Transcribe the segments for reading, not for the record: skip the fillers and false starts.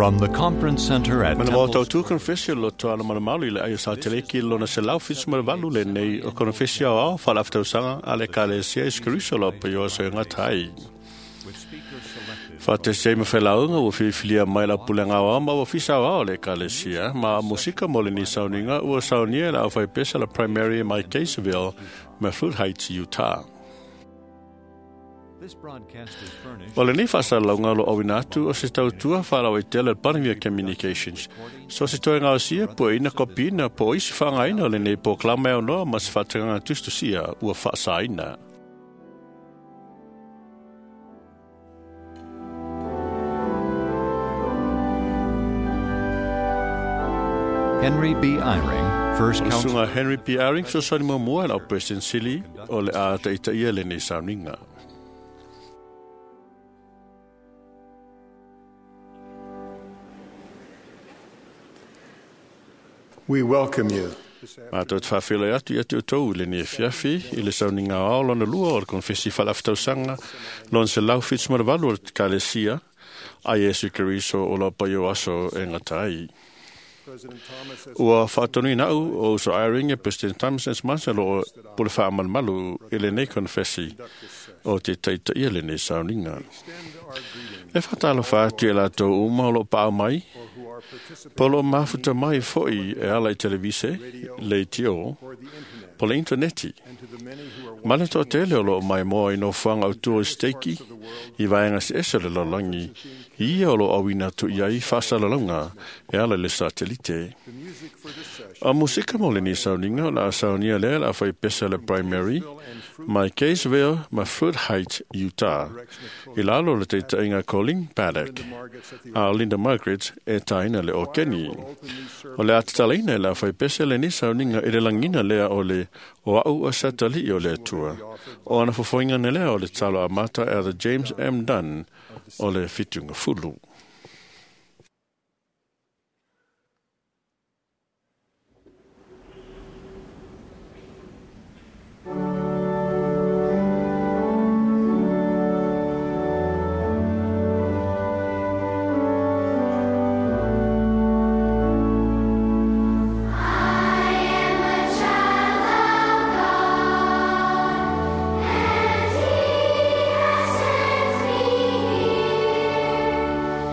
From the Conference Center at Mana mo Temple tau tu konfesio lo toa na mana i le aio sa teleki lona se lau fitsu ma valu le nei o konfesio ao whala aftausaga a le kalesia i skuriso lo pa yo so ngā tai. Wha ma whelaunga ua whiwhilia mai la pulenga wa ma ua fisa wa o le kalesia ma musika mo le ni sauninga ua saunia la au pesa la primary mai Caseville ma Fruit Heights, Utah. This broadcast is furnished O le nei whaasalaunga lo awina atu o se tautua whaarawa i tele Paramia Communications. So se toe ngā sia po ina kopina po isi whangaina o le nei po klama eo noa ma se whaatanganga tustusia ua whaasaina. Henry B. Eyring, First O le Counsel sunga Henry P. Eyring so sani mua mua lau President Sili o le a taita ia le nei sauninga. We welcome you. Mātou te whawhila atu i atu o tau le nei fiafi i le sauninga ao lona lua o le konfesi whalaftausanga lona se lau fits maravalu o le kalesia a Yesu Keriso o la paio aso e ngatai. President Thomas has Ua whaatonui nau o so Eyring e President Thomas S. Mansa lo o pule whaamalmalu i le nei konfesi o te taita ia le nei sauninga. extend our greetings E whatalo whaatu e lātou uma o lo pāo mai, or who are participating po lo mafuta mai foi e ala i televise, le tio, or the internet, po le interneti. and to the many who are Ma le toatele o lo mai moa i no fuanga au tua i steiki, i vaenga se ese le lalangi, i ia o lo awina tu i ai whasalalonga e ala le satelite. the music for this session A musika mo le ni sauninga, la saunia lea la whai pesa le primary, mai Caseville, ma Fruit Heights, Utah. I lalo le te tainga Colin Paddock, Linda Margits at the a Linda Margaret e taina le o Kenny. will open these O le atatalaina e la whai pese le ni sauninga i le langina lea o le o au o satali o le atua. O ana fofoinga ne lea o le talo a mata e the James M. Dunn o le fitunga fulu. And he has sent me here.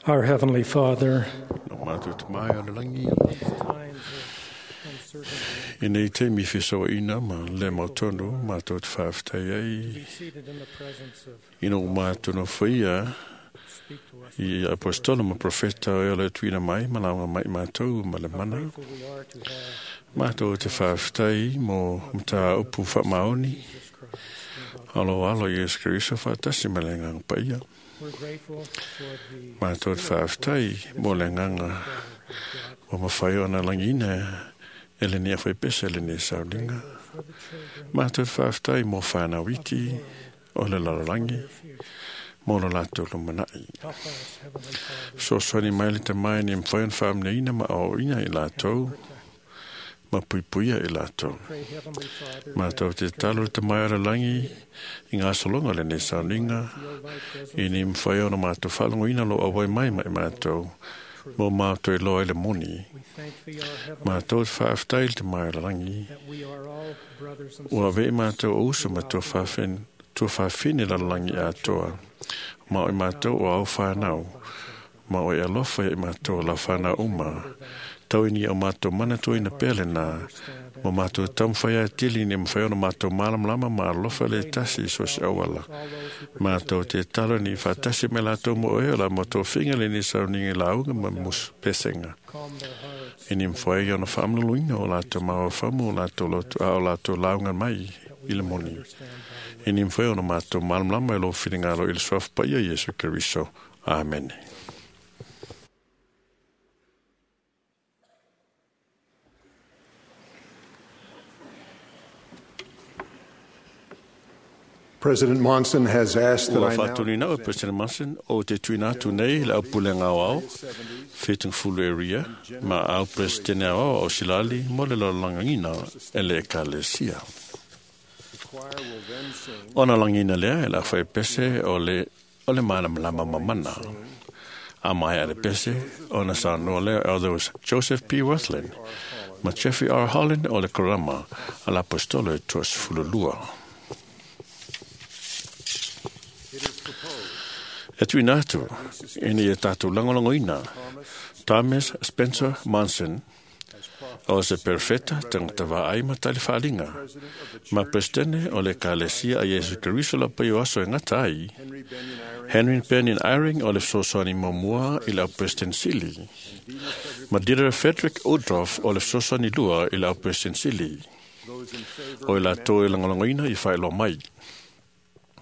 Our Heavenly Father, No mātou te mai o le langi. times of uncertainty, I nei te mi whiso ina ma le mautonu mātou te whawhitai ai. be seated in the presence of I no mātou no whaia speak to us. i apostolo ma profeta o le tuina mai ma launga mai mātou ma le How mana. grateful we are to have Mātou te whawhitai mo mta upu whaamaoni. Jesus Christ. Alo alo Yesu Kristo whaatasi ma le nganga paia. We're grateful for the Mātou te whawhitai mo le nganga power of God, o mawhai o na langina e le nia whai pese le nia saulinga. for the children Mātou te whawhitai mo whānau iti o le lalorangi of their future. mo lo lātou lo manai. Help us, Heavenly Father, So swani mai le te mai ni mwhai an whaamne ina ma au ina i lātou, protect. ma puipuia i lātou. Pray, Heavenly Father, Mātou te talo te mai o le langi i ngā solonga le nei saulinga, feel thy presence i ni mwhai ona mātou whalongo ina lo awai mai mai mātou, mo mātou i loa i le moni. We thank thee, our Heavenly Mātou te whaaftai le te mai o le langi, that we are all brothers and Ua sisters. ve mātou o uso ma tua whawhine la langi atoa. Ma o i mātou o au whānau. Ma o i alofa i mātou la whānau uma. Tau ini o mātou mana toi na pele nā. Ma mātou tamwhai a tili ni mwhai ona mātou malamlama ma alofa le tasi so se awala. All those who Mātou te talo ni whatasi me lātou mo e ola mo tō finga le ni sauninga lauga ma mus pesenga. calm their hearts, I ni mwhai ona whaamluluina o lātou maua whamu o lātou lotu a o lātou launga mai i le moni. understand thy I ni mwhai ona mātou malamlama e lo whiringalo i le suafu paia Yesu Keriso. Amen. President Monson has asked that Ua I now whātuni nau e President Monson o te tuina atu nei le au pulenga au au, whitung fulu area, ma au presidente au au o Silali mo le lalangina e le ekalesia. The choir will then sing Ona langina lea e la whai pese o le o le mālamalama mamana. A mai a le pese, ona sa noa lea elders Joseph P. Wirthlin, ma Jeffrey R. Holland o le Korama, a la apostolo e tuas fululua. It is proposed E tuina atu, ina ia tātou langolangoina, Thomas Spencer Monson, as prophet o se perfeta tangata vaai ma tali whaalinga. president of the Ma Church presidente o le kalesia a Yesu Keriso la paio aso e ngata ai, Henry Benyon Eyring Henry Benyon Eyring o le fesoasoani muamua i le au President Sili. Ma Dieter Frederick Woodruff o le fesoasoani lua i le au President Sili. those in favor O i latou e lagolagoina ia faailoa mai.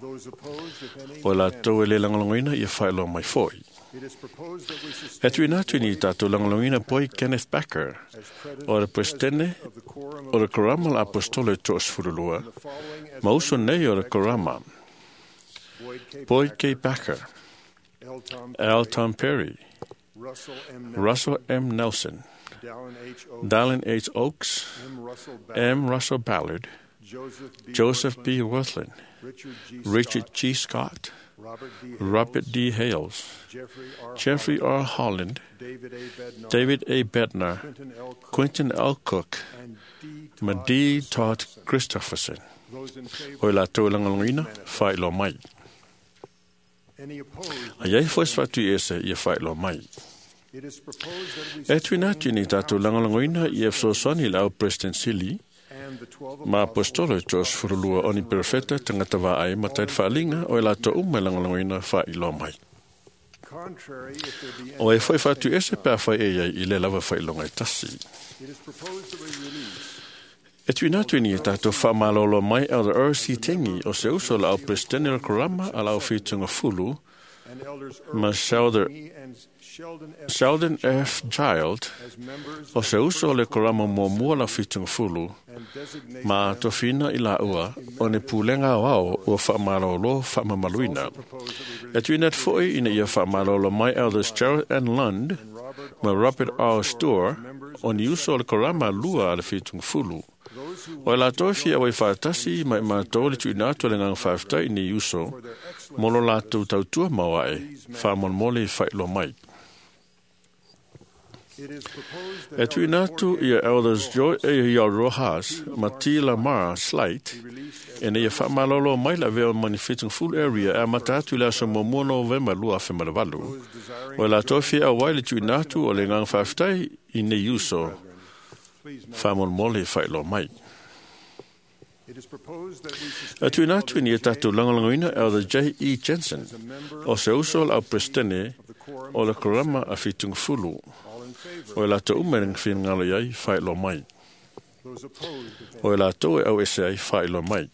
those opposed if any O i latou e le lagolagoina ia faailoa mai foi. It is proposed that we sustain E tuina atu ni tātou lagolagoina poi Kenneth Backer as president o le Presidente of the Quorum o of le Korama la Apostolo e toasefululua. the following as Ma uso nei o le Korama, Boyd K. Boyd K. Backer, L. Tom L. Perry, Tom Perry, Russell M. Nelson, Russell M. Nelson, Dallin H. Oaks, Dallin H. Oaks, M. Russell Ballard, M. Russell Ballard, Joseph B. Joseph Wirthlin, B. Wirthlin, Richard G. Richard Scott, G. Scott, Robert D. Hales, Robert D. Hales, Jeffrey R. Jeffrey R. Holland, David A. Bednar, David A. Bednar, Quentin L. Cook, Quentin L. Cook, and D. ma Todd D. Todd Christopherson. Those in favor, O i latou e lagolagoina, faailoa mai. any opposed, A iai foi se faatui ese ia faailoa mai. It is proposed that we E tuina atu ni tātou lagolagoina i e fesoasoani i le au President Sili, and the 12 ma apostolo e toasefululua o ni perfeta tagata vaai ma tali faaaliga o e latou uma e lagolagoina faailoa mai. Contrary, if there be any, O e foi faatu ese pe a fai e iai i le lava faailoga e tasi. it is proposed that we release E tuina atu ni tātou whaamalolo mai Elder R.C. Tengi o se uso la au presidente o le Korama a la au whitunga fulu and elders ma Earl Sheldon, Tengi and Sheldon F. Sheldon F. Child as members o se uso o le Korama muamua la whitunga fulu and designate ma tofina i la ua o ne pulenga o ao ua whaamalolo whaamamaluina. proposed that we E tuina atu foi ina ia whaamalolo mai Elders Gerald N. Lund release Robert ma Robert R. Storr o ni uso o le Korama lua a le whitunga fulu. those who O e latou e fia wai whaatasi mai mātou le tuina atu le nganga whaaftai ni uso for their excellent mo lo latou tautua mauae whaamolmole i whailoa mai. E tuuina atu ia Elders Joy A. Rojas ma T. Lamar Slight ina ia faamalolo mai le avea ma ni Fitingful Area e amata atu i le aso 1 Novema 2008. O e latou fia auai le tuuina atu o le agaga faafetai i nei uso faamolemole e faailoa mai. E tuuina atu ina ia tatou lagolagoina Elder J. E. Jensen o se uso o le au Peresetene o le Korama a Fitingfulu. O e latou uma e finagalo i ai faailoa mai. O e latou e auese ai faailoa mai.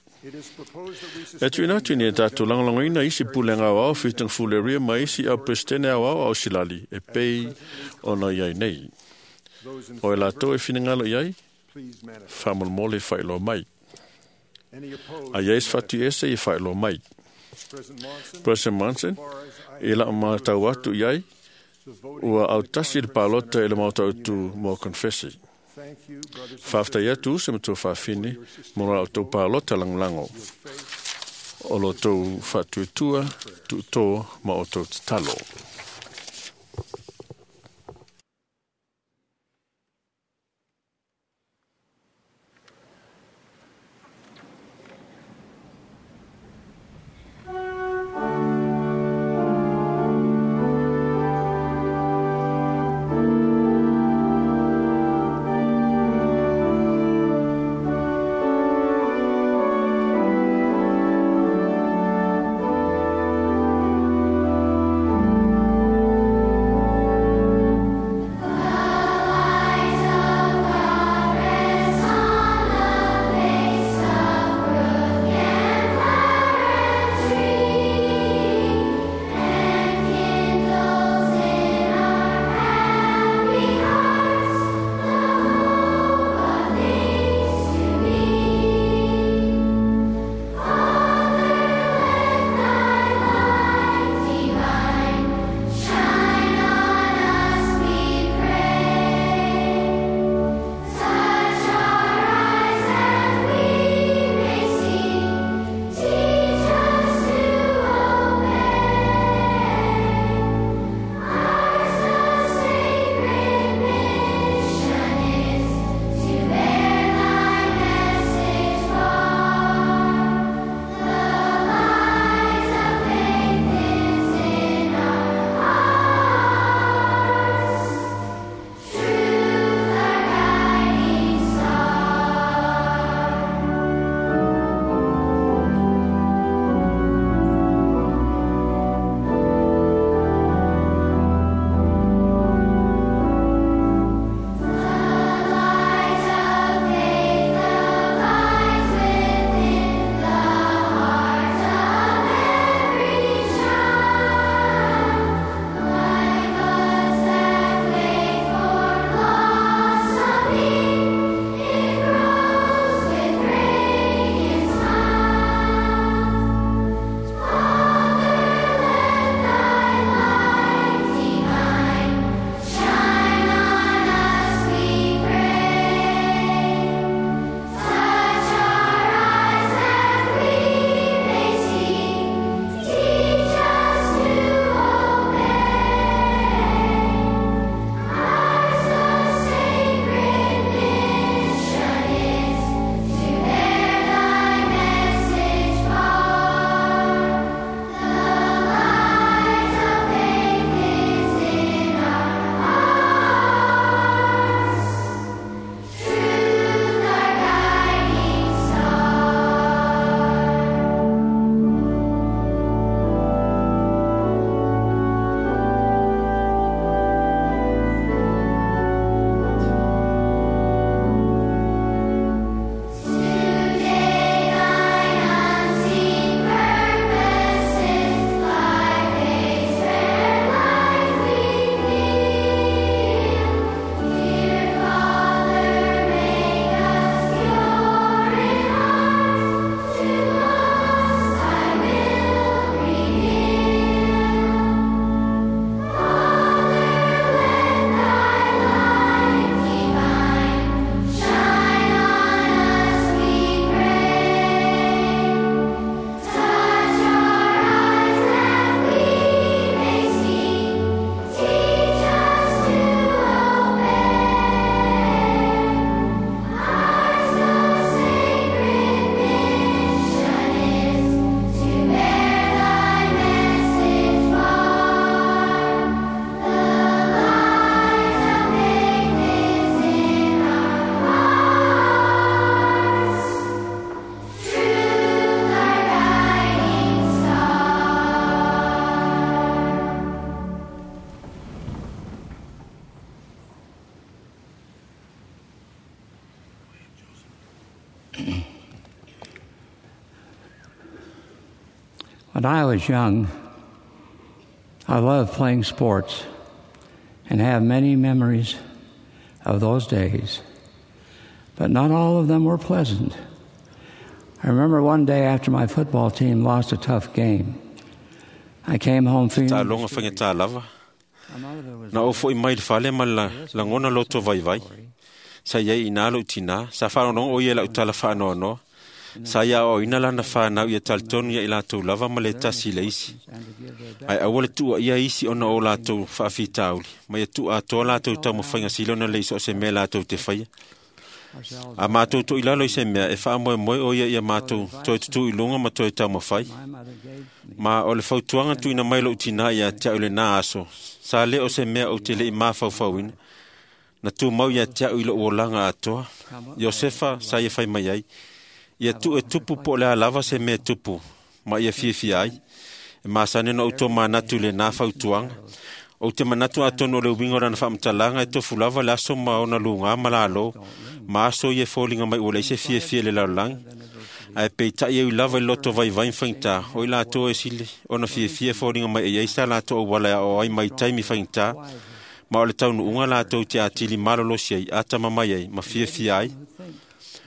E tuuina atu ina ia tatou lagolagoina isi pulega aoao Fitingfulu Area ma isi au Peresetene aoao a Osilali e pei ona i ai nei. O e latou e finagalo i ai faamolemole faailoa mai. A i ai se fatuiese ia faailoa mai. President Monson, i lau matau atu i ai, ua autasi le palota i le maota utu mo confesi. Faafetai atu uso ma tou faafine mo la outou palota lagolago. O lo outou faatuatua, tuutō ma outou tatalo. When I was young, I loved playing sports and have many memories of those days. But not all of them were pleasant. I remember one day after my football team lost a tough game, I came home feeling. Taaloga faigata lava. My mother was Na ou fo'i mai le fale ma le lagona loto vaivai. Sa iai i nā lou tinā. Sa faalogologo o ia i la'u tala faanoanoa. Sa ia aoaoina lana fanau ia talitonu ia i latou lava ma le tasi i le isi. and to give their best. Ae aua le tuuaia isi ona o latou faafitauli, ma ia tuuatoa latou taumafaiga sili ona lei so o se mea latou te faia. Ourselves. A matou toʻilalo i se mea e faamoemoe o ia ia matou toe tutū i luga ma toe taumafai. My mother gave me Ma o le fautuaga tuuina mai lou tinā iā te a'u i lenā aso, sa lē o se mea ou te le'i mafaufauina. Na tumau iā te a'u i lo'u olaga atoa. Iosefa sa ia fai mai ai, ia tuu e tupu po o le a lava se mea tupu, ma ia fiafia ai. E masani ona outou manatu i lenā fautuaga. Ou te manatu atonu o le uiga o lana faamatalaga e tofu lava le aso ma ona lugā ma lalō, ma aso ia e foliga mai ua leai se fiafia i le lalolagi. Ae peita'i e ui lava i le loto vaivai ma faigata, o i latou e sili ona fiafia e foliga mai e iai sa latou auala e aoao ai mai taimi faigata, ma o le taunuuga latou te atili malolosi ai, atamamai ai, ma fiafia ai.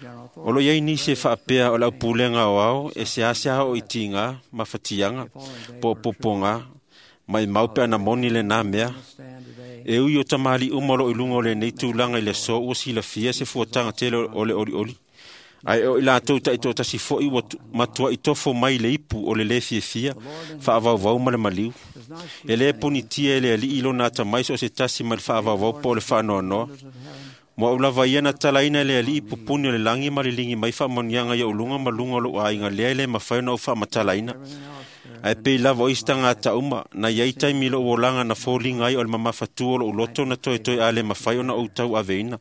General O lo iai nisi e faapea o le aupulega o ao e seasea oo i tigā ma fatiaga po o popogā, ma e mau pe ana moni lenā mea. stand today. E ui o tamalii uma o loo i luga o lenei tulaga i le aso ua silafia se fuataga tele o le olioli. Ae o i latou taitoatasi fo'i ua matua'i tofo mai le ipu o le lē fiafia, faavauvau ma le maliu. Does not E lē punitia e le alii lona atamai so o se tasi ma le faavauvau po o le faanoanoa. Mo au lava ia na talaina e le alii pupuni o le lagi ma liligi mai faamanuiaga ia uluga ma luga o lou aiga lea e lē mafai ona ou faamatalaina. Ae pei lava o isi tagata uma, na iai taimi i lou olaga na foliga ai o le mamafatū o lou loto na toetoe a le mafai ona ou tauaveina.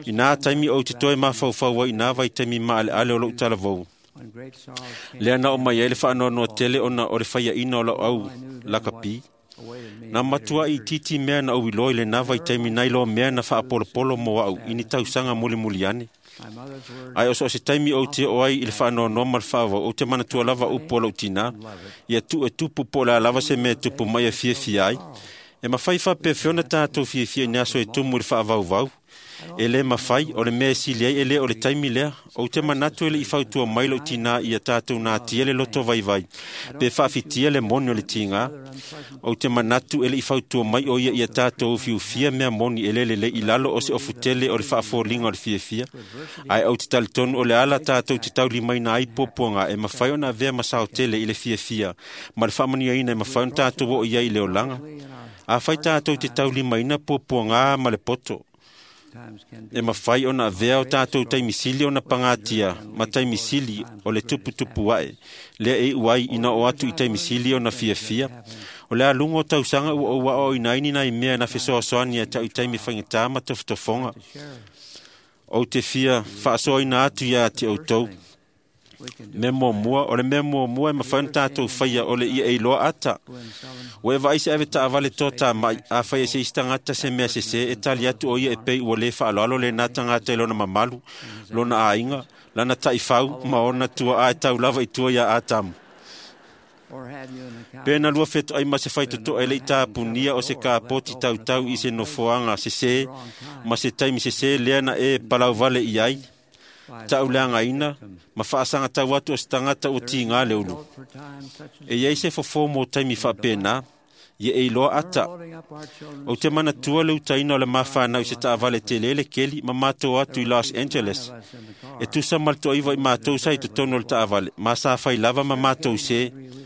I nā taimi ou te toe mafaufau ai i nā vaitaimi maaleale o lou talavou. When great sorrows came, Lea na o mai ai le faanoanoa tele ona o le faiaina o lau au I knew then lakapi. what awaited me Na in later matua i years. titi mea na ou iloa i lenā vaitaimi nai loa mea na faapolopolo mo a'u i ni tausaga mulimuli ane. My mother's words Ae o so o se taimi ou te oo ai i le faanoanoa ma le faavau, ou te manatua lava upu o lou tinā, ia tuu e tupu po o le a lava se mea e tupu mai e fiafia ai. E mafai faapefea ona tatou fiafia i ni aso e tumu i le faavauvau. E lē mafai, o le mea e sili ai e lē o le taimi lea. Ou te manatu e le'i fautua mai lou tinā ia tatou natia le loto vaivai, pe faafitia le moni o le tigā. Ou te manatu e le'i fautua mai o ia ia tatou ufiufia mea moni e lē lelei i lalo o se ofutele o le faafoliga o le fiafia. Ae ou te talitonu o le ala tatou te taulimaina ai puapuaga e mafai ona avea ma saotele i le fiafia, ma le faamanuiaina e mafai ona tatou oo i ai i le olaga. Afai tatou te taulimaina puapuagā ma le poto, times can be e mafai ona avea o tatou taimisili ona pagatia ma taimisili o le tuputupu ae, lea e iu ai ina o atu i taimisili ona fiafia. O le aluga o tausaga ua ou aoaoina ai ni nai mea na fesoasoani ia te au i taimi faigata ma tofotofoga. to share. Ou te fia faasoaina atu iā te outou. We can do Mea muamua, o le mea muamua e mafai ona tatou faia o le ia e iloa ata. when someone Ua e vaai se ave taavale tō mai, a fai e se isi tagata se mea sesē, e tali atu o ia e pei ua lē faaaloalo lenā tagata i lona mamalu, lona aiga, lana taifau ma ona tua'a e tau lava i tua iā Atamu. or have you an Pe encounter na lua feto'ai ma se faitoto'a e le'i tapunia o se kapoti tautau i se nofoaga sesē, ma se taimi sesē lea na e palauvale i ai, by ta'uleagaina, ma faasagatau atu o se tagata ua tigā le ulu. for times such as E iai se fofō mo taimi faapena, ia e iloa ata. loading up our children's Ou te manatua le utaina o le mafanau i se taavale tele le keli ma matou atu i Los Angeles. of us in the car. E tusa ma le toaiva i matou sa i totonu o le taavale, ma sa fai lava ma matou se. We laughed.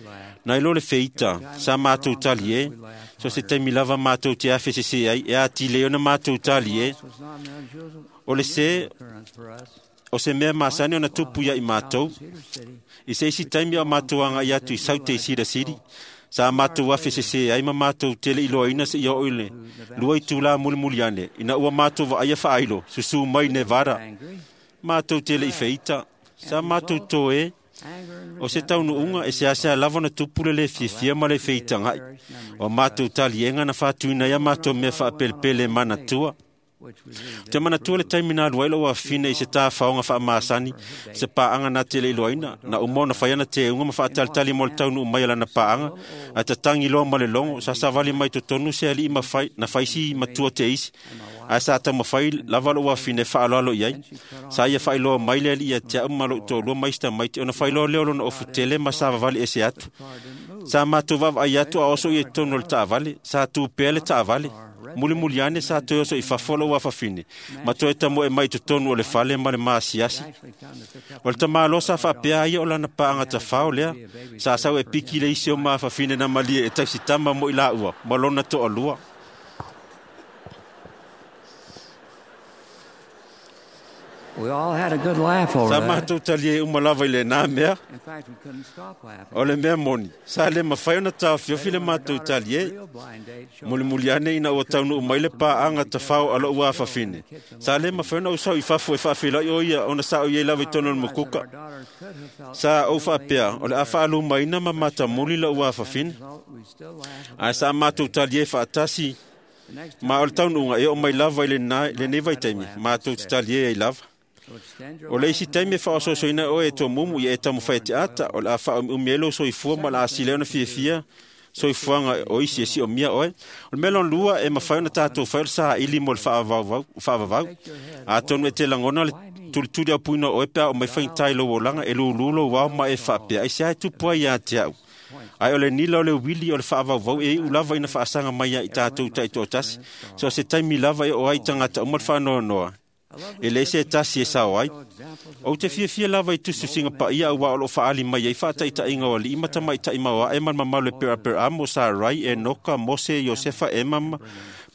Na ilo le feita, sa matou tali e. So se taimi lava matou te afe sese ai, e atili ai ona matou tali e. This was not an unusual O le se, occurrence for us. o se mea masani ona tupu ia i matou. Cedar City I se isi taimi o matou aga i atu i Saute i Cedar City, sa matou afe sese ai ma matou tele iloaina seia oo i le lua itulā mulimuli ane, ina ua matou vaaia faailo, susū mai Nevada. angry, Matou tele i feita, sa matou toe, anger and o se taunuuga e seasea lava ona tupu le lē fiafia ma le feitaga'i. O matou taliega na faatuina ai a matou mea faapelepele e manatua. Ou te manatua le taimi na alu ai lou afafine i se tafaoga faamasani se paaga na te le iloaina na uma ona fai ana teuga ma faatalitali mo le taunuu mai o lana paaga ae tatagi loa ma le logo sa savali mai totonu se alii na faisi matua te isi ae sa taumafai lava lou afafine e faaaloalo i ai. Sa ia faailoa mai le alii ia te au ma lou toalua ma isi tamaiti ona failoa lea o lona ofu tele ma savavali ese atu. Sa matou vaavaai atu a oso ia i totonu o le taavale. Sa tu pea le taavale. Mulimuli ane sa toe oso i fafo lou afafine ma toe tamoe mai i totonu o le fale ma le masiasi. O le tamaloa sa faapea ia o lana paaga tafao lea sa sau e piki le isi o maafafine na malie e tausitama mo i laua ma lona toalua. We all had a good laugh over Sa that. matou talie uma lava i lenā mea. In fact, we couldn't stop laughing. O le mea moni, sa le mafai ona taofiofi le matou talie. Real blind date showed Mulimuli ane ina ua taunuu mai le paaga tafao a lou afafine. Sa le mafai ona ou sau i fafo e faafeiloai o ia ona sa o iai lava i totonu o le mukuka. our daughters could have felt Sa ou faapea, o le a faalumaina ma matamuli lou afafine. result, we still laugh. Ae sa matou talie faatasi The next ma o le taunuuga e oo mai lava i lenei vaitaimi, matou te talie ai lava. so extend your O le isi taimi e faaososoina oe e tomumu ia e taumafai e te ata, o le a faaumiumi ai lou soifua ma le a sili ai ona fiafia soifuaga o isi e siomia oe. O le mea lona lua e mafai ona tatou fai o le saili mo le faavavau. Atonu e te lagona le tulituli aupuina o oe pe a o mai faigata i lou olaga e lūlū lou ao ma e faapea ai se ae tupu ai ia te au. Ae o le nila o le uili o le faavauvau e iu lava ina faasaga mai ia i tatou taitoatasi. So se taimi lava e oo ai tagata uma le faanoanoa. E leai se tasi e sao ai. Ou te fiafia lava i tusitusiga paia auā o loo faaali mai ai faataitaiga o alii ma tamaitai maoae ma le mamalu e Peraperamo, Sarai, Enoka, Mose, Iosefa, Ema ma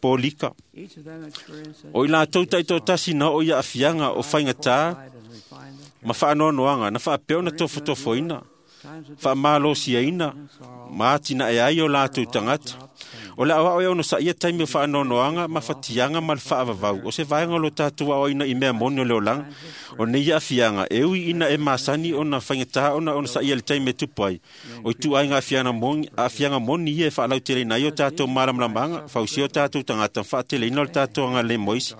Polika. each of them experienced O i latou taitoatasi na oo i aafiaga o faigatā and refined them. ma faanoanoaga na faapea ona tofotofoina, Times of faamalosiaina ma atinae ai o latou tagata. O le aoao e ono saia taimi o faanoanoaga ma fatiaga ma le faavavau. O se vaega o lo tatou aoaina i mea moni o le olaga. O nei aafiaga, e ui ina e masani ona faigatā ona ona saia i le taimi e tupu ai. O ituaiga aafiaga moni ia e faalauteleina ai o tatou malamalamaga, fausia o tatou tagata, faateleina o le tatou agalelei mo isi.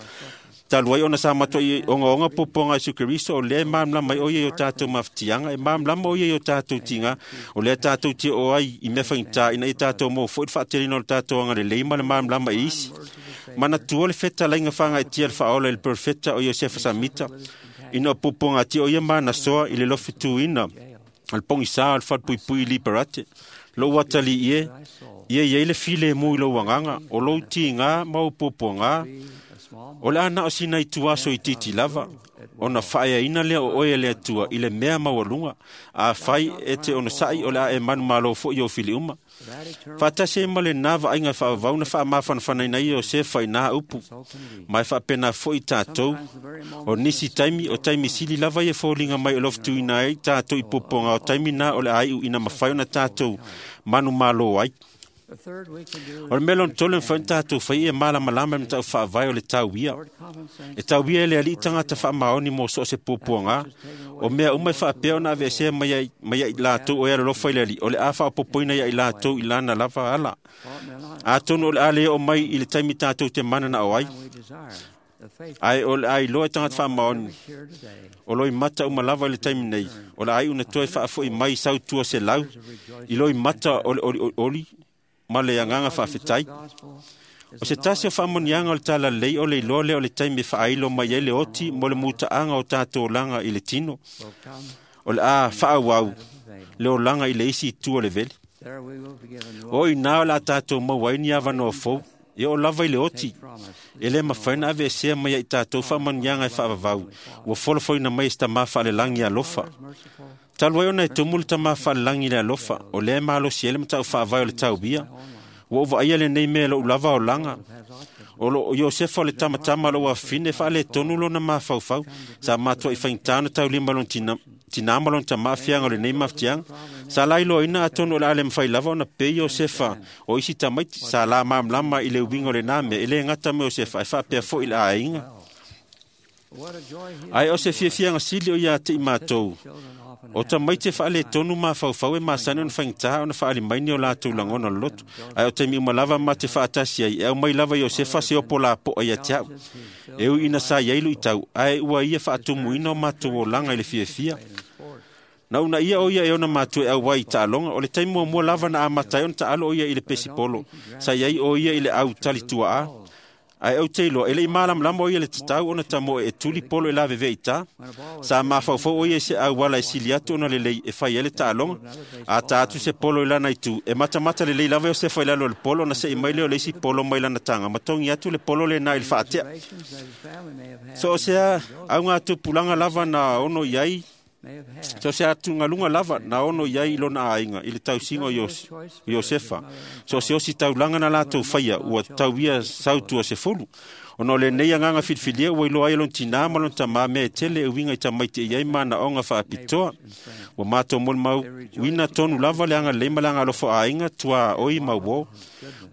Talu ai ona sa matuai ogaoga puapuaga a Iesu Keriso, o lea e malamalama ai o ia i o tatou mafatiaga, e malamalama o ia i o tatou tiga, o lea tatou te oo ai i mea faigata ina ia tatou maua foi le faateleina o le tatou agalelei ma le malamalama i isi. Manatua le fetalaiga fagaetia le faaola i le perofeta o Iosefa Samita, ina o puapuagatia o ia ma anasoa i le lofituina o le pogisā o le falepuipui i Liberate. Lou atalii e, ia i ai le filemu i lou agaga, o lou tigā ma ou puapuagā, a small O le a na o sina i tuaso i titi lava, ona faaeaina lea o oe e le Atua i le mea maualuga, a fai e te onosai o le a e manumalo foi i ou fili uma. that eternal Faatasi ai ma lenā vaaiga faavavau na faamafanafanaina ai e Iosefa i nā upu, so can we. ma e faapena foi i tatou. Sometimes the very O moment nisi taimi, o taimi sili lava ia foliga mai o lofituina ai tatou i puapuaga o taimi na o le a iu ina mafai ona tatou manumalo ai. the third we can do O le mea lona tolu e mafai ona tatou fai ia malamalama i matau faavae o le tau ia. Lord compensates E tau ia e le alii tagata faamaoni mo so o se puapuaga. O mea uma e faapea ona aveesea mai ai mai ai latou o e alolofa i le alii, o le a faaopoopoina ia i latou i lana lava ala. Well, it may not Atonu o le a le oo mai i le taimi tatou te mananao ai, we desire. The faith ae o le a iloa e tagata faamaoni here today o loi mata uma lava i le taimi nei, o le a iu na toe faafoi mai sau tua se lau, i loi mata o le oli, oli ma le agaga faafetai. gospel O se tasi o faamoniaga o le talalelei o le iloa lea o le taimi e faailo mai ai le oti mo le mutaaga o tatou olaga i le tino. will come O le a faaauau avail. le olaga i le isi itu o le vele. There we will be given new O i nā o le a tatou maua ai ni avanoa fou, e oo lava i le oti. promise. E le mafai ona aveesea mai ai tatou faamanuiaga e faavavau, ua folafoina mai e se tamā faalelagi alofa. Merciful Talu ai ona e tumu le tamā faalelagi i le alofa, o lea e malosi ai le matau faavae o le tauia. Ua ou vaaia lenei mea i lou lava olaga. has autism. O lo Iosefa o le tamatama o lou afafine e faaletonu lona mafaufau. Sa matuai faigata ona taulima lona tinā ma lona tamā afiaga o lenei mafatiaga. Sa lailoaina atonu o le a le mafai lava ona pei Iosefa o isi tamaiti. Sa la malamalama i le uiga o lenā mea e le gata ma Iosefa ae faapea foi i le aiga. Ae o se fiafiaga sili o ia te i matou, o tamaiti e faaletonu mafaufau e masani ona faigata ona faaali mai ni o latou lagona o le loto. Ae o taimi uma lava ma te faatasi ai, e aumai lava Iosefa se opo lapoa ia te au. E ui ina sa i ai luitau, ae ua ia faatumuina o matou olaga i le fiafia. Na uunaia o ia e ona matua e auai i taaloga, o le taimi muamua lava na amata ai ona taalo o ia i le pesipolo, sa i ai o ia i le au talituaa. Ae ou te iloa, e le i malamalama o ia le tatau ona tamoe e tuli polo e lavevea i tā. Sa mafaufau o ia i se auala e sili atu ona lelei e fai ai le taaloga. A ta atu se polo i lana itu, e matamata lelei lava Iosefa i lalo o le polo ona se'i mai lea o le isi polo mai lana taga, ma togi atu le polo lenā i le faatea. So o se augatupulaga lava na ono i ai, so se atugaluga lava na ono i ai i lona aiga i le tausiga o Iosefa. So se osi taulaga na latou faia ua tau ia sautua sefulu. Ona o lenei agaga filifilia ua iloa ai lona tinā ma lona tamā mea e tele e uiga i tamaiti e i ai manaoga faapitoa. Ua matou molimauina tonu lava le agalelei ma le agalofa aiga tuaoi ma uō.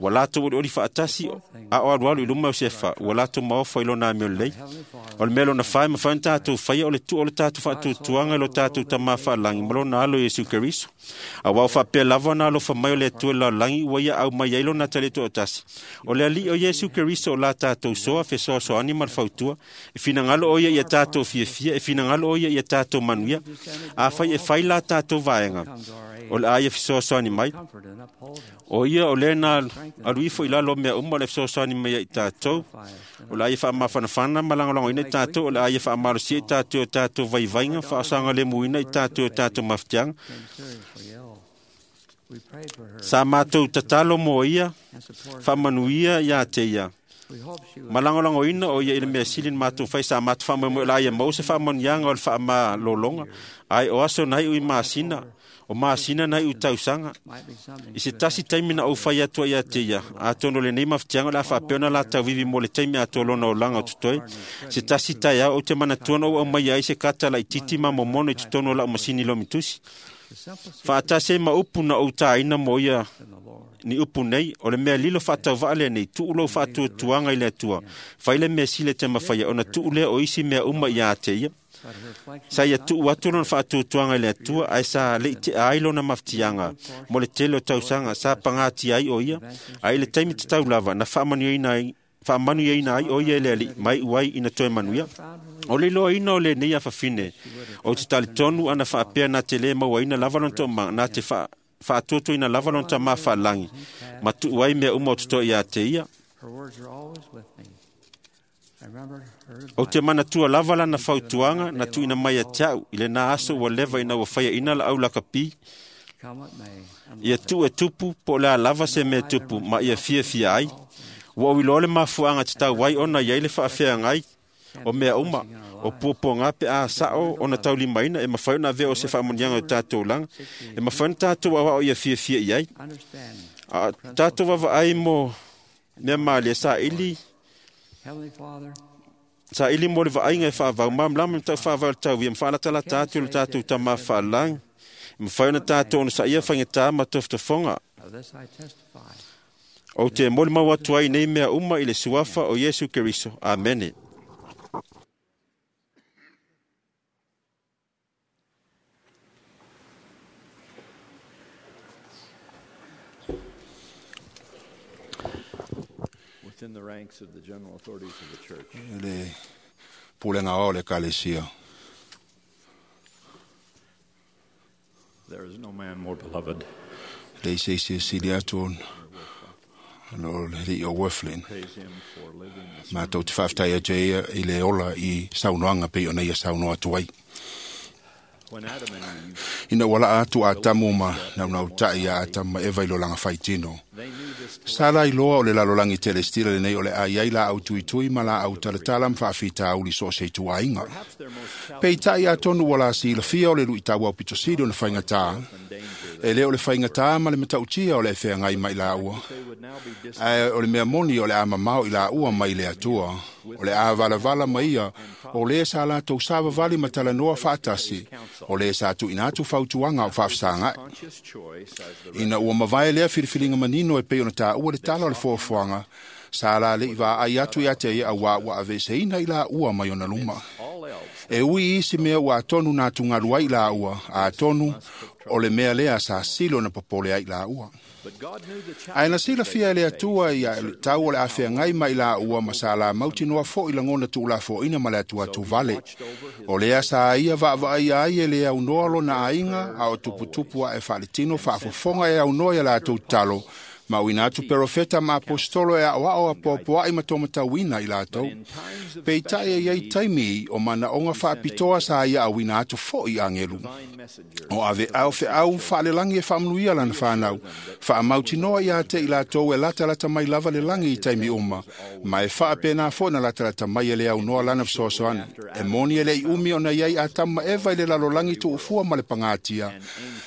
Ua latou olioli faatasi a o alualu i luma Iosefa, ua latou maofa i lona amio lelei. O le mea lona fa e mafai ona tatou faia o le tuu o le tatou faatuatuaga i lo tatou Tamā faalagi ma lona alo Iesu Keriso. Auā o faapea lava ona alofa mai o le Atua i le lalolagi ua ia aumai ai lona atalii toatasi. O le Alii o Iesu Keriso o la tatou soa fesoasoani ma le fautua. E finagalo o ia ia tatou fiafia, e finagalo o ia ia tatou manuia. Afai e fai la tatou vaega, o le a ia fesoasoani mai. O ia o lea na alu ifo i lalo o mea uma o le fesoasoani mai ai i tatou. O le a ia faamafanafana ma lagolagoina i tatou, o le a ia faamalosia i tatou i o tatou vaivaiga, faasaogalemuina i tatou i o tatou mafatiaga. Sa matou tatalo mo ia, faamanuia ia te ia. Ma lagolagoina o ia i le mea sili na matou fai, sa matou faamoemoe o le a ia maua se faamanuiaga o le faamalologa, ae o aso na iu i masina, o masina na iu i tausaga. I se tasi taimi na ou fai atu ai ia te ia, atonu o lenei mafatiaga o le a faapea ona latau vivi mo le taimi atoa lona olaga o totoe. Se tasi taeao ou te manatua na ou aumaia ai se kata laitiiti ma momono i totonu o lau masini lomitusi. Faatasi ai ma upu na ou tāina mo ia ni upu nei, o le mea lilo faatauvaa lenei, tuu lou faatuatuaga i le Atua. Fai le mea sili e te mafaia, ona tuu lea o isi mea uma ia te ia. Sa ia tuu atu lona faatuatuaga i le Atua, ae sa le i tea ai lona mafatiaga mo le tele o tausaga, sa pagatia ai o ia. Ae i le taimi tatau lava, na faamanuiaina ai o ia e le Alii, mai uai ina toe manuia. O le iloaina o lenei afafine, ou te talitonu ana faapea na te lē mauaina lava lona toomaga, na te faatuatuaina lava lona tamā faalagi, ma tuu ai mea uma o totoe ia te ia. Ou te manatua lava lana fautuaga na tuuina mai ia te au i lenā aso ua leva ina ua faiaina laau lakapi, ia tuu e tupu po o le a lava se mea tupu ma ia fiafia ai. Ua ou iloa le mafuaaga tatau ai ona i ai le faafeagai o mea uma, o puapuaga pe a sao ona taulimaina e mafai ona avea o se faamanuiaga o tatou olaga, e mafai ona tatou aoao ia fiafia i ai. A tatou vaavaai mo mea malie saili mo le vaaiga e faavau malamalama ma tau faavae o le tauia ma faalatalata atu i lo tatou Tamā faalagi, e mafai ona tatou onosaia faigata ma tofotofoga. Ou te molimau atu ai nei mea uma i le suafa o Iesu Keriso. Amene. Within the ranks of the general authorities of the church. Le pulega o le ekalesia. There is no man more beloved. Le se se sili atu ona o le alii o Wirthlin. Praise him for living the Matou te faafetai atu ai ia i le ola i saunoaga pei ona ia saunoa atu ai. When Adam and Eve, Ina ua laa atu Atamu ma naunautai ia Atamu ma Eva i lo laga faitino. they knew this Sa la iloa o le lalolagi telestila lenei o le a i ai laau tuitui ma laau talatala ma faafitauli so o se ituaiga. perhaps their most Peitai atonu ua la silafia o le luitau aupito sili ona faigata, and danger e le o le faigata ma le matautia o le feagai mai laua. they would now be distant Ae o le mea moni o le a mamao i laua mai le Atua, o le a valavala mai ia, o le sa latou savavali ma talanoa faatasi, o le sa tuuina atu fautuaga o faafesagai. conscious choice as the Ina ua mavae lea filifiliga manino e pei ona tāua le tala o le foafoaga, Sa la leʻi vaai atu iā te ia auā ua aveeseina i laua mai ona luma. E ui isi mea ua atonu na atugalu ai laua, atonu o le mea lea sa sili ona popole ai laua. Ae na silafia e le Atua ia tau o le afeagai mai laua ma sa lamautinoa foʻi lagona tuulafoaina ma le atuatuvale. O lea sa ia vaavaaia ai e le aunoa lona aiga a o tuputupu ae faaletino faafofoga e aunoa ia latou talo ma uina atu perofeta ma apostolo e aoao apoapoaʻi ma tomatauina i latou. Peitai e iai taimi o manaoga faapitoa sa ia auina atu foʻi agelu. O aveao feau faalelagi e faamanuia lana fanau, faamautinoa iā te i latou e latalata mai lava le lagi i taimi uma, ma e faapena foʻi na latalata mai e le aunoa lana fesoasoani. E moni e leʻi umi ona iai Atamu ma Eva i le lalolagi tuufua ma le pagatia,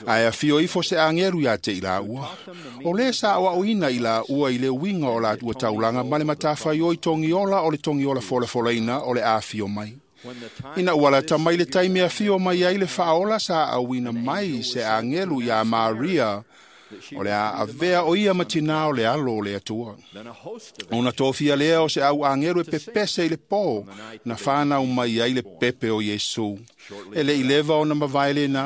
ae afio ifo se agelu iā te i laua. O lē sa aoaoina i laua i le uiga o laua taulaga ma le matafaioi togiola o le togiola folafolaina o le afio mai. Ina ua lata mai le taimi afio mai ai le faaola sa auina mai se agelu iā Maria o le a avea o ia ma tinā o le alo o le Atua. Ona tofia lea o se au agelu e pepese i le pō na whānau mai ai le pepe o Iesu. E le i leva ona mavae lenā,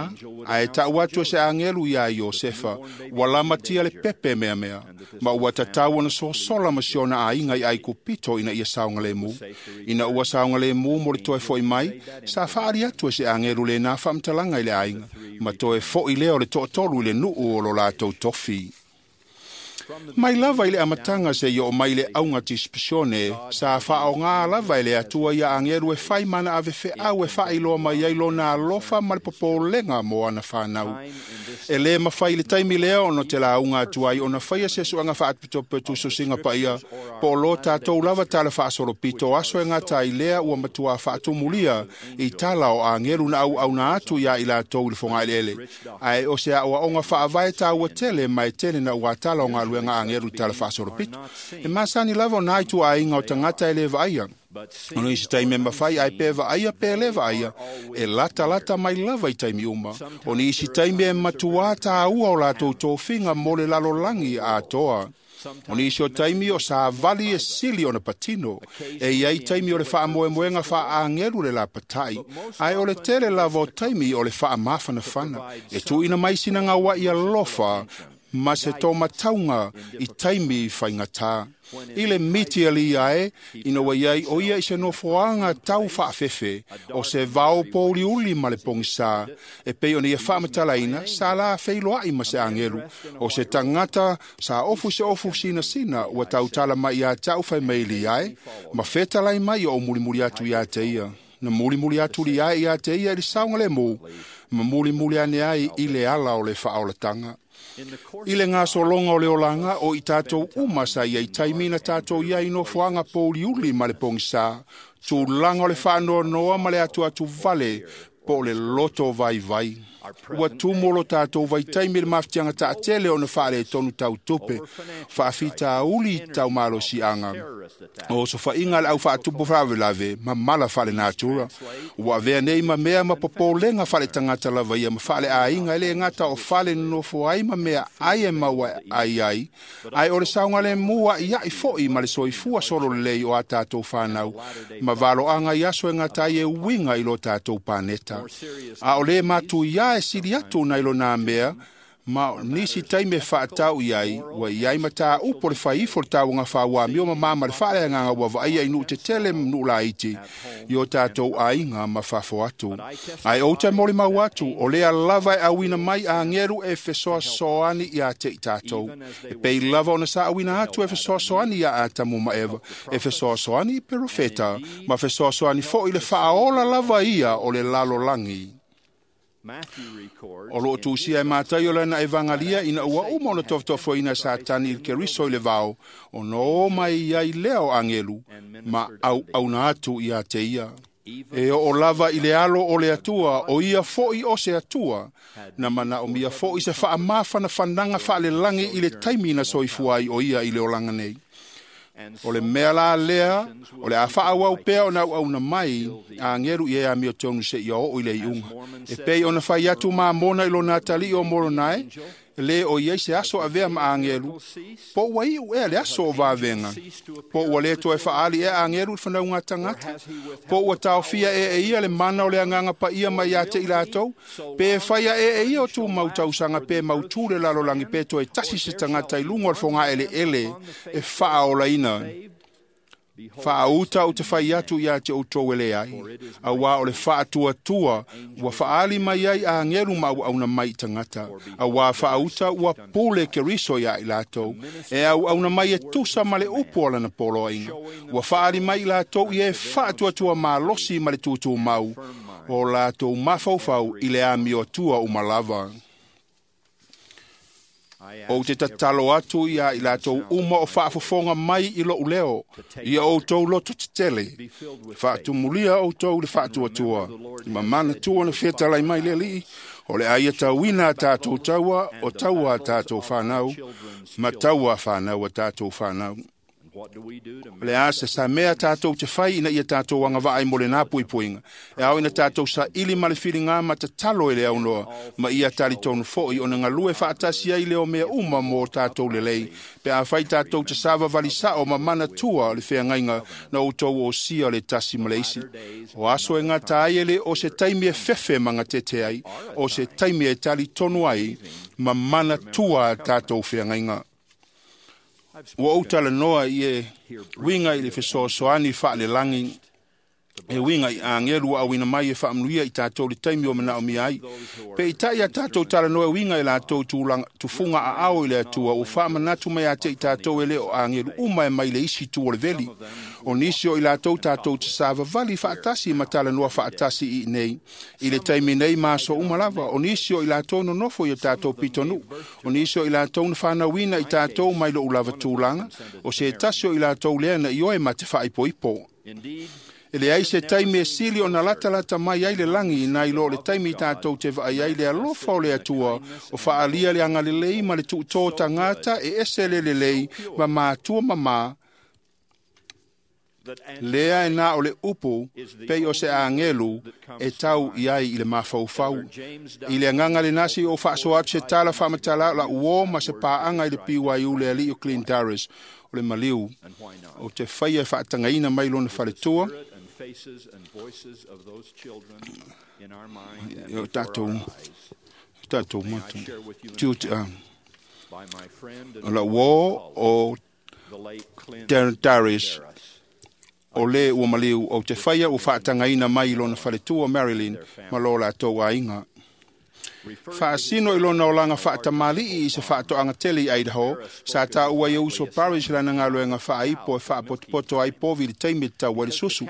ae taʻu atu e se agelu iā Iosefa, ua lamatia le pepe meamea, ma ua tatau ona sosola ma si ona aiga i Aikupito ina ia saogalemu. Ina ua saogalemu mo le toe foʻi mai, sa faaali atu e se agelu lenā faamatalaga i le aiga, ma toe foʻi lea o le toatolu i le nuu o lo latou tofi. Mai lava i le amataga seia oo mai le auga disipisione, sa faaogā lava e le Atua ia agelu e fai mana avefeau e faailoa mai ai lona alofa ma le popolega mo ana fanau. E lē mafai i le taimi lea ona te lauga atu ai ona faia se suaga faapitopetusosiga paia po o lo tatou lava tala faasolopito aso e gata ai lea ua matuā faatumulia i tala o agelu na auauna atu iā i latou i le fogaeleele. Ae o se aoaoga faavae taua tele ma e tele na ua tala o galuega agelu i tala faasolopito. E masani lava ona ai tuaaiga o tagata e lē vaaia. Ona isi taimi e mafai ae pe vaaia pe lē vaaia, e latalata mai lava i taimi uma. O nisi taimi e matuā tāua o latou tofiga mo le lalolagi atoa. O nisi o taimi o savali e sili ona patino, e iai taimi o le faamoemoega faaagelu le lapatai, ae o le tele lava o taimi o le faamafanafana, e tuuina mai sina gauaʻi alofa ma se tomatauga i taimi faigatā. I le miti ali ae, ina ua iai o ia i se nofoaga tau faafefe, o se vao pouliuli ma le pogisā, e pei ona ia faamatalaina, sa la feiloaʻi ma se agelu, o se tagata sa ofu se ofu sinasina ua tautala mai iā taʻu faimaili ae, ma fetalai mai o mulimuli atu iā te ia. Na mulimuli atu li ae iā te ia i le saogalemu, ma mulimuli ane ai i le ala o le faaolataga. I le gasologa o le olaga o i tatou uma sa iai taimi na tatou iai nofoaga pouliuli ma le pogisā, tulaga o le faanoanoa ma le atuatuvale po o le loto vaivai. Ua tumu lo tatou vaitaimi le mafatiaga taatele ona faaletonu tautupe, faafitauli taumalosiaga, o sofaiga a le aufaatupu faalavelave ma mala faalenatura. Ua avea nei ma mea ma popolega faaletagata lava ia ma faaleaiga e lē gata o fale nonofo ai ma mea ai e maua ai ai, ae o le saogalemu aʻiaʻi foʻi ma le soifua solo lelei o a tatou fanau, ma valoaga i aso e gata ai e uiga i lo tatou paneta. A o lē matuiā e sili atu nai lona mea, ma nisi taimi e faatau i ai, ua iai matāupu o le faiifo le tauaga faauamio ma ma ma le faaleagaga ua vaaia i nuu tetele ma nuu laiti i o tatou aiga ma fafo atu. Ae ou te molimau atu, o lea lava e auina mai agelu e fesoasoani iā te i tatou. E pei lava ona sa auina atu e fesoasoani iā Atamu ma Eva, e fesoasoani i perofeta, ma fesoasoani foʻi le faaola lava ia o le lalolagi. O loo tusia e Mataio lana evangalia ina ua uma ona tofotofoina e Satani i le Keriso i le vao, ona o mai ai lea o agelu ma auauna atu iā te ia. E oo lava i le alo o le Atua, o ia foʻi o se Atua, na manaomia foʻi se faamafanafanaga faalelagi i le taimi na soifua ai o ia i le olaga nei. O le mea la lea, o le a faaauau pea ona auauna mai agelu i e amiotonu seia oo i le iuga. E pei ona fai atu Mamona i lona atalii o Moronae, Lē o i ai se aso avea ma agelu, po ua iʻu ea le aso o vavega, po ua lē toe faali ea agelu i le fanauga tagata, po ua taofia ea e ia le mana o le agaga paia mai iā te i latou, pe faia ea e ia o tumau tausaga pe mautū le lalolagi pe toe tasi se tagata i luga o le fogaeleele e faaolaina. Faauta ou te fai atu iā te outou e leai, auā o le faatuatua ua faali mai ai agelu ma auauna mai i tagata, auā faauta ua pule Keriso iā i latou, e auauna mai e tusa ma le upu o lana poloaiga. Ua faali mai i latou ia e faatuatua malosi ma le tutumau, o latou mafaufau i le amioatua uma lava. Ou te tatalo atu iā i latou uma o faafofoga mai i loʻu leo, ia outou loto tetele, faatumulia outou le faatuatua, ma manatua na fetalai mai le Alii, o le a ia tauina a tatou taua, o taua a tatou fanau, ma taua a fanau a tatou fanau. O le a se samea tatou te fai ina ia tatou agavaa ai mo lenā puipuiga, e ao ina tatou saili ma le filiga ma tatalo i le aunoa, ma ia talitonu foʻi ona galue faatasi ai le o mea uma mo tatou lelei, pe afai tatou te savavali saʻo ma manatua o le feagaiga na outou osia o le tasi ma le isi. O aso e gata ai e lē o se taimi e fefe ma gatete ai, o se taimi e talitonu ai ma manatua a tatou feagaiga. Ua ou talanoa i e uiga i le fesoasoani faalelagi, e uiga i agelu ua auina mai e faamanuia i tatou le taimi o manaomia ai. Peitai a tatou talanoa e uiga i latou tufuga aao i le Atua, ua faamanatu mai ia te i tatou e lē o agelu uma e mai le isi itu o le veli. O nisi o i latou tatou te savavali faatasi ma talanoa faatasi i inei i le taimi nei ma aso uma lava. O nisi o i latou nonofo i o tatou pitonuu, o nisi o i latou na fanauina i tatou mai loʻu lava tulaga, o se tasi o i latou lea na ioe ma te faaipoipo. E leai se taimi e sili ona latalata mai ai le lagi nai lo le taimi tatou te vaai ai le alofa o le Atua o faaalia le agalelei ma le tuutō tagata e ese le lelei ma matua mamā, lea e na o le upu pei o se agelu e tau i ai i le mafaufau. I le agaga lenā seia ou faasoa atu se tala faamatala o laʻu uō ma se paaga i le BYU le alii o Clint Darris o le maliu ou te faia e faatagaina mai lona faletua o tatou mata o laʻu uō o Darris o lē ua maliu ou te faia ua faatagaina mai i lona faletua Marilyn ma lo latou aiga. Faasino i lona olaga faatamalii i se faatoaga tele i Idaho, sa taua ai e uso Parrish lana galuega faaipo e faapotopoto ai povi i le taimi e tatau ai le susu.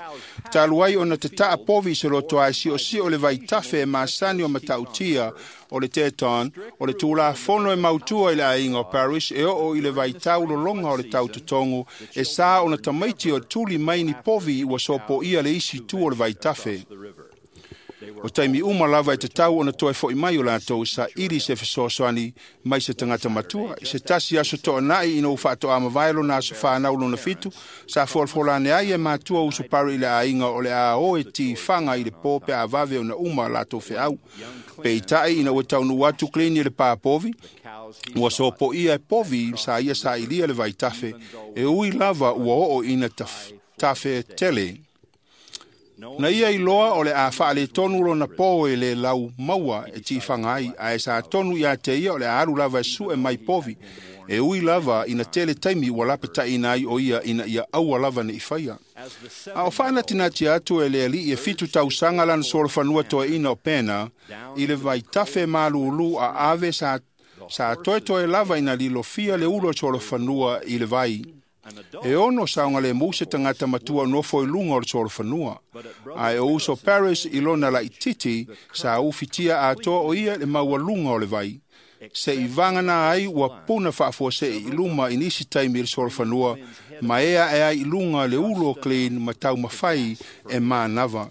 Talu ai ona tataa povi i se loto ae siosio le vaitafe e masani o matautia o le Teton, o le tulafono e mautua i le aiga o Parrish e oo i le vaitau lologa o le tautotogo e sa ona tamaiti o tuli mai ni povi ua sopoia le isi itu o le vaitafe. O taimi uma lava e tatau ona toe foʻi mai o latou saili se fesoasoani mai se tagata matua. I se tasi aso toanai ina ua faatoa mavae lona aso fanau lona 7, sa folafola ane ai e matua uso Parry i le aiga o le a o e tifaga i le pō pe a vave ona uma latou feau. Peitai ina ua taunuu atu Clint i le pāpovi, ua sopoia e povi sa ia sailia le vaitafe, e ui lava ua oo ina tafe tele. Na ia iloa o le a faaletonu lona pō e le lau maua e tifaga ai, ae sa tonu iā te ia o le a alu lava e sue mai povi, e ui lava ina tele taimi ua lapataʻina ai o ia ina ia aua lava neʻi faia. A o faanatinati atu e le alii e 7 tausaga lana solofanua toeaina o Pena i le vaitafe malūlū a ave sa toetoe lava ina lilofia le ulu o le solofanua i le vai. E ono saogalemu se tagata matua nofo i luga o le solofanua, ae o uso Parrish i lona laititi sa ufitia atoa o ia le maualuga o le vai. Se i vagana ai ua puna faafuasei i luma i nisi taimi i le solofanua, ma ea e ai i luga le ulu o Clint ma taumafai e manava.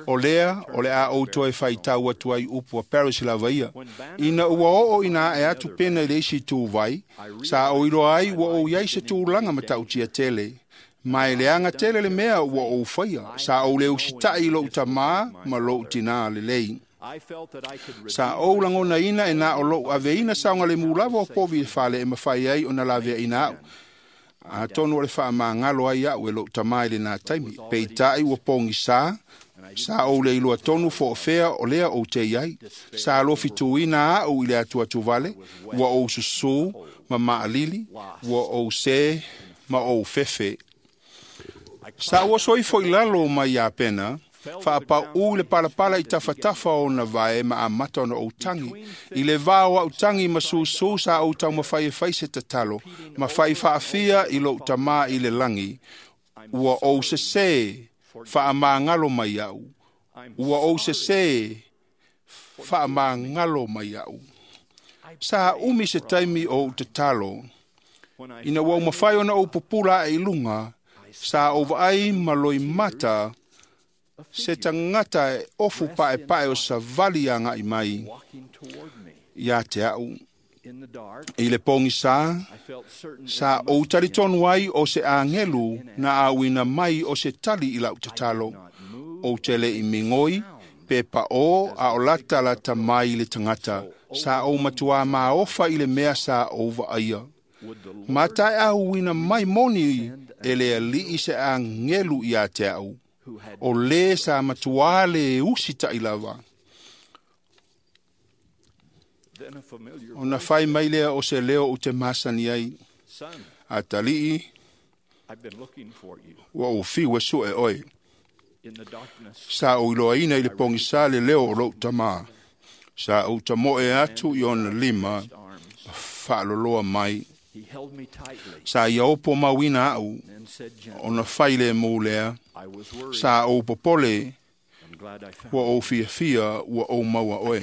O lea, o le a ou toe faitau atu ai upu a Parrish lava ia. Ina ua oo ina ae atu pena i le isi ituvai, sa ou iloa ai ua ou iai se tulaga matautia tele. Ma e leaga tele le mea ua ou faia, sa ou le usitaʻi i loʻu tamā ma loʻu tinā lelei. Sa ou lagonaina e na o lou aveina saogalemu lava o povi i le fale e mafai ai ona laveaina a'u. Atonu o le faamagalo ai a'u e lo'u tamā i lenā taimi. Peitai ua pogisā, sa ou le iloa tonu fo'ofea o lea ou te iai. Sa alofituina a'u i le atuatuvale, ua ou susū ma ma'alili, ua ou sē ma ou fefe. Sa ou oso ifo i lalo mai Iapena, faapau'u i le palapala i tafatafa o ona vae ma amata ona ou tagi. I le vā o a'u tagi ma susū sa ou taumafai e fai se tatalo, ma fai faafia i lo'u tamā i le lagi, ua ou sesē faamagalo mai a'u. Ua ou sesē faamagalo mai a'u. Sa umi se taimi o ou tatalo. Ina ua ou mafai ona ou pupula a'e i luga, sa ou vaai ma loimata se tagata e ofu pa'epa'e o savali aga'i mai iā te a'u. I le pogisā, sa ou talitonu ai o se agelu na auina mai o se tali i la'u tatalo. Ou te le'i migoi, pe pa'ō a o latalata mai i le tagata. Sa ou matuā maofa i le mea sa ou va'aia. Ma taeauina mai moni e le Ali'i se agelu iā te a'u, o lē sa matuā le usita'i lava. Ona fai mai lea o se leo ou te masani ai. Atali'i, ua ou fiu e su'e oe. Sa ou iloaina i le pogisā le leo o lo'u tamā. Sa ou tamo'e atu i ona lima, faaloloa mai. Sa ia opo mauina a'u, ona fai lemu lea. Sa ou popole, ua ou fiafia ua ou maua oe.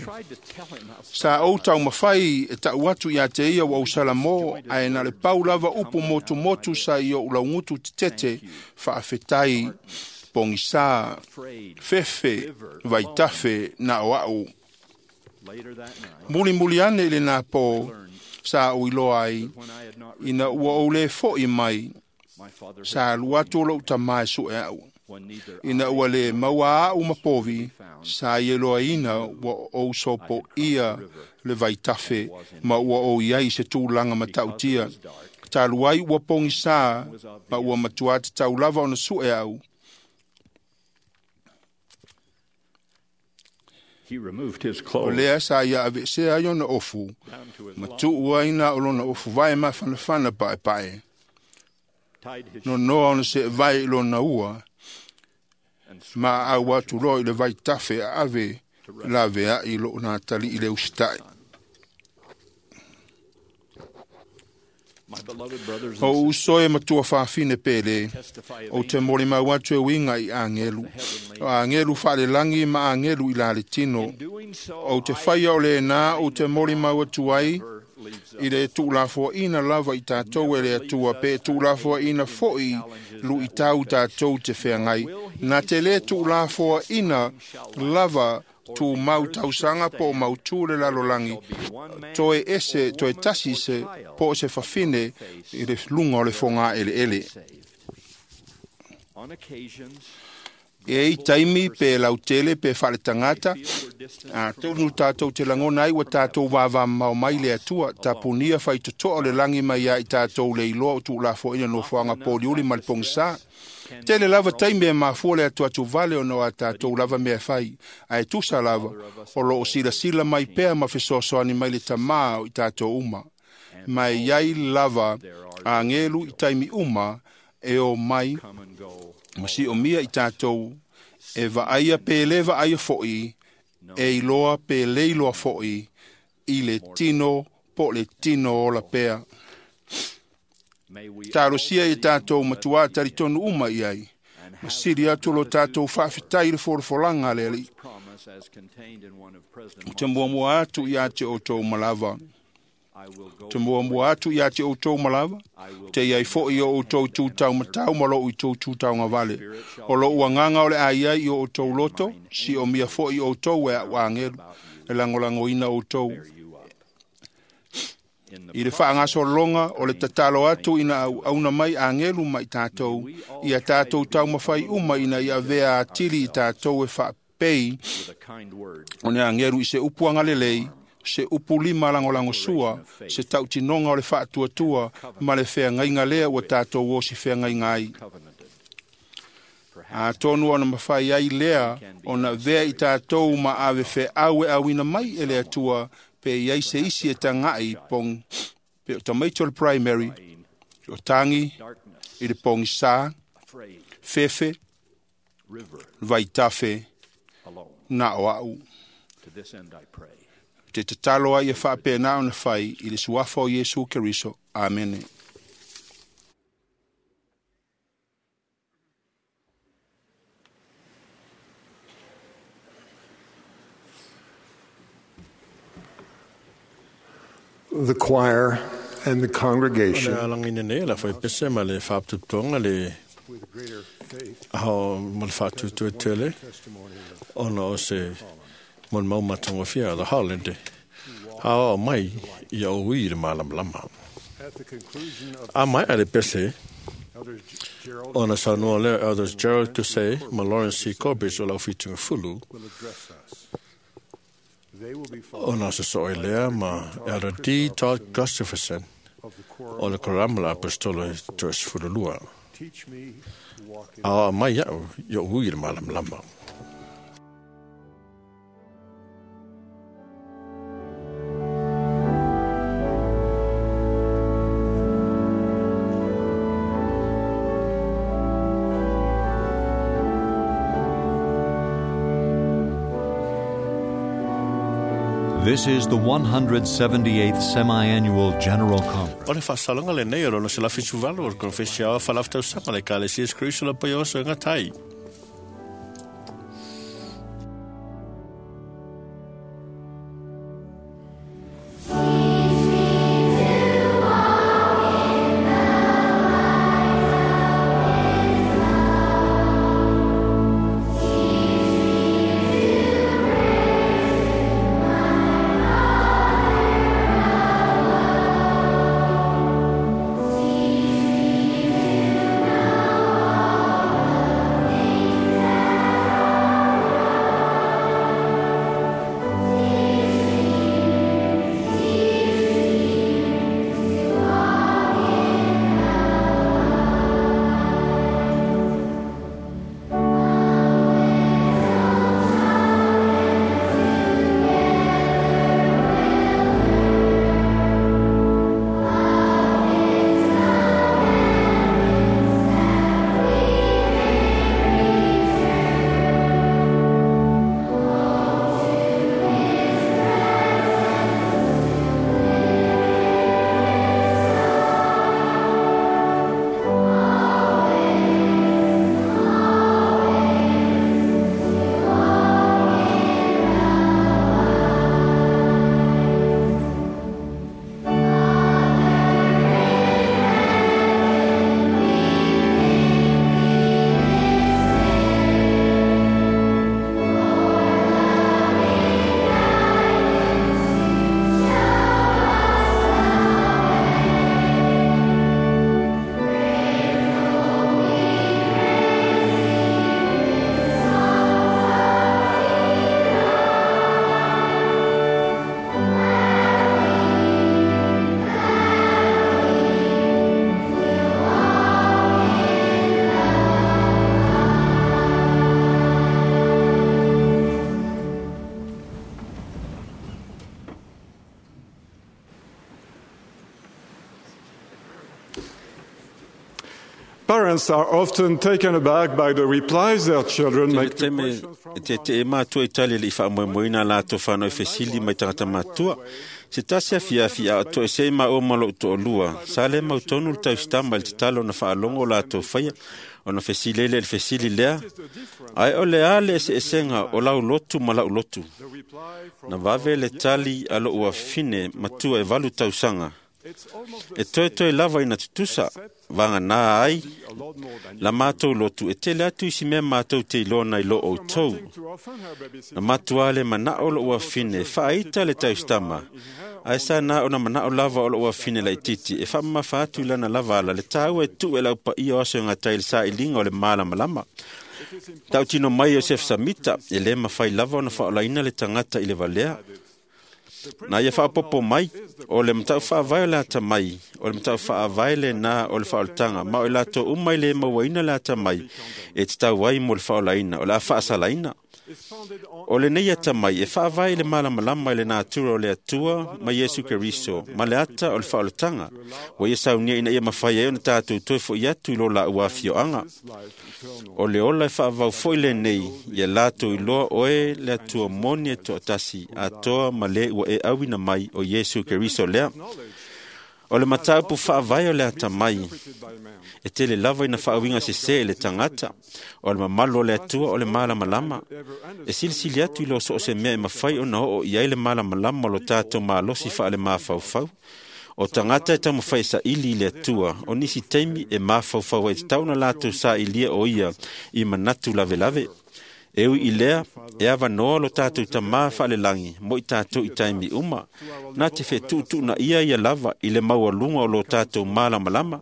Sa ou taumafai e ta'u atu iā te ia ua ou salamō, ae na le pau lava upu motumotu sa i o'u laugutu tetete, faafetai, pogisā, fefe, vaitafe na o a'u. Mulimuli ane i lenā pō, sa ou iloa ai, ina ua ou lē fo'i mai, sa alu atu o lo'u tamā e su'e a'u. Ina ua lē maua a'u ma povi, sa ia iloaina ua ou sopo'ia le vaitafe ma ua ou iai se tulaga mata'utia. Talu ai ua pogisā ma ua matuā tatau lava ona su'e a'u. O lea sa ia ave'esea ai ona ofu, ma tu'u ai na o lona ofu vae mafanafana pa'epa'e. Nonoa ona se'evae i lona ua, ma aau atu loa i le vaitafe a'ave lavea'i lo'u natali'i le usita'i. O uso e matua fafine pele, ou te molimau atu e uiga i agelu. O agelu faalelagi ma agelu i la le tino. Ou te faia o lenā ou te molimau atu ai i le tuulafoaina lava i tatou e le Atua, pe tuulafoaina fo'i lu'itau tatou te feagai. Na te lē tuulafoaina lava tumau tausaga po o mautū le lalolagi, toe ese toe tasi se po o se fafine i le luga o le fogā'ele'ele. E i taimi pe lautele pe faaletagata, atonu tatou te lagona ai ua tatou vavamamao mai le Atua, tapunia faitotoa o le lagi mai ia i tatou le iloa o tuulafoaina nofoaga poliuli ma le pogisā. Tele lava taimi e mafua le atuatuvale ona o a tatou lava mea e fai, ae tusa lava o loo silasila mai pea ma fesoasoani mai le tamā o i tatou uma. Ma e iai lava agelu i taimi uma e o mai ma si'omia i tatou e vaaia pe lē vaaia fo'i, e iloa pe lē iloa fo'i i le tino po o le tino ola pea. Talosia i tatou matuā talitonu uma i ai, ma sili atu lo tatou faafetai i le folafolaga a le Alii. Ou te muamua atu iā te outou malava. Te muamua atu iā te outou malava, te iai fo'i o outou tūtaumatau ma lo'u i tou tūtaugavale. O lo'u agaga o le a iai i o outou loto, si'omia fo'i outou e a'u agelu, e lagolagoina outou. I le faagasologa o le tatalo atu ina auauna mai agelu ma i tatou, ia tatou taumafai uma ina ia avea atili i tatou e pei o ne ageru i se upu agalelei, se upu lima lagolagosua, se tautinoga o le faatuatua ma le feagaiga lea ua tatou osi feagaiga ai. Atonu ona mafai ai lea ona avea i tatou ma ave feau e auina mai e le Atua pe i ai se isi e tagai pog pe o tamaiti o le primary, o tagi i le pogisā, fefe, vaitafe, na o au. Te tatalo ai e faapena ona fai i le suafa o Iesu Keriso. Amene. The choir and the congregation O le alagina nei la fai pese ma le faapitotoga le ao ma le faatuatuatele ona o se molimau matagofie a the Holland aoao mai ia ui i le malamalama. A mai a le pese ona saunoa lea Elders Gerald Tusei ma Lawrence C. Corbridge o le aufitugafulu ona sosoo ai lea ma Elder D. Todd Gustafson o le Korama le Aposetolo e toasefululua. Aoao mai iaʻu ioʻu ui i le malamalama. This is the 178th Semi-Annual General Conference. O le faasalaga lenei o lona 178 o le Konefesi Aoao Faalautausaga le Ekalesia Iesu Keriso le Paia o Aso e Gatai. Parents are often taken aback by the replies their children make to questions from Te te e mātua i tali le i faamoemoeina latou whanau fesili mai tagata matua. Se tasi afiafi a o toesē maua ma loʻu toʻalua, sa le mautonu le tausitama i le tatalo ona faalogo o latou faia ona fesili ai lea i le fesili lea, ae o le a le eseesega o lau lotu ma laʻu lotu. Na vave le tali a loʻu afine matua e 8 tausaga. E toetoe lava ina tutusa, vaganā ai la matou lotu e tele atu isi mea matou te iloa nai lo outou. Na matuā le manao loʻu afine e faaita le tausitama, ae sa na ona manao lava o loʻu afine laititi e faamamafa atu i lana lava ala le tāua e tuu e le aupaia o aso e gatai i le sailiga o le malamalama. Tautino mai Iosef Samita, e lē mafai lava ona faaolaina le tagata i le valea. Na ia faapopo mai, o le matau faavae o le atamai, o le matau faavae lenā o le faaolataga, ma o i latou uma i le mauaina le atamai, e tatau ai mo le faaolaina, o le a faasalaina. O lenei atamai e faavae i le malamalama i le natura o le Atua ma Iesu Keriso, ma le ata o le faaolataga, ua ia saunia ina ia mafai ai ona tatou toe fo'i atu i lo laua afioaga. O le ola e faavavau foi lenei, ia latou iloa oe le Atua moni e toatasi, atoa ma le ua e auina mai o Iesu Keriso lea. O le mataupu faavae o le atamai, e tele lava ina faauiga sesē i le tagata, o le mamalu o le Atua o le malamalama. E silisili atu i lo so o se mea e mafai ona oo i ai le malamalama o lo tatou malosi faale-mafaufau. O tagata e taumafai e saili i le Atua, o nisi taimi e mafaufau ai tatau ona latou sailia o ia i manatu lavelave. E ui i lea, e avanoa lo tatou Tamā faalelagi mo i tatou i taimi uma, na te fetuutuunaia ia lava i le maualuga o lo tatou malamalama.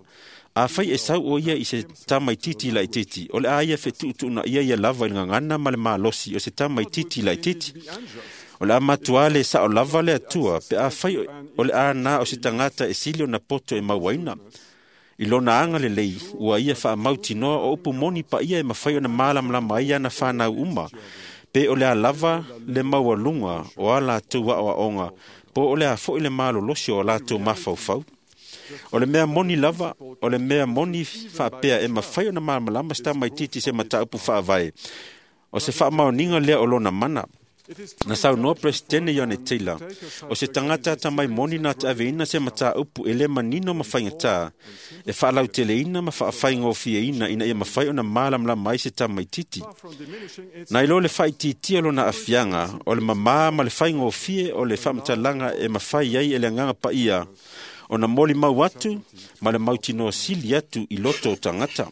Afai e sau o ia i se tamaitiiti laitiiti, o le a ia fetuutuunaia ia lava i le gagana ma le malosi o se tamaitiiti laitiiti. O le a matuā le sao lava le Atua, pe afai o le a na o se tagata e sili ona poto e mauaina. I lona agalelei, ua ia faamautinoa o upu moni paia e mafai ona malamalama ai ana fanau uma, pe o le a lava le maualuga o a latou aoaoga, po o le a foi le malolosi o a latou mafaufau. O le mea moni lava, o le mea moni faapea e mafai ona malamalama se tamaitiiti i se mataupu faavae, o se faamaoniga lea o lona mana. Na saunoa Peresetene Ioane Taylor, o se tagata atamai moni na te aveina se mataupu e lē manino ma faigatā, e faalauteleina ma faafaigofieina ina ia mafai ona malamalama ai se tamaitiiti. Na iloa le faaitiitia o lona aafiaga, o le mamā ma le faigofie o le faamatalaga e mafai ai e le Agaga Paia ona molimau atu ma le mautinoa sili atu i loto o tagata.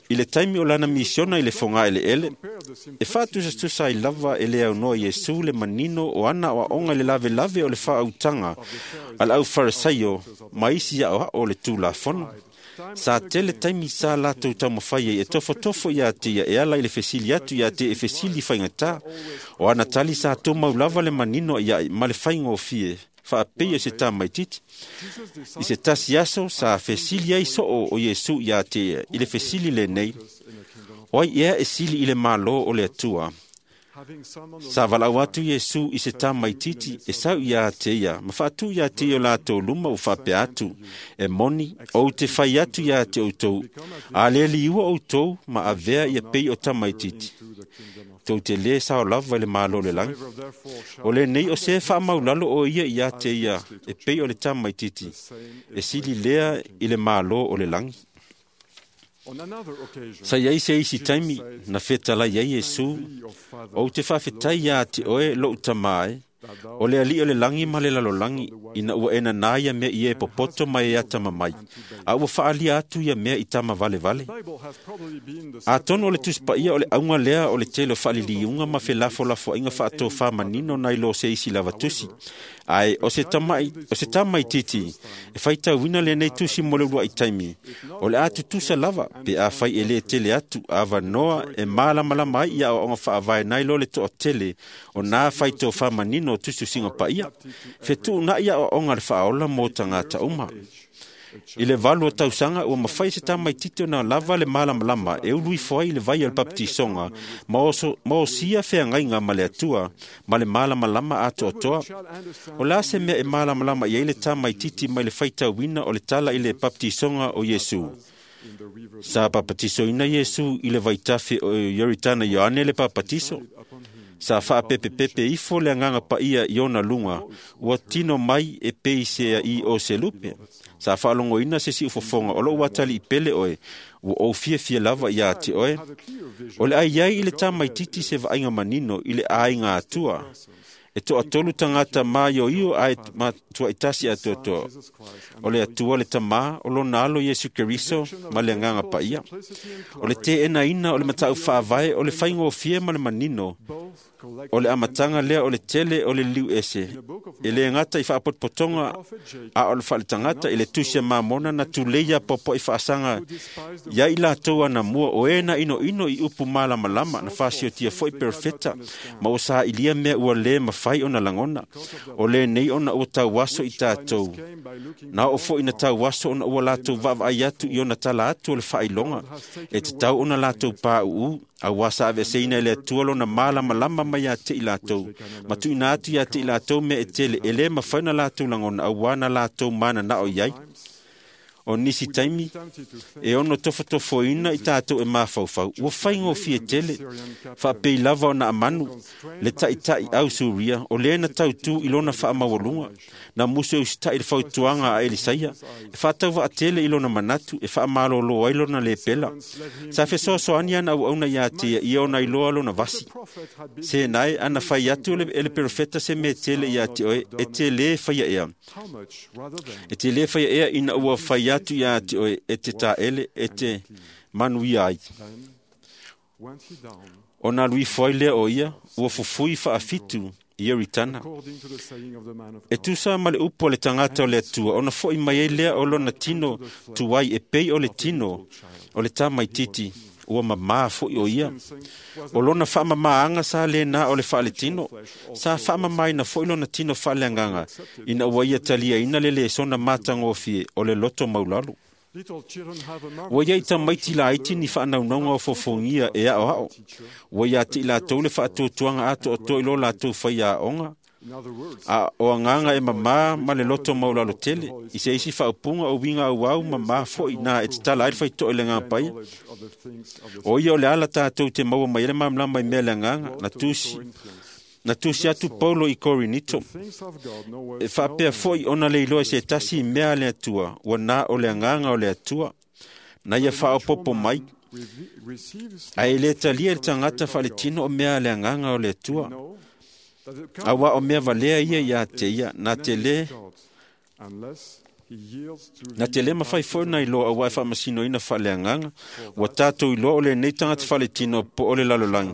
I le taimi o lana misiona i le fogaeleele, e faatusatusa ai lava e le aunoa Iesu le manino o ana aoaoga i le lavelave o le faautaga a le aufarisaio ma isi aoao o le Tulafono. Sa tele taimi sa latou taumafai ai e tofotofo iā te ia e ala i le fesili atu iā te e fesili faigatā. O ana tali sa tumau lava le manino ia'i ma le faigofie faapei o se tamaitiiti. I se tasi aso sa fesili ai soo o Iesu iā te ia i le fesili lenei, o ai ea e sili i le Malo o le Atua? Sa valaau atu Iesu i se tamaitiiti e sau iā te ia, ma faatu iā te ia o latou luma ua faapea atu, e moni, ou te fai atu iā te outou, a le liua outou ma avea ia pei o tamaitiiti. Tou te lē sao lava i le Malo o le lagi. O lenei o se faamaulalo o ia iā te ia e pei o le tamaitiiti, e sili lea i le Malo o le lagi. Sa iai se isi taimi na fetalai ai Iesu, ou te faafetai iā te oe lou Tamā e, o le alii o le lagi ma le lalolagi, ina ua e nanā ia mea i e popoto ma e atamamai, a ua faaalia atu ia mea i tama valevale. Atonu o le Tusi Paia o le auga lea o le tele o faaliliuga ma felafolafoaiga faatofāmanino nai lo se isi lava tusi. Ae o se tamaitiiti e faitauina lenei tusi mo le uluai taimi, o le a tutusa lava pe afai e lē tele atu avanoa e malamalama ai i aoaoga faavae nai lo le toatele o nā faitofāmanino o tusitusiga paia, fetuuna'i aoaoga a le faaola mo tagata uma. I le 8 o tausaga ua mafai se tamaitiiti ona lava le malamalama e ulu ifo ai i le vai o le papatisoga ma osia feagaiga ma le Atua ma le malamalama atoatoa. O le a se mea e malamalama i ai le tamaitiiti mai le faitauina o le tala i le papatisoga o Iesu? Sa papatisoina Iesu i le vaitafe o Ioritana Ioane le papatiso. Sa faapepepepe ifo le Agaga Paia i ona luga, ua tino mai e pei se i o se lupe. Sa faalogoina se siufofoga o lou atalii pele oe, ua ou fiafia lava iā te oe. O le a iai i le tamaitiiti se vaaiga manino i le aiga Atua. E toatolu tagata maioio ae matuaitasi atoatoa. O le Atua le Tamā, o lona alo Iesu Keriso ma le Agaga Paia. O le teenaina o le mataupu faavae o le faigofie ma le manino. O le amataga lea o le tele o le liliu ese. E le gata i faapotopotoga a o le faaletagata i le tusi a Mamona na tulei apoapoai faasaga ia i latou anamua o e na inoino i upu malamalama na fasiotia foi perofeta ma ua sailia mea ua lē mafai ona lagona. O lenei ona ua tauaso i tatou. Na oo foi na tauaso ona ua latou vaavaai atu i ona tala atu o le faailoga e tatau ona latou pauu auā sa aveeseina e le Atua lona malamalama mai ia te i latou ma tuuina atu ia te i latou mea e tele e lē mafai ona latou lagona auā na latou mananao i ai. O nisi taimi e ono tofotofoina i tatou e mafaufau ua faigofie tele faapei lava ona amanu le taʻitaʻi au Suria o lē na tautū i lona faamaualuga na musu e usitaʻi le fautuaga a Elisaia e faatauvaatele i lona manatu e faamalōlō ai lona lepela. Sa fesoasoani ana auauna iā te ia ia ona iloa lona vasi. Senae ana fai atu e le perofeta se mea tele iā te oe e te lē faia ea. E te lē faia ea ina ua fai atu iā te oe e te taele e te manuia ai. Ona alu ifo ai lea o ia ua fufui faafitu i Ioritana. E tusa ma le upu a le tagata o le Atua ona foʻi mai ai lea o lona tino tuai e pei o le tino o le tamaititi ua mamā foʻi o ia. O lona faamamāaga sa lēnā o le faaletino. Sa faamamāina foʻi lona tino faaleagaga ina ua ia taliaina le lesona matagofie o le loto maulalo. Ua iai tamaiti laiti ni faanaunauga o fofogia e aoao. Ua iā te i latou le faatuatuaga atoatoa i lo latou faiaoga a o agaga e mamā ma le loto maulalo tele. I se isi faaupuga o uiga auau mamā foʻi na e tatala ai le faitoʻa i le Agaga Paia. O ia o le ala tatou te maua mai ai le malamalama i mea le agaga na tusi atu Paulo i Korinito e faapea foʻi ona le iloa i se tasi i mea a le Atua ua na o le agaga o le Atua na ia faaopopo mai. Ae le talia e le tagata faaletino o mea a le agaga o le Atua auā o mea valea ia iā te ia na te lē mafai foi ona iloa auā e faamasinoina faaleagaga ua tatou iloa o lenei tagata faaletino po o le lalolagi.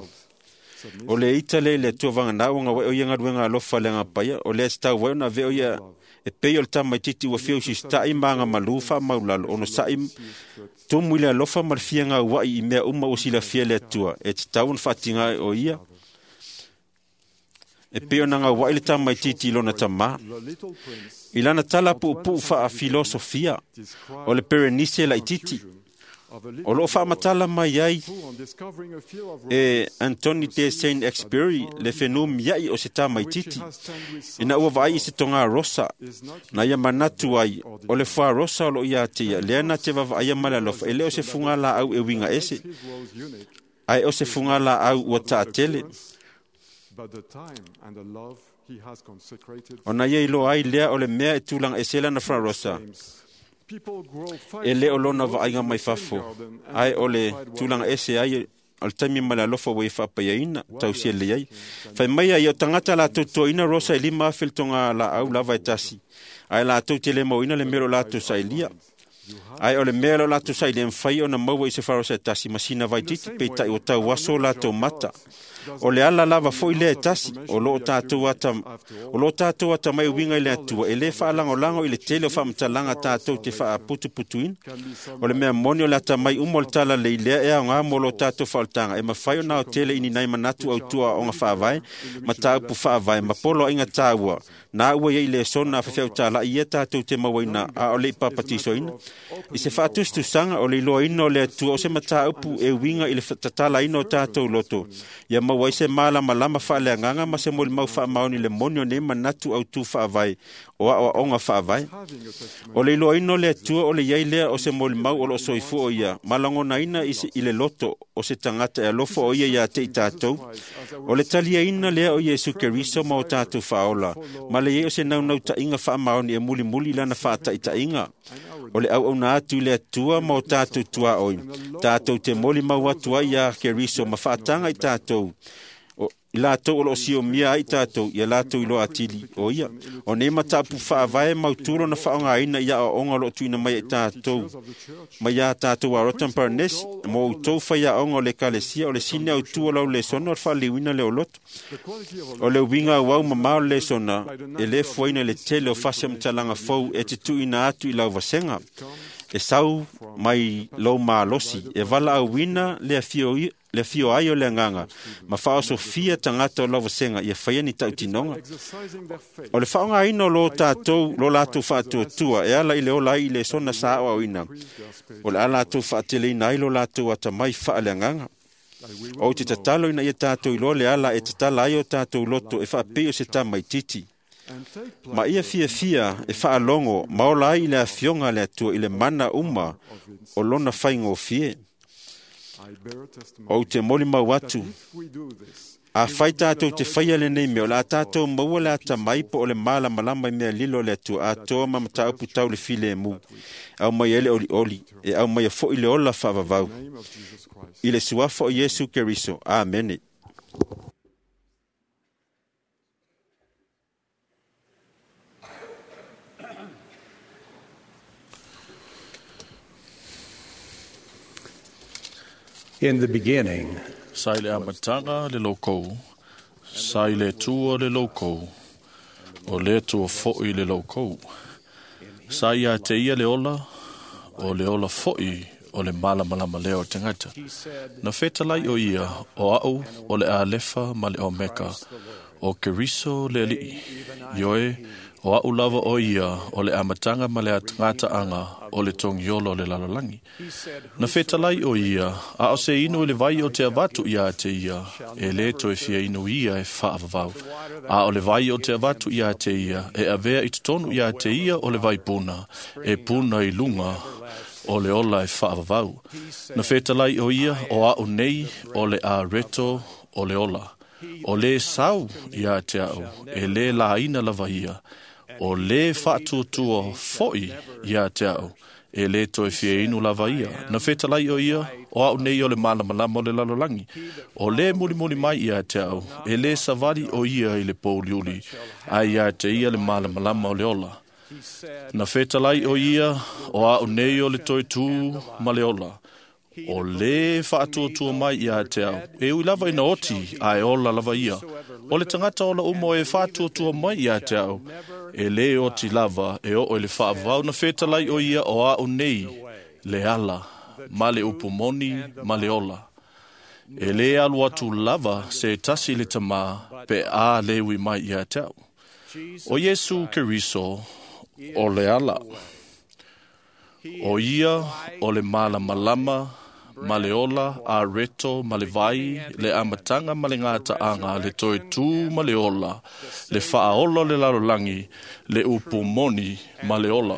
O le ita lea i le Atua vaganā ua gauai o ia galuega alofa a le Agaga Paia o lea e tatau ai ona avea o ia e pei o le tamaititi ua fia usitaʻi ma agamalū faamaulalo ona saʻi tumu i le alofa ma le fia gauaʻi i mea uma ua silafia e le Atua e tatau ona faatiga ai o ia e pei ona gauaʻi le tamaititi i lona tamā. I lana tala puupuu faafilosofia o le Perenise laititi o loo faamatala mai ai e Anthony de Saint-Exupéry le fenumiaʻi o se tamaititi ina ua vaai i se togā rosa na ia manatu ai o le foa rosa o loo iā te ia lea na te vaavaaia ma le alofa e lē o se fugalaau e uiga ese ae o se fugalaau ua taatele. Ona ia iloa ai lea o le mea e tulaga ese lana flarosa e lē o lona vaaiga mai fafo ae o le tulaga ese ai o le taimi ma le alofa ua ia faapaiaina tausia lelei ai. Fai mai ai o tagata latou toaina rosa e 5,000 le togā laau lava e tasi ae latou te le mauina le mea o latou sailia. Ae o le mea o latou sailia e mafai ona maua i se flarosa e tasi ma sina vaititi peitai ua tauaso latou mata. O le ala lava foʻi lea e tasi o loo tatou atamai uiga i le Atua e lē faalagolago i le tele o faamatalaga tatou te faaputuputuina. O le mea moni o le atamai uma o le talalelei lea e aogā mo lo tatou faaolataga e mafai ona aotele i ni nai manatu autua aoaoga faavae ma taupu faavae ma poloaiga taua na ua iai lesona a faifeau ia tatou te mauaina a o le i papatisoina. I se faatusatusaga o le iloaina o le Atua o se mataupu e uiga i le tatalaina o tatou loto ia maua ai se malamalama faaleagaga ma se molimau faamaoni i le moni o nei manatu autū faavae o aoaoga faavae. O le iloaina o le Atua o le iai lea o se molimau o loo soifua o ia ma lagonaina i le loto o se tagata e alofa o ia iā te i tatou. O le taliaina lea o Iesu Keriso ma o tatou faaola ma le iai o se naunautaiga faamaoni e mulimuli i lana faataʻitaʻiga. O le auauna atu i le Atua ma o tatou tuaoi tatou te molimau atu ai iā Keriso ma faataga i tatou i latou o loo siomia ai tatou ia latou iloa atili o ia. O nei mataupu faavae mautū lona faaaogāina i aoaoga o loo tuuina mai ai tatou mai iā tatou Arota ma Paranesi mo outou faiaoga o le Ekalesia. O le sini autū o lau lesona o le faaliliuina lea o loto. O le uiga auau mamā o le lesona e lē fuaina i le tele o fasi amatalaga fou e te tuuina atu i lau vasega e sau mai lou malosi e valaauina le afio ai o le agaga ma faaosofia tagata o lau vasega ia faia ni tautinoga. O le faaaogāina o lo latou faatuatua e ala i le ola ai i lesona sa aoaoina, o le a latou faateleina ai lo latou atamai faaleagaga. Ou te tatalo ina ia tatou iloa le ala e tatala ai o tatou loto e faapei o se tamaititi ma ia fiafia e faalogo ma ola ai i le afioga a le Atua i le mana uma o lona faigofie. Ou te molimau atu, afai tatou te faia lenei mea, o le a tatou maua le atamai po o le malamalama i mea lilo o le Atua atoa ma mataupu tau le filemu, aumai ai le olioli, e aumaia foi le ola faavavau. I le suafa o Iesu Keriso. Amene. In the beginning, Sa i le amataga le loukou, sa i le Atua le loukou, o le Atua fo'i le loukou. Sa ia te ia le ola, o le ola fo'i o le malamalama lea o le tagata. Na fetalai o ia, o au o le Alefa ma le Omeka, o Keriso le Alii. Ioe, o au lava o ia o le amataga ma le gataaga o le togiolo o le lalolagi. Na fetalai o ia, a o se inu i le vai o te avatu ia te ia, e lē toe fia inu ia e faavavau. A o le vai o te avatu ia te ia, e avea i totonu ia te ia o le vai puna, e puna i luga o le ola e faavavau. Na fetalai o ia, o au nei o le areto o le ola. O lē sau ia te au, e lē laina lava ia. O lē faatuatua fo'i ia te au, e lē toe fia inu lava ia. Na fetalai o ia, o au nei o le malamalama o le lalolagi. O lē mulimuli mai ia te au, e lē savali o ia i le pouliuli, ae ia te ia le malamalama o le ola. Na fetalai o ia, o au nei o le toe tū ma le ola. O lē faatuatua mai ia te au, e ui lava ina oti, ae ola lava ia. O le tagata ola uma o e faatuatua mai ia te au, e lē oti lava e oo i le faavavau. Na fetalai o ia, o au nei le ala, ma le upu moni ma le ola. E lē alu atu lava se tasi i le tamā pe a lē ui mai ia te au. O Iesu Keriso o le ala. O ia o le malamalama ma le ola, a reto ma le vai, le amataga ma le gataaga, le toe tū ma le ola, le faaola o le lalolagi, le upu moni ma le ola.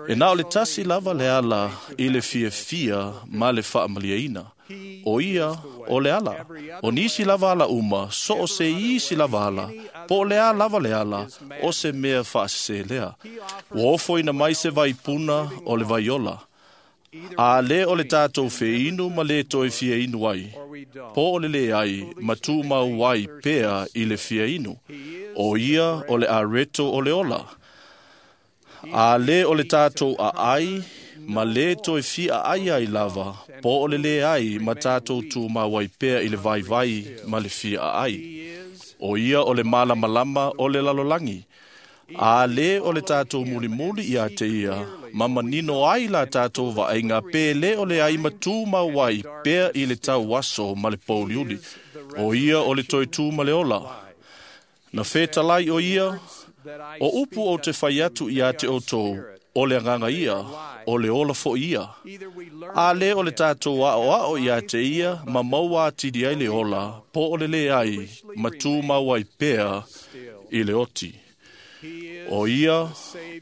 E na o le tasi lava le ala i le fiafia ma le faamaliaina. O ia o le ala. O nisi lava ala uma, so o se isi lava ala, po o le a lava le ala, o se mea faasese lea. Ua ofoina mai se vaipuna o le vaiola. A lē o le tatou feinu ma lē toe fia inu ai, po o le lē ai ma tumau ai pea i le fia inu. O ia o le areto o le ola. A lē o le tatou aai ma lē toe fia aai ai lava, po o le lē ai ma tatou tumau ai pea i le vaivai ma le fia aai. O ia o le malamalama o le lalolagi. A lē o le tatou mulimuli ia te ia, ma manino ai la tatou vaaiga pe lē o le ai ma tumau ai pea i le tauaso ma le pouliuli. O ia o le toe tū ma le ola. Na fetalai o ia, o upu o te fai atu ia te outou, o le agaga ia, o le ola fo'i ia. A lē o le tatou aoao ia te ia, ma maua atili ai le ola, po o le lē ai, ma tumau ai pea i le oti. O ia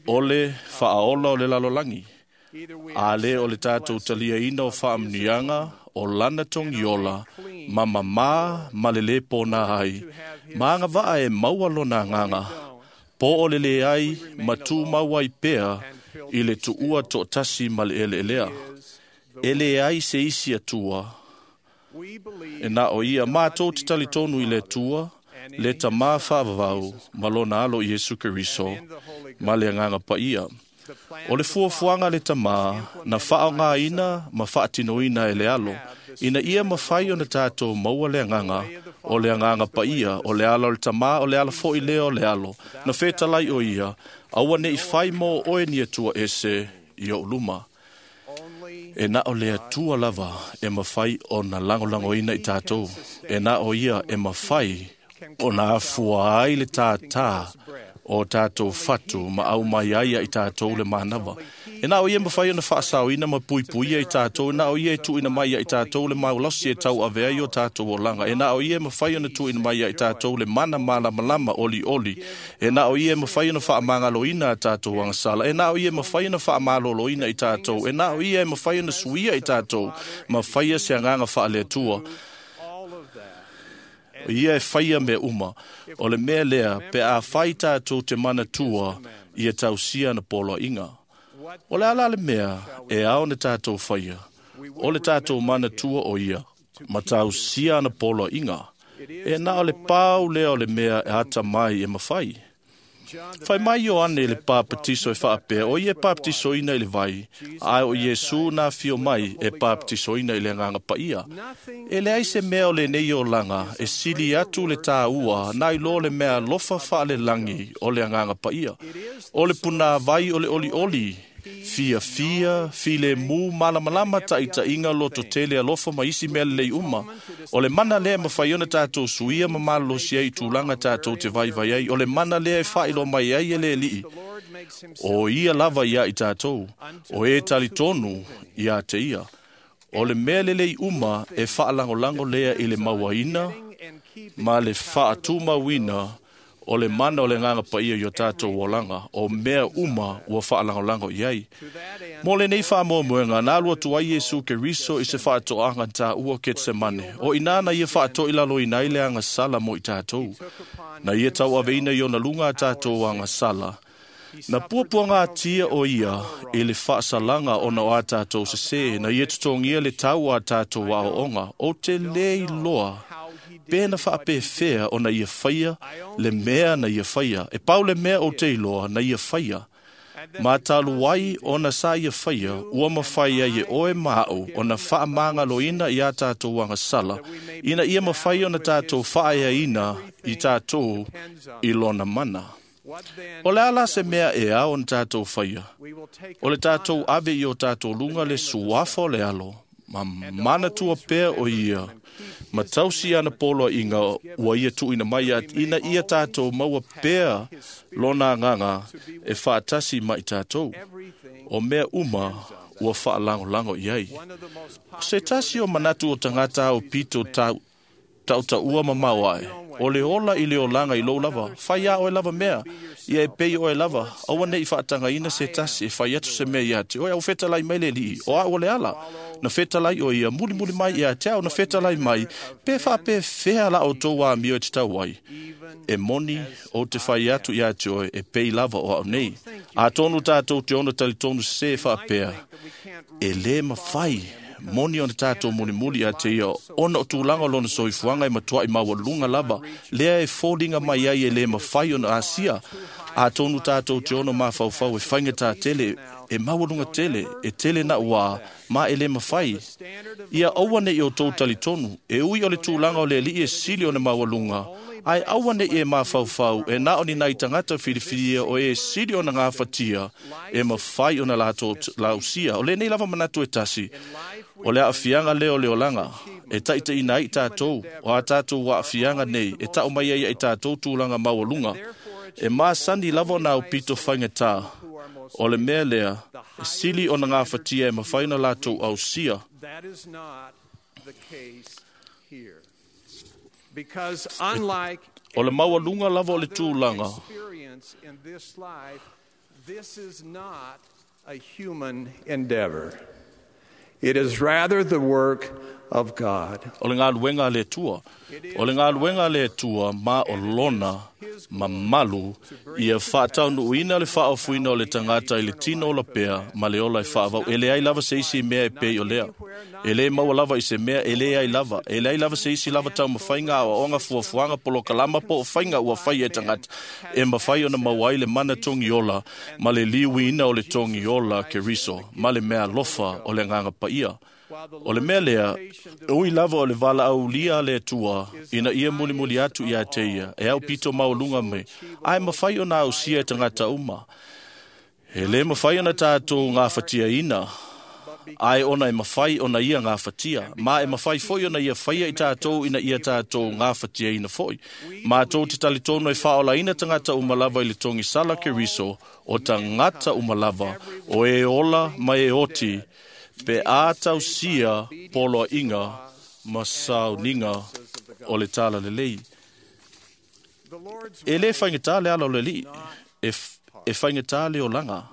o le faaola o le lalolagi. A lē o le tatou taliaina o faamanuiaga o lana togiola, ma mamā ma le lē pōnā ai, ma agavaa e maua lona agaga, po o le lē ai ma tumau ai pea i le tuua toatasi ma le eleelea. E lē ai se isi Atua, E na o ia mātou te talitonu i le Atua, le tamā whaavavau, ma lona alo Iesu Keriso, ma le anganga paia. O le fuafuaga le tamā, na whaongaina ma whaatinoina e le alo, ina ia mawhai o na tātou maua le anganga, o le anganga paia, o le ala o le tamā, o le ala fo i leo o le alo, na whetalai o ia, aua ne i whai mō oe ni atua ese i o luma. E na o le atua lava e mawhai o na langolango ina i tātou. E na o ia e mawhai o na afua ai le tātā o tātou whatu ma au mai ai i tātou le mānawa. E na o ia mawhai o na whaasau ina ma pui ia i tātou, e na o ia e tuina mai i tātou le maulasi e tau avea i o tātou o langa. E na o ia mawhai o na tuina mai i tātou le mana malamalama oli oli. E na o ia mawhai o na whaamangalo ina a tātou angasala. E na o ia mawhai o na whaamalolo ina i tātou. E na o ia mawhai o na suia i tātou. Mawhai se anganga whaaleatua. Ia e whaia me uma. O le mea lea, pe a whai tātou te mana tua i e tausia na polo inga. O le ala le mea e ao na tātou whaia. O le tātou mana tua o ia, ma tausia na polo inga. E na o le pau lea o le mea e ata mai e mawhai. Whai mai Ioane le pāpatiso e whaapea, o ia pāpatiso ina i le vai, ai o Iesu nā whio mai e pāpatiso ina i le nganga paia. E le ai se mea o le nei o langa, e sili atu le tāua, nā i lo le mea lofa whaale langi o le nganga paia. O le puna vai o le oli oli, fia fia, file mu, malamalama ta ita inga loto tele alofa ma isi mea lelei uma. O le mana lea mawhai ona tātou suia ma malolosi ai tūlanga tātou te vai vai ai. O le mana lea e whailo mai ai e le lii. O ia lava ia i tātou. O e talitonu ia te ia. O le mea lelei uma e whaalangolango lea i le mauaina ma le whaatumauina o le mana o le nganga paia i o tātou olanga, o mea uma ua whaalangolango i ai. Mō le nei whaamoemoenga, nā lua tu ai Iesu Keriso i se whaatoanga tā ua Ketsemane. O inana ia whaatoi lalo ina i le anga sala mo i tātou. Na ia tau aveina i ona lunga a tātou anga sala. Na puapuanga atia o ia i le whaasalanga o na o a tātou se se, na ia tutongia le tau a tātou a onga, o te lei loa pēna whaapewhea o na ia whaia, le mea na ia whaia. E pau le mea o te iloa na ia whaia. Mā tālu wai o na sa ia whaia, ua mawhai ai e oe maau o na whaamangaloina i a tātou angasala, ina ia mawhai o na tātou whaeaina i tātou i lona mana. O le ala se mea e ao na tātou whaia. O le tātou ave i o tātou lunga le suafa o le alo, ma mana tua pea o ia, ma tausi ana polo inga ua ia tuina mai a ina ia tātou maua pea lona nganga e whaatasi mai tātou. O mea uma ua whaalangolango i ai. Se tasi o manatu o tangata o pito tau tau ua mamau ai. O le ola i le olanga i lou lava. Whai a oe lava mea. Ia e pei oe lava. Aua nei whaatanga ina se tasi e whai atu se mea ia te. Oe au whetalai mai le lii. O a o le ala. Na whetalai o ia muli muli mai ia te au na whetalai mai. Pe wha pe whea la o tō wā mio e te tau ai. E moni o te whai atu ia te oe e pei lava o au nei. A tonu tātou te ono tali tonu se whaapea. E le mawhai. Moni o na tātou muli muli a te ia ona o tūlanga lona soifuanga e matua i maua lunga lava. Lea e fōlinga mai ai e le mawhai o na asia. A tonu tātou te ono mawhauwhau e whainga tā tele, e maua lunga tele, e tele na ua, ma e le mawhai. Ia aua nei o tō talitonu, e ui o le tūlanga o le li e sili o na maua lunga. Ai aua nei e mawhauwhau, e nā o ni nai tangata whiriwhiria o e sili o na ngā whatia, e mawhai o na lātou lausia. O le nei lava manatu e tasi, o le aafianga leo le olanga, e taita ina ai tātou, o a tātou wa aafianga nei, e tau mai ai ai tātou tūlanga maualunga. E māsani lava nā o pito whainga tā, o le mea lea, e sili o na ngā whatia e mawhai na lātou au sia. That is not the case here. Because unlike O le maualunga lava o le tūlanga, experience in this life, this is not a human endeavor. It is rather the work of God. O le ngā luenga le tua. O le ngā luenga le tua ma o lona mamalu ia faataunuuina le faaofuina o le tagata i le tino ola pea ma le ola e faavau. E leai lava se isi mea e pei o lea. E lē maua lava i se mea e leai lava. E leai lava se isi lava taumafaiga aoaoga fuafuaga polokalama po o faiga ua faia e tagata e mafai ona maua ai le mana togi ola ma le liuina o le togi ola Keriso ma le meaalofa o le Agaga Paia. O le mea lea, ui lava o le valaaulia a le Atua ina ia mulimuli atu ia te ia, e aupito maualuga mai, ae mafai ona ausia e tagata uma. E lē mafai ona tatou gafatiaina, ae ona e mafai ona ia gafatia, ma e mafai foi ona ia faia i tatou ina ia tatou gafatiaina foi. Matou te talitonu e faaolaina tagata uma lava i le togisala Keriso, o tagata uma lava, o e ola ma e oti, pe a tausia poloaiga ma sauniga o le talalelei. E lē faigata le ala o le Alii, e faigata le olaga,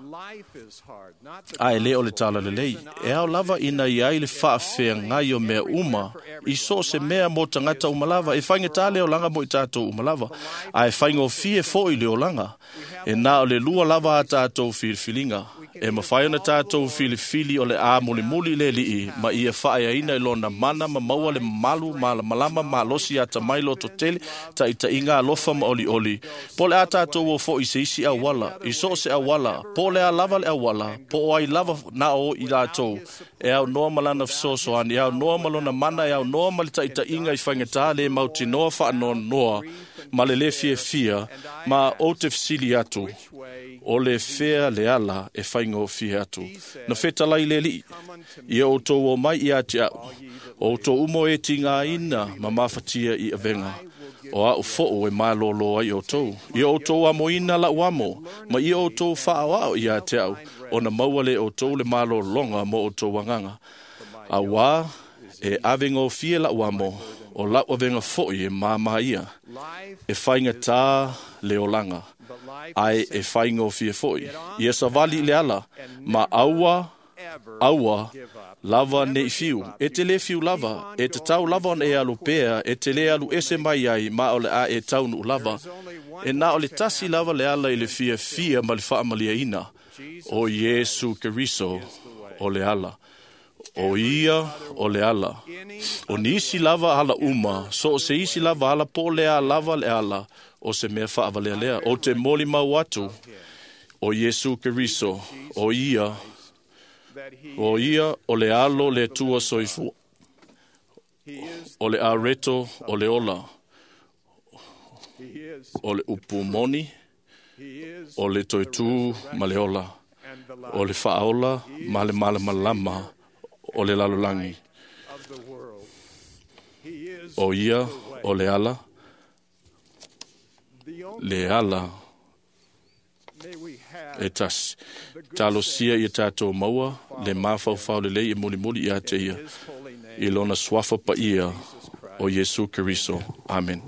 ae lē o le talalelei. E ao lava ina iai le faafeagai o mea uma i so o se mea mo tagata uma lava. E faigata le olaga mo i tatou uma lava, ae faigofie foi le olaga. E na o le lua lava a tatou filifiliga. E mafai ona tatou filifili o le a mulimuli le Alii ma ia faaeaina i lona mana ma maua le mamalu malamalama malosi atamai lototele taitaiga alofa ma olioli. Po o le a tatou o foi i se isi auala, i so o se auala, po o le a lava le auala, po o ai lava na o i latou, e aunoa ma lana fesoasoani, e aunoa ma lona mana, e aunoa ma le taitaiga i faigata le mautinoa faanoanoa ma le lē fiafia, ma ou te fesili atu, o le fea le ala e faigofie atu. Na fetalai le Alii, ia outou o mai ia te au, o outou uma o e tigaina ma mafatia i avega, o au foo e malōlō ai outou. Ia outou amoina lau amo, ma ia outou faaoao ia te au, ona maua lē outou le malōlōga mo outou agaga. Auā e avegofie lau amo, o lau avega foi e māmā ia. E faigatā le olaga, ae e faigofie foi. Ia savali i le ala, ma aua, aua, lava nei fiu. E te lē fiu lava, e tatau lava ona e alu pea, e te lē alu ese mai ai, ma o le a e taunuu lava. E na o le tasi lava le ala i le fiafia ma le faamaliaina, o Iesu Keriso o le ala. O ia o le ala. O nisi lava ala uma, so o se isi lava ala po o le a lava le ala, o se mea faavalealea. O te molimau atu, o Iesu Keriso, o ia, o ia o le alo le Atua soifua, o le areto o le ola, o le upu moni, o le toetū ma le ola, o le faaola ma le malamalama o le lalolagi. O ia o le ala, le ala e tasi. Talosia ia tatou maua le mafaufau lelei e mulimuli ia te ia, i lona suafa paia o Iesu Keriso. Amen.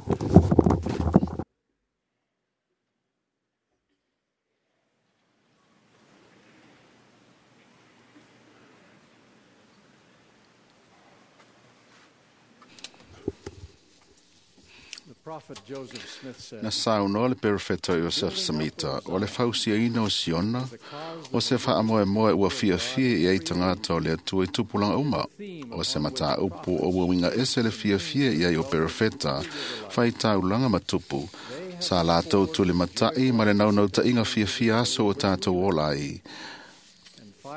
Na saunoa le perofeta Iosef Samita o le fausiaina o Siona o se faamoemoe ua fiafia i ai tagata o le Atua i tupulaga uma o se mataupu o ua uiga ese le fiafia i ai o perofeta faitaulaga ma tupu sa latou tulimataʻi ma le naunautaiga fiafia aso o tatou ola ai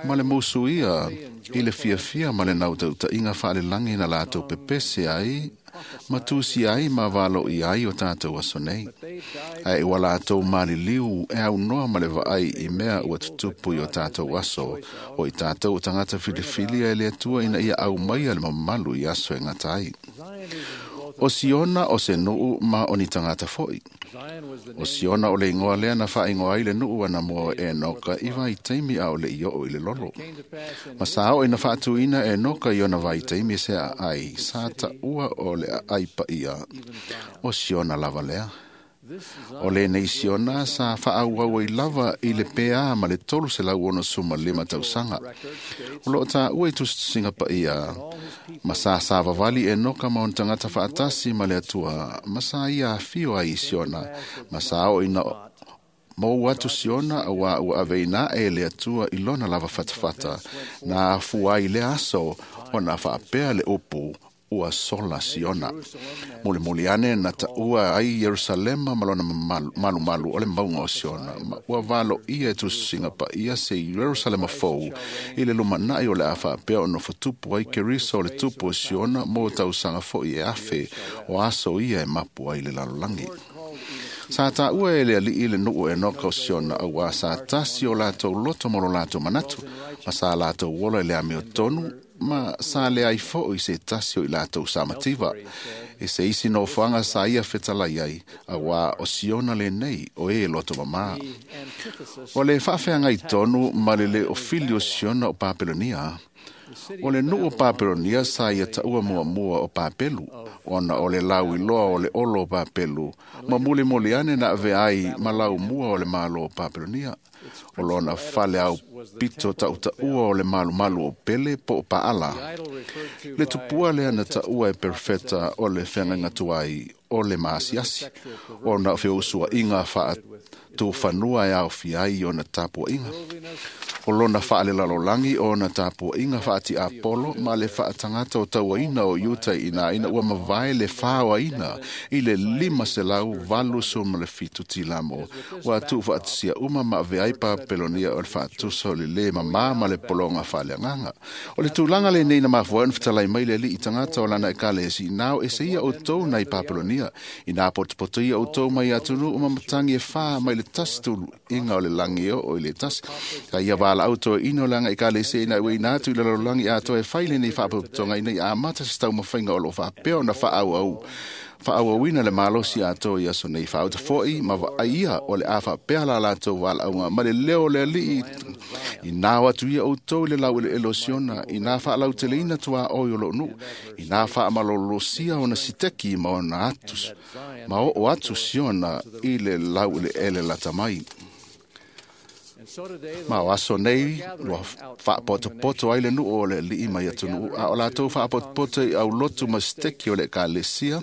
ma le musu ia i le fiafia ma le nautautaiga faalelagi na latou pepese ai ma tusi ai ma valoia ai o tatou aso nei. Ae ua latou maliliu e aunoa ma le vaai i mea ua tutupu i o tatou aso, o i tatou o tagata filifilia e le Atua ina ia aumaia le mamalu i aso e gata ai. O Siona o se nuu ma o ni tagata foi. O Siona o le igoa lea na faaigoa ai le nuu ana mo e Enoka i vaitaimi a o le i oo i le lolo. Ma sa oo ina faatuina e Enoka i ona vaitaimi se aai, sa taua o le aai paia. O Siona lava lea. O lenei Siona sa faaauau ai lava i le pea ma le 365 tausaga. O loo taua i tusitusiga paia ma sa savavali Enoka ma ona tagata faatasi ma le Atua ma sa ia afio ai i Siona ma sa oo ina mou atu Siona auā ua aveina ae e le Atua i lona lava fatafata na afua ai lea aso ona faapea le upu ua sola Siona. Mulimuli ane na taua ai Ierusalema ma lona malumalu o le mauga o Siona, ma ua valoia e tusitusiga paia se Ierusalema fou i le lumanai o le a faapea ona fotupu ai Keriso o le tupu o Siona mo tausaga fo'i e afe o aso ia e mapu ai le lalolagi. Sa taua e le alii le nuu o Enoka o Siona auā sa tasi o latou loto ma lo latou manatu, ma sa latou ola i le amiotonu ma sa leai fo'i se tasi o i latou sa mativa. E se isi nofoaga sa ia fetalai ai, auā o Siona lenei o e loto mamā. O le faafeagai tonu ma le le ofili o Siona o Papelonia. O le nuu o Papelonia sa ia taua muamua o Papelu, ona o le lauiloa o le olo o Papelu, ma mulimuli ane na avea ai ma laumua o le malo o Papelonia. O lona fale au pito tautaua o le malumalu o Pele po o Paala. Le tupua lea na taua e perofeta o le feagaiga tuai o le maasiasi, ona o feusuaiga faatufanua e aofia ai ona tapuaiga. O lona faalelalolagi o ona tapuaiga faatiapolo ma le faatagata o tauaina o Iuta i ina ua mavae le faoaina i le 587 tilamo ua tuufaatasia uma ma avea ai Papelonia o le faatusa o le lē mamā ma le pologa faaleagaga. O le tulaga lenei na mafua ai ona fetalai mai le alii tagata o lana ekalesia ina o ese ia outou nai Papelonia, ina potopoto ia outou mai atunuu ma matagi e fā mai le tasi tuluiga o le lagi e oo i le tasi. Sa ia valaau toeaina o le aga ekalesia ina ua ina atu i le lalolagi atoa e fai lenei faapotopotoga ina ia amata se taumafaiga o loo faapea ona faaauauina le malosi atoa i aso nei faauta fo'i ma vaaia o le a faapea la latou valaauga ma le leo o le alii ina o atu ia outou i le laueleele o Siona, ina faalauteleina tuaoi o loo nuu, ina faamalolosia ona siteki ma ona atu ma oo atu Siona i le laueleele lata mai. Ma o aso nei ua faapotopoto ai le nuu o le alii mai atunuu, a o latou faapotopoto i aulotu ma siteki o le ekalesia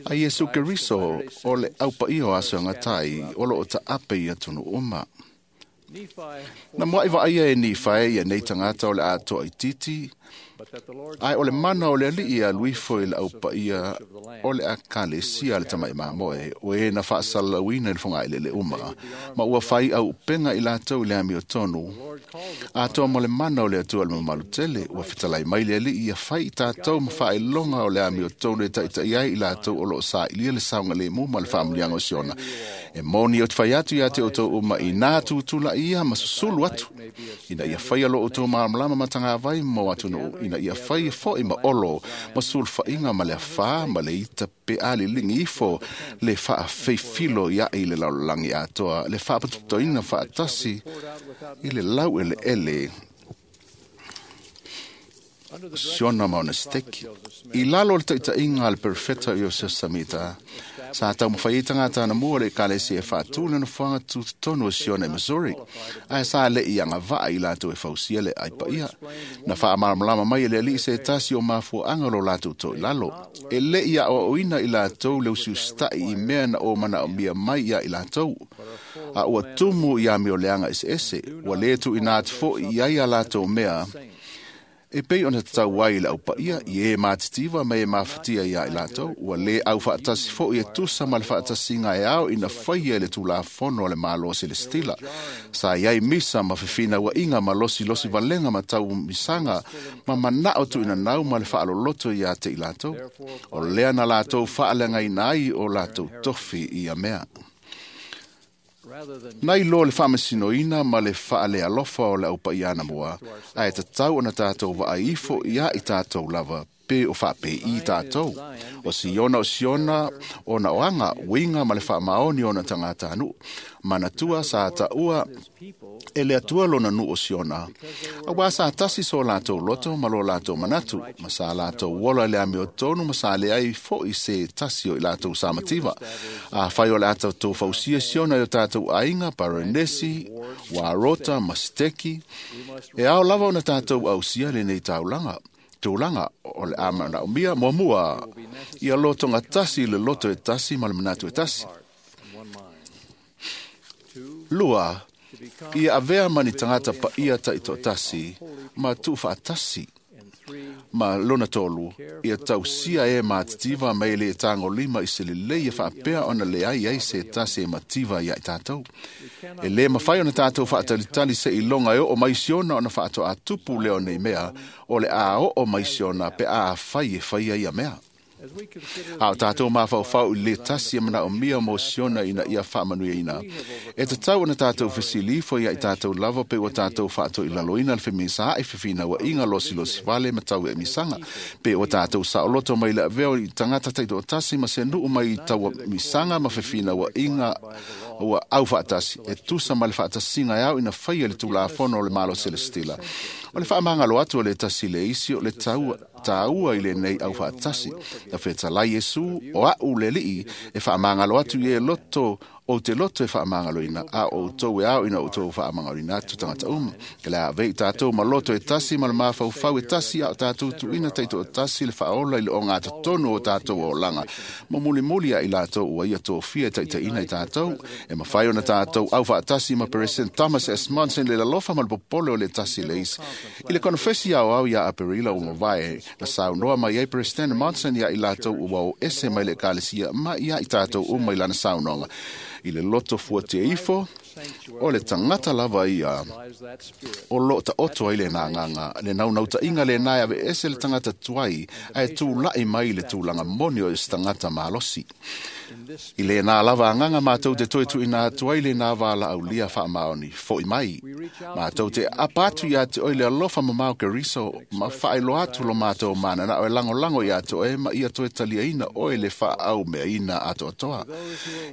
a Iesu Keriso o le aupaia o aso e agatai o loo taape i atunuu uma. Na muai vaaia e Nifae ia nei tagata o le atoa itiiti, ae o le mana o le alii e alu ifo i le aupaia o le ekalesia a le tama'i mamoe, o e na faasalalauina i le fogaelele uma, ma ua fai auupega i latou i le amiotonu. Atoa ma le mana o le Atua le mamalu tele, ua fetalai mai le alii ia fai i tatou ma faailoga o le amiotonu e taita'i ai i latou o loo sailia le saogalemu ma le faamanuiaga o Siona. E moni ou te fai atu ia te outou uma ina tutula'i ia ma susulu atu, ina ia faia lo outou malamalama ma tagavai mo atunuu, ina ia faia fo'i ma olo ma sulufaiga ma le afā ma le ita pe aliligi ifo le faafeifilo iaʻe i le lalolagi atoa le faapotopotoina faatasi i le laueleele Siona ma ona siteki. I lalo o le taʻitaʻiga a le perofeta o Iosefa Samita, sa taumafai ai tagata anamua o le ekalesia e faatū le nofoaga tutotonu o Siona i Missouri, ae sa leʻi agavaa i latou e fausia le ai paia. Na faamalamalama mai e le alii se tasi o mafuaaga o lo latou toilalo. E leʻi aʻoaʻoina i latou le usiusitaʻi i mea na o manaomia mai ia i latou. A ua tumu i amioleaga eseese, ua lē tuuina atu foʻi i ai a latou mea e pei ona tatau ai i le aupaia i e matitiva ma e mafatia iā i latou, ua lē aufaatasi foʻi e tusa ma le faatasiga e ao ina faia i le tulafono a le Malo Selestila. Sa i ai misa ma fefinauaiga ma losilosi valega ma taumisaga ma manao tuuinanau ma le faaloloto iā te i latou. O lea na latou faaleagaina ai o latou tofi i ia mea. Na iloa le faamasinoina ma le faalealofa o le aupaia anamua, ae tatau ona tatou vaai ifo iā i tatou lava pe o faapei tatou. O Siona o Siona ona o aga, uiga ma le faamaoni o ona tagatanuu. Manatua sa taua e le Atua lona nuu o Siona, auā sa tasi so latou loto ma lo latou manatu, ma sa latou ola i le amiotonu ma sa leai fo'i se tasi o i latou sa mativa. Afai o le a tatou fausia Siona i o tatou aiga, Parenesi, Warota ma Siteki, e ao lava ona tatou ausia lenei taulaga. Tulaga o le a manaomia muamua ia lotoga tasi i le loto e tasi ma le manatu e tasi. Lua, ia avea ma ni tagata paia taitoatasi ma tuufaatasi. Ma lona tolu, ia tausia e matitiva ma e le tagolima i se lelei e faapea ona leai ai se tasi e mativa ia i tatou. E lē mafai ona tatou faatalitali seiloga e oo mai Siona ona faatoatupu lea o nei mea, o le a oo mai Siona pe a afai e faia ia mea. A o tatou mafaufau i le tasi e manaomia mo Siona ina ia faamanuiaina. E tatau ona tatou fesilifo ia i tatou lava pe ua tatou faatoilaloina le femisaai fefinauaiga losilosi vale ma tau emisaga. Pe ua tatou saoloto mai le avea o i tagata taitoatasi ma se nuu mai i tauamisaga ma fefinauaiga ua aufaatasi e tusa ma le faatasiga e ao ina faia le Tulafono o le Malo Selestila. O le faamagalo atu o le tasi le isi o le taua i lenei aufaatasi. Na fetalai Iesu o a'u le Alii e faamagalo atu i e loto ou te loto e faamagaloina, a o outou e ao ina outou faamagaloina atu tagata uma. E le a avei tatou ma loto e tasi ma le mafaufau e tasi, a o tatou tuuina taitoatasi le faaola i le ogatotonu o tatou olaga. Ma mulimuli ia i latou ua ia tofia e taitaiina i tatou, e mafai ona tatou aufaatasi ma President Thomas S. Monson le lalofa ma le popole o le tasi le isi. I le konofesi aoao ia Aperila ua mavae, na saunoa mai ai President Monson ia i latou ua o ese mai le ekalesia ma ia i tatou uma i lana saunoaga. I le loto fuatia ifo, o le tagata lava ia o loo taoto ai lena agaga, le naunautaiga lena e aveese le tagata tuai ae tula'i mai le tulaga moni o se tagata malosi. I lena lava agaga matou te toe tuuina atu ai lena valaaulia faamaoni fo'i mai. Matou te apa atu iā te oe le alofa mamao Keriso ma faailoa atu lo matou mananao e lagolago iā te oe ma ia toe taliaina oe le faaaumeaina atoatoa.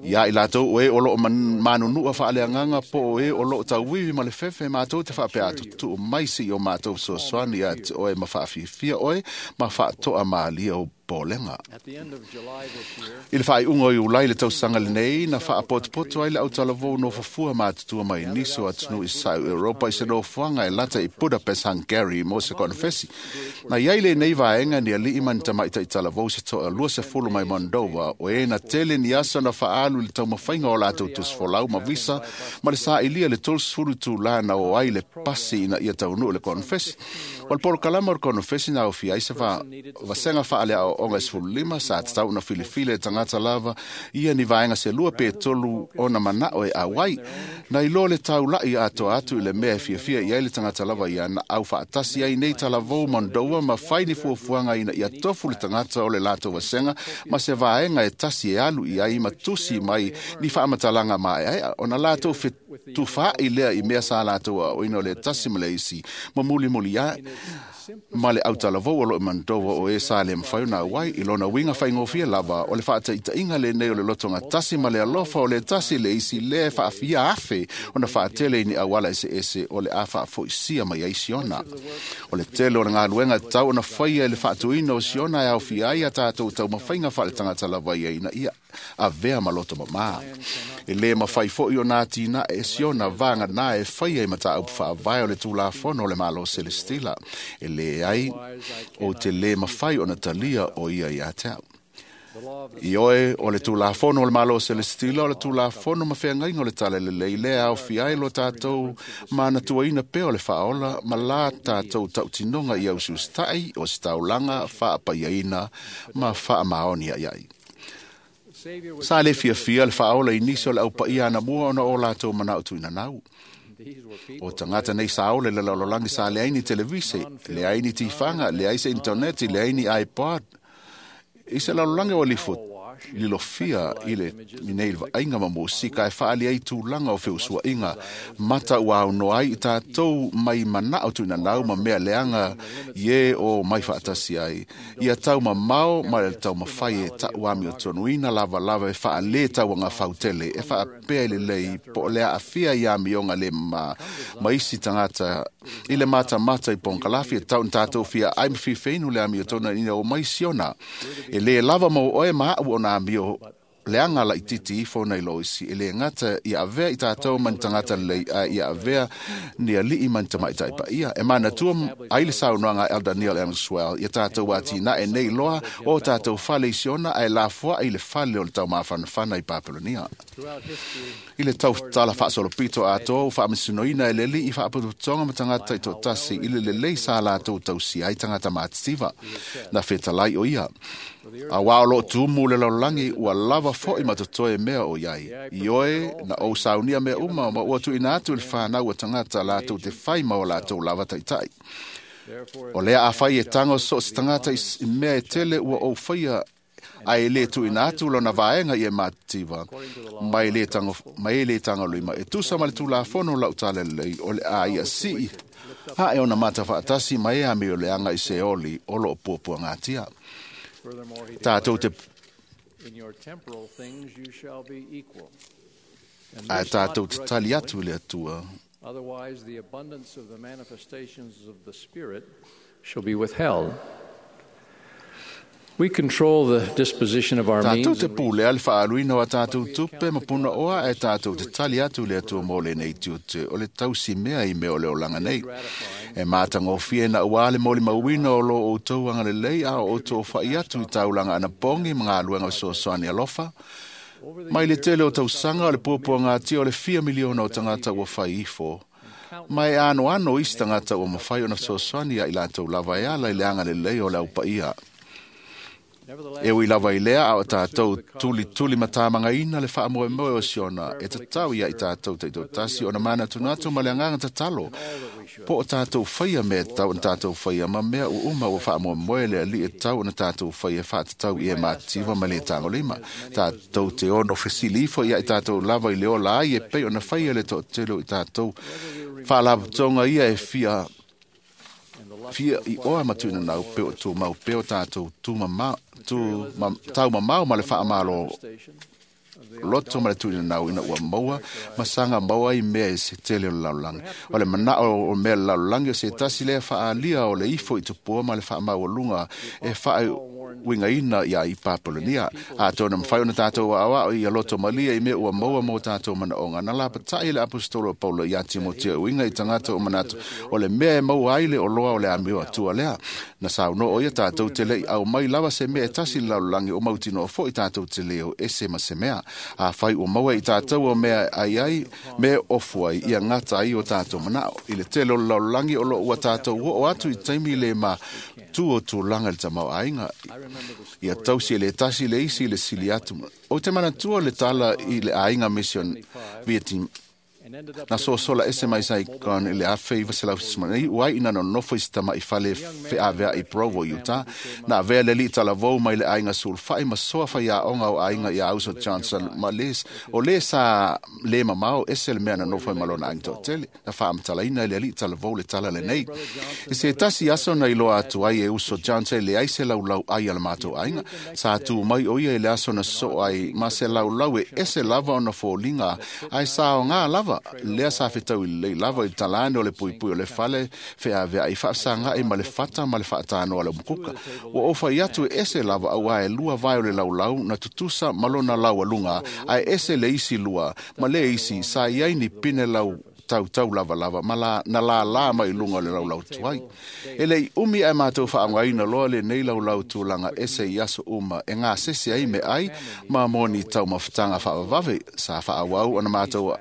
Ia i latou o e o loo manunua faaleagaga po o e o loo tauivi ma le fefe, matou te faapea atu tuu mai se i o matou fesoasoani iā te oe ma faafiafia oe ma faatoa malia o popolega. I le faaiuga o Iulai le tausaga lenei, na faapotopoto ai le autalavou nofofua matutua mai nisi o atunuu i Saʻu Europa i se nofoaga e lata i Budapest, Hungary mo se konofesi. Na iai lenei vaega ni alii ma ni tamaitaʻi talavou se toa 20 mai Moldova, o e na tele ni aso na faaalu i le taumafaiga o latou tusifolau ma visa ma le saʻilia le 30 itulā na o ai le pasi ina ia taunuu le konofesi. O le polokalama o le konofesi na aofia ai se vasega faaleaoaoga e 15 sa tatau ona filifili e tagata lava ia ni vaega se lua pe tolu ona manao e auai. Na iloa le taulaʻi atoa atu i le mea e fiafia i ai le tagata lava ia na aufaatasi ai nei talavou Moldova ma fai ni fuafuaga ina ia tofu le tagata o le latou vasega ma se vaega e tasi e alu i ai ma tusi mai ni faamatalaga maeaea ona latou fetufaai lea i mea sa latou aoaoina o le tasi ma le isi ma mulimuli ae ma le autalavou o loo i Moldova o e sa le mafai ona auai. I lona uiga faigofie lava o le faataitaiga lenei o le lotoga tasi ma le alofa o le tasi le isi lea e faafia afe ona faatele i ni auala eseese o le a faafoisia mai ai Siona. O le tele o le galuega tatau ona faia i le faatuina o Siona e aofia ai a tatou taumafaiga faaletagata lava ia ina ia avea ma loto mamā. E lē mafai foʻi ona atinae e Siona vaganā e faia i mataupu faavae o le Tulafono o le Malo Selestila. E leai o te lē mafai ona talia o ia iā te au. I oe o le Tulafono o le Malo Selestila o le Tulafono ma feagaiga o le Talalelei lea aofia ai lo tatou manatuaina pea o le faaola ma la tatou tautinoga i ausiusitaʻi o se taulaga faapaiaina ma faamaoni aiai. Sa le fiafia le faaola i nisi o le aupaia anamua ona o latou manao tuinanau. O tagata nei sa ola i le lalolagi sa leai ni televise, leai ni tifaga, leai se intaneti, leai ni iPod. I se lalolagi o lifo lilofia i le nei vaaiga ma musika e faaali ai tulaga o feusuaiga mata ua aunoa ai i tatou mai manao tuinanau ma mea leaga i e o mai faatasi ai. Ia taumamao ma le taumafai e taʻu amiotonuina lavalava e faalē tauaga fautele e faapea i lelei po o le aafia i amioga le mamā ma isi tagata i le matamata i pogakalafi e tatau ona tatou fiaai ma fifeinu le amiotonu ina o mai siona. E lē lava mo oe ma aʻu ona amio leaga laʻititi ifo nai lo isi e lē gata ia avea i tatou ma ni tagata lelei ae ia avea ni aliʻi ma ni tamaʻitaʻi paia. E manatua ai le saunoaga a Elder Neal A. Maxwell ia tatou atinae nei loa o tatou fale i Siona ae lafoaʻi le fale o le taumafanafana i Papelonia. I le tautala faasolopito atoa ua faamasinoina e le Alii faaputuputoga ma tagata taitoatasi i le lelei sa latou tausia ai tagata matitiva. Na fetalai o ia, auā o loo tumu le lalolagi ua lava foʻi ma totoe mea o iai. I oe na ou saunia mea uma ma ua tuuina atu i le fanau a tagata latou te fai ma o latou lava taʻitaʻi. O lea afai e tago so o se tagata i mea e tele ua ou faia ae lē tuuina atu lona vaega i e matitiva ma e lē tagolima e tusa ma le tulafono lau tala lelei o le a ia sii ae ona mata faatasi ma e amio leaga i Seoli o loo puapuagatia. Tatou te ae tatou te tali atu i le Atua. Otherwise, the abundance of the manifestations of the Spirit shall be withheld. We control the disposition of our Tatou means te pulea le faaluina o a tatou tupe ma puna oa ae tatou te tali atu le Atua mo lenei tiute o le tausimea i mea o le olaga nei. E matagofie na uā le molimauina o lo outou agalelei a o outou fa'i atu i taulaga anapogi ma galuega fesoasoani alofa. Mai le tele o tausaga o le puapuagatia o le fia miliona o tagata ua fai ifo. Ma e anoano isi tagata ua mafai ona fesoasoani ia i latou lava e ala i le agalelei o le aupaia. E ui lava i lea a o tatou tulituli matamagaina le faamoemoe o Siona e tatau ia i tatou taitoatasi ona manatunatu ma le agaga tatalo po o tatou faia mea e tatau ona tatou faia ma mea uuma ua faamoemoe le Alii e tatau ona tatou faia e faatatau i e matitiva ma le tagolima. Tatou te ono fesili ifo ia i tatou lava i le ola ai e pei ona faia le toatele o i tatou faalapotopotoga ia e fia i oa ma tuinanau pe o tumau pe o tatou taumamao ma le faamalo loto ma le tuinanau ina ua maua ma saga maua ai mea e se tele o le lalolagi. O le manao o mea o le lalolagi o se tasi lea faaalia o le ifo i tupua ma le faamaualuga e faauigaina ia i Papelonia. Atonu mafai ona tatou aoao ia loto malia i mea ua maua mo tatou manaoga. Na lapataʻi le aposetolo o Paulo ia Timotea uiga i tagata o manatu o le mea e maua ai le oloa o le amio atua lea. Na saunoa o ia tatou te leʻi au mai lava se mea e tasi le lalolagi o mautinoa foʻi tatou te leo ese ma se mea. Afai ua maua i tatou o mea ai ai, mea ofu ai, ia gata ai o tatou manao. I le tele o le lalolagi o loo ua tatou oo atu i taimi le ma tu o tulaga i le tamaoaiga. Ia tausi e le tasi le isi i le sili atu. Ou te manatua le tala i le aiga Mission Vietnam na sosola ese mai Saigon i le 1979 uai ina nonofo i se tamaʻi fale feaveaʻi Provo, Utah. Na avea le alii talavou mai le aiga sulufai ma soa faiaoga o aiga ia Uso Johnson ma les, o lē sa lē mamao ese le mea na nofo ai ma lona aiga toatele. Na faamatalaina e le alii talavou le tala lenei. I se tasi aso na iloa atu ai e Uso Johnson e leai se laulau ai a le matou aiga. Sa tu mai o ia i le aso na soo ai ma se laulau e ese lava ona foliga ae sa aogā lava lea sa fetau i lelei lava i le talane o le puipui o le fale feaveaʻi faafesagaʻi ma le fata ma le faatanoa a le umukuka. Ua ou fai atu e ese lava auā e lua vae o le laulau na tutusa ma lona laualuga ae ese le isi lua ma le isi sa i ai ni pine lau tautau lavalava ma la, na lālā mai i luga o le laulau tuai. E leʻi umi ae matou faaaogaina loa lenei laulau tulaga ese i aso uma e gasese ai meaai ma moni taumafataga faavavave sa faaauau ona matou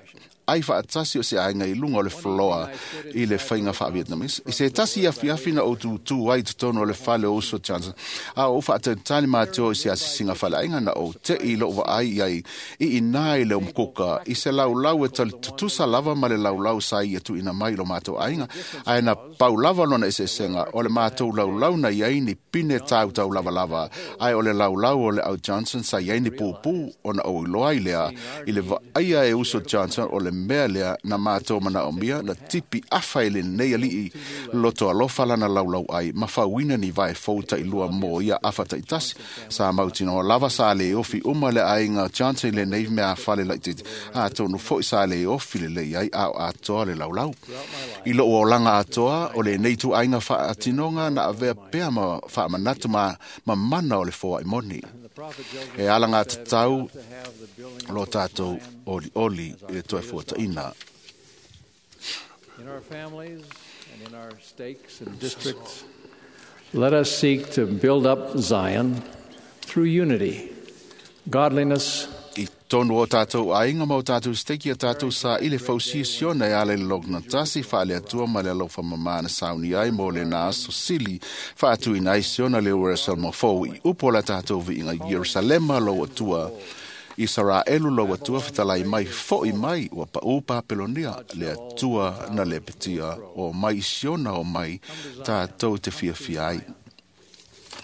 ai faatasi o se aiga i luga o le floa i le faiga faa-Vietnamese. I se tasi afiafi na ou tutū ai i totonu o le fale o uso Johnson, a o ou faatalitali matou i se asisiga faleaiga na ou te'i i lo'u vaai i ai i inā i le umukuka i se laulau e tali tutusa lava ma le laulau sa ia tuuina mai i lo matou aiga, ae na pau lava lona eseesega o le matou laulau na i ai ni pine tautau lavalava, ae o le laulau o le au Johnson sa i ai ni pupū ona ou iloa ai lea i le vaaia e uso Johnson o le mea lea na matou manaomia na tipi afa i lenei ali'i loto alofa lana laulau ai ma fauina ni vae fou taʻilua mo ia afa taʻitasi. Sa mautinoa lava sa lē ofi uma le aiga Johnson i lenei meafale laʻitiiti, atonu foʻi sa lē ofi lelei ai a o atoa le laulau. I loʻu olaga atoa o lenei ituaiga faatinoga na avea pea ma faamanatu ma mamana o le foaʻi moni e alagatatau lo tatou olioli i le toe fuataʻina. In our families and in our stakes and districts, let us seek to build up Zion through unity, godliness, I tonu o tātou aiga ma o tātou steki a tātou sa i le fausia siona e ala i le logona tasi whaale atua ma le alofa mamana sauni ai mo le nā aso sili whaatuina ai siona le Ierusalema fou i upo la tātou viiga Ierusalema lo atua Isaraelu lo atua fetalai mai foʻi mai ua paʻū Papelonia le Atua na lepetia o mai i Siona o mai tātou te fiafia ai.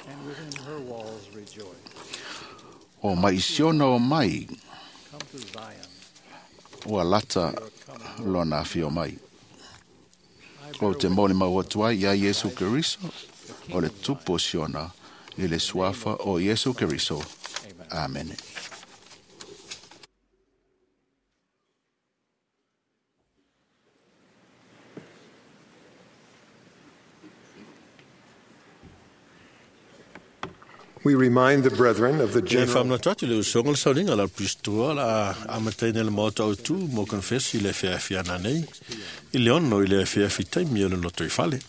and within her walls rejoice. O mai i Siona o mai Come to Zion. ua lata lona afio mai. O te moli mau atu ai ia Iesu Keriso o le tupu o Siona i le suafa o Iesu Keriso. Amene. We remind the brethren of the E general whamnatu atu le usoga le sauniga la pistoa la amataina le maota o tu mo confessi le feafiana nei i le ono i le feafi taimi o le loto i fale.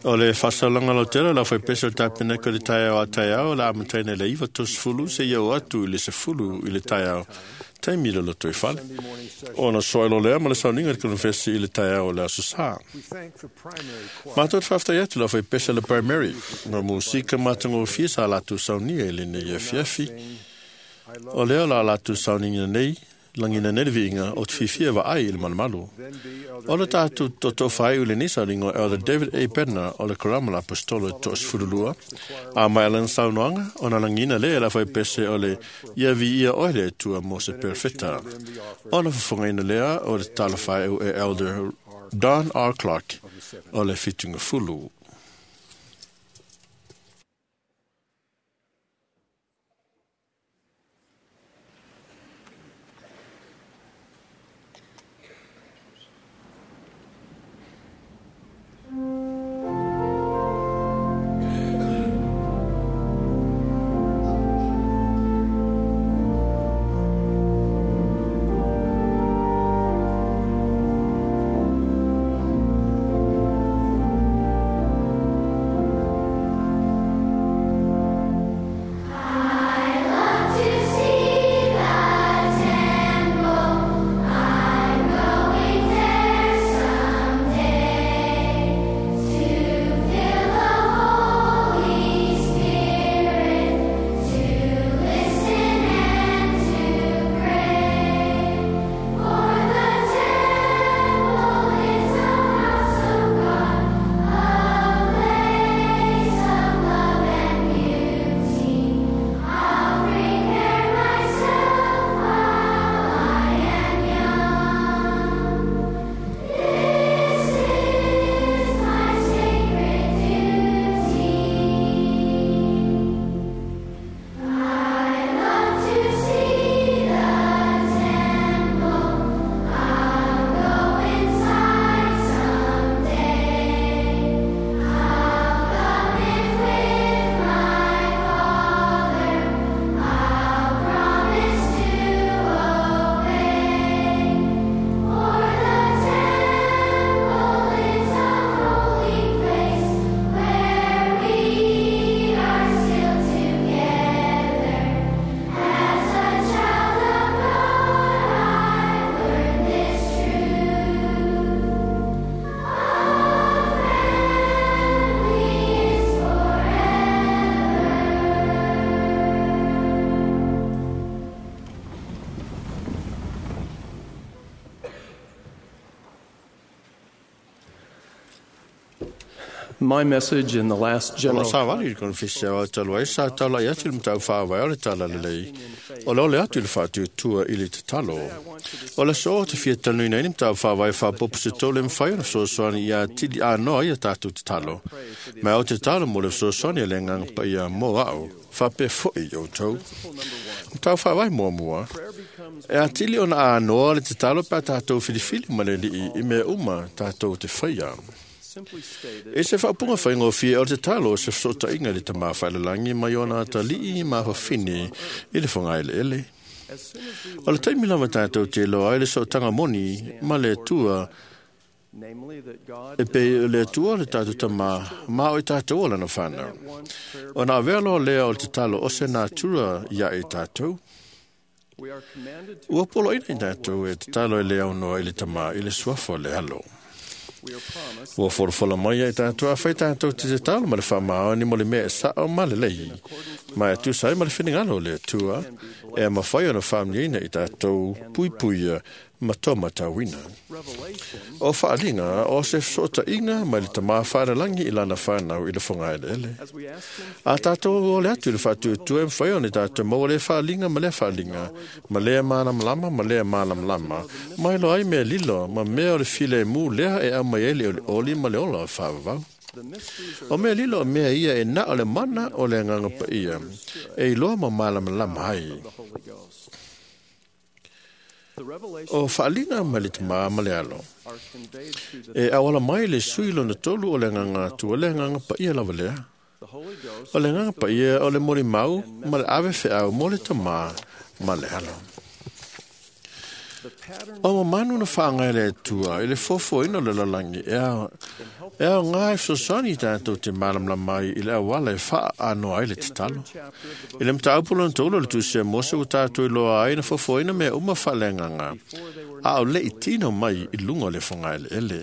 O le faasalaga lautele la faipese o le tapeneko i le taeao a taeao la amataina i le 90 seia oo atu i le 10 i le taeao taimi i le loto i fale. Ona soa lea ma le sauniga i le konefesi i le taeao o le aso sā. Mātou te faafetai atu la faipese le primary ma musika matagofie sa latou saunia i lenei afiafi. O lea o la latou sauniga nei lagina nei le viiga o te fiafia vaai i le malumalu. O le tatou toto faaiu i lenei sauniga o Elder David A. Bednar o le Karama la Apostolo e 32, a mai lana saunoaga ona lagina lea e la faipese o le ia viia oe le Atua mo se perofeta. Ona fofogaina lea o le tatalo faaiu e Elder Don R. Clark o le 70. My message in the last O general la savali i le konefesi au talu ai sa taulai atu i le matau whāwai o le tala lelei. O le ole atu i le whaatutua i le tatalo. O le so te fia tanuina i le matau whāwai whāpopo se tō le mwhai o le fesoasoani i a tili a noa i a tātou tatalo. Mai o te talo mo le fesoasoani a le nganga pa ia mō au, whapea foi i o tau. Matau whāwai mua mua. E a tili ona a noa le tatalo pa tātou filifili ma le lii i mea uma tātou te whaia. E se whaapunga whaingofie o te talo se whasota inga le tamā whaelalangi mai ona atalii ma whawhine i le whangaele ele. O le taimi lava tātou te loa ai le sootanga moni ma le tua e pe le tua le tātou tamā ma o i tātou o lana whanau. O nā vea loa lea o te talo o se nātura ia e tātou. Ua polo ina i tātou e te talo e le au noa i le tamā i le suafa o le alo. Ua folafola mai ai tātou a whai tātou te te talo ma le whamao ni mo le mea e sao ma le lei. Ma e tusa ai ma le whiningalo le atua e ma whai ona whamniina i tātou puipuia ma tō matauina. O whaalinga o se sota inga mai le tamā whaaralangi i lana whanau i le whangaele ele. A tātou o le atu i le whaatuatua e mwhai ona i tātou maua le whaalinga ma le whaalinga, ma lea mālamalama ma lea mālamalama, mai lo ai mea lilo, ma mea o le file mū lea e au mai ele o le oli ma le ola o whaavavau. O mea lilo o mea ia e na o le mana o le nganga pa ia, e iloa ma mālamalama ai. O whaalinga ma le tamā ma le alo. E awala mai le sui lona tolu o le nganga atua le nganga pa ia lava lea. O le nganga pa ia o le mori mau ma le ave wheau mo le tamā ma le alo. O manu na whaangai le atua i le fofo ino le lalangi e ao e ao ngā e fesoasoani tātou te mālamalama mai i le awala e whaa anoa ai le tatalo. I le mataupolo na tōlo le tusia Mose o tātou i loa ai na fofo ina mea uma whalenganga. A o le i tino mai i lunga o le whangaele ele.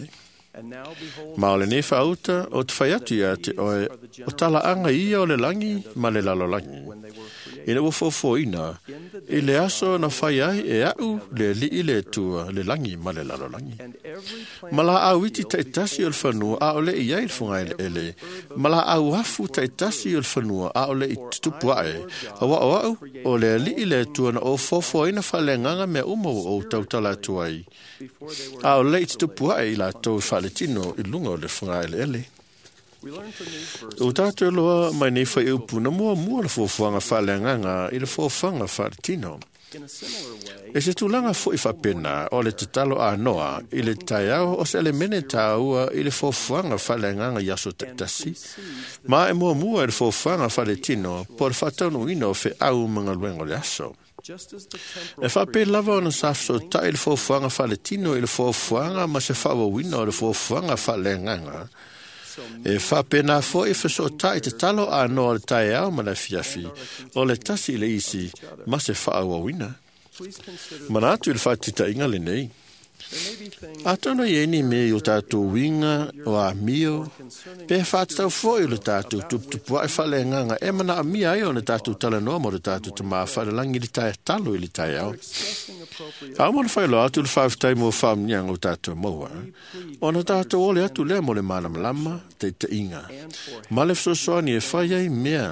Ma o le nei whaauta o te whai atu ia te oe o tala anga ia o le langi ma le lalolangi. Ina ua fofo ina, i le aso na whai ai e au le lii le tua le langi ma le lalolangi. Ma la au iti taitasi o le whanua a o le i ai le whangaele ele. Ma la au afu taitasi o le whanua a o le i tutupu ae. A wa o au o le lii le tua na o fofo ina whalenganga mea uma o tautala atu ai. A o le i tutupu ae i la tau whaletino i lunga o le whangaele ele. O tātou loa mai nei whai upu na mua mua le fōfuanga whaleanganga i le fōfuanga whaletino. E se tūlanga fo i whapena o le tatalo a noa i le taiao o se elemene tāua i le fōfuanga whaleanganga i aso taitasi. Ma e mua mua i le fōfuanga whaletino po le whataunu ina o whe au mangaluengo le aso. E whape lava ona sa tai i le fōfuanga whaletino i le fōfuanga ma se whawawina o le fōfuanga whaleanganga. E whapena fo i whasotai te talo a noa le taiao ma le fiafi, o le tasi le isi, ma se whaawawina. Mana atu i le whaatita inga le nei. Atono i eni me i o tātou winga, o a mio, pe whātau fo i le tātou tuputupu ai whale nganga, e mana a mia ai o le tātou talanoa mo le tātou te maa whale langi le tai talo i le taiao. A mo le whailo atu le whaaftai mo whaamniang o tātou maua. O na tātou ole atu lea mo le mālamalama, te te inga. Ma le fesoasoani e whai ai mea.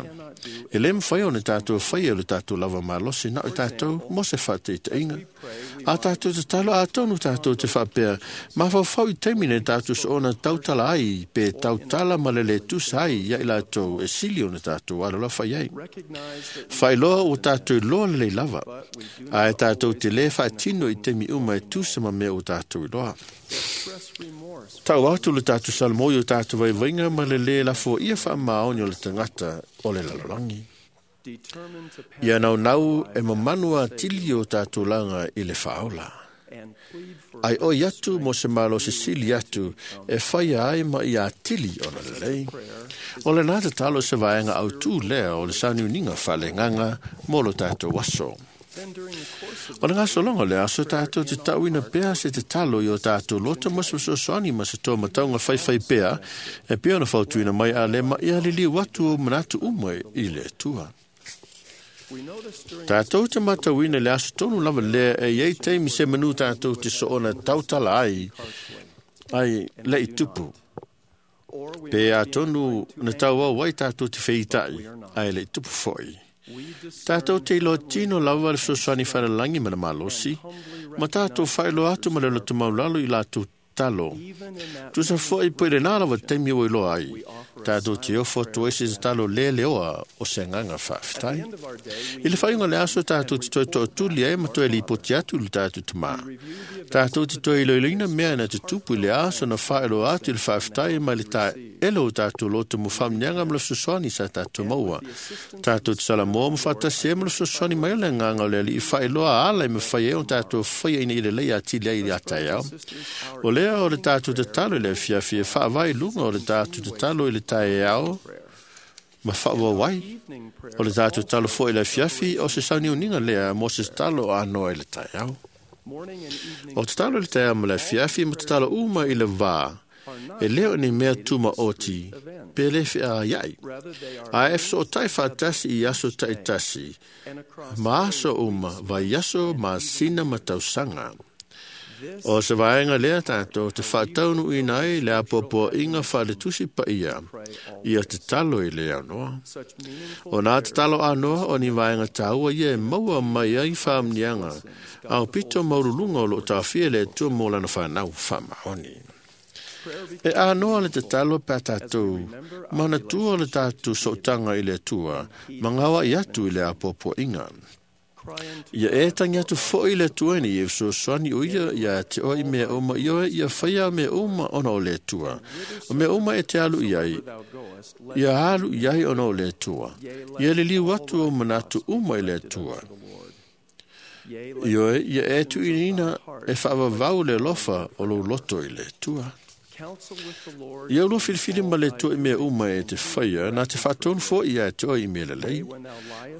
E le mwhai o ne tātou whai o le tātou lava malosi na o tātou mo se whate i te inga. A tātou te talo a tonu tātou te whapea. Ma whawhau i teimine tātou so ona tautala ai pe tautala ma le le tusa ai ia i lātou e sili o ne tātou alola whai ai. Whai loa o tātou loa le le lava. A e tātou te le whaatino i temi uma e tusa ma mea o tātou i loa. Tau atu le tātou salmo i o tātou vaivainga ma le le lafo ia wha maoni o le tangata o le lalolangi. Ia nau nau e mamanua tili o tātou langa i le whaola. Ai oi atu mo se malo se sili atu e whaia ai ma ia tili o le lelei. O le nā te talo se vaenga au tū lea o le saniuninga whale nganga mo lo tātou waso. O le ngasolonga le aso tātou te tauina pea se te talo i o tātou loto ma se fesoasoani ma se tō mataunga whaiwhai pea e pea ona fautuina mai a le ma ia liliu atu o manatu uma i le Atua. Tātou te matauina le aso tonu lava lea e iei teimi se manu tātou te soona tautala ai ai le i tupu. Pe atonu na tauau ai tātou te feitai, ae le tupu foi. Tātou te iloa tino lava le fesoasoani faalelangi ma le malosi, ma tātou faailoa atu ma le loto maulalo i latou talo. Tusa foi po i lenā lava taimi ua iloa ai, tātou te ofo atu ai se tatalo le leoa o se agaga faafetai. I le faaiuga o le aso tātou te toe tootuli ai ma toe lipoti atu i le tātou tamā. Tātou te toe iloiloina mea na tutupu i le aso na faailoa atu i le faafetai ma le taele o tātou loto mo faamniaga ma le fesoasoani sa tātou maua. Tātou te salamoa ma faatasi ai ma le fesoasoani mai o le agaga o le Alii faailoa ala e mafai ai ona tātou faia ina ia lelei atili ai i le taeao. O lea o le tātou tatalo i le afiafi e faavae i luga o le tātou tatalo i le taeao ma faauau ai. O le tātou tatalo foi i le afiafi o se sauniuniga lea mo se tatalo anoa i le taeao. O tatalo i le taeao ma le afiafi ma tatalo uma i le vā, e le o ni mea tumaoti pe le feaiai. Ae e fesootai faatasi i aso taitasi, ma aso uma, vaiaso, masina ma tausaga. O se vaega lea tātou te faataunuuina ai le apoapoaiga faaletusi paia ia tatalo i le anoa. O nā tatalo anoa o ni vaega tāua ia e maua mai ai faamniaga aupito maululuga o loo taofia le Atua mo lana fanau faamaoni. E anoa le tatalo pe a tātou manatua le tātou sootaga i le Atua ma gaoai atu i le apoapoaiga. Ia e tangi atu foi le Atua ina ia fesoasoani o ia ia te oe i mea uma i oe ia faia mea uma ona o le Atua. O mea uma e te alu i ai, ia alu i ai ona o le Atua. Ia liliu atu o manatu uma i le Atua. Ioe, ia e tuuina e faavavau le alofa o lou loto i le Atua. Ia ulua filifili ma le Atua i mea uma e te faia, na te faatonu foi ia te oe i mea lelei.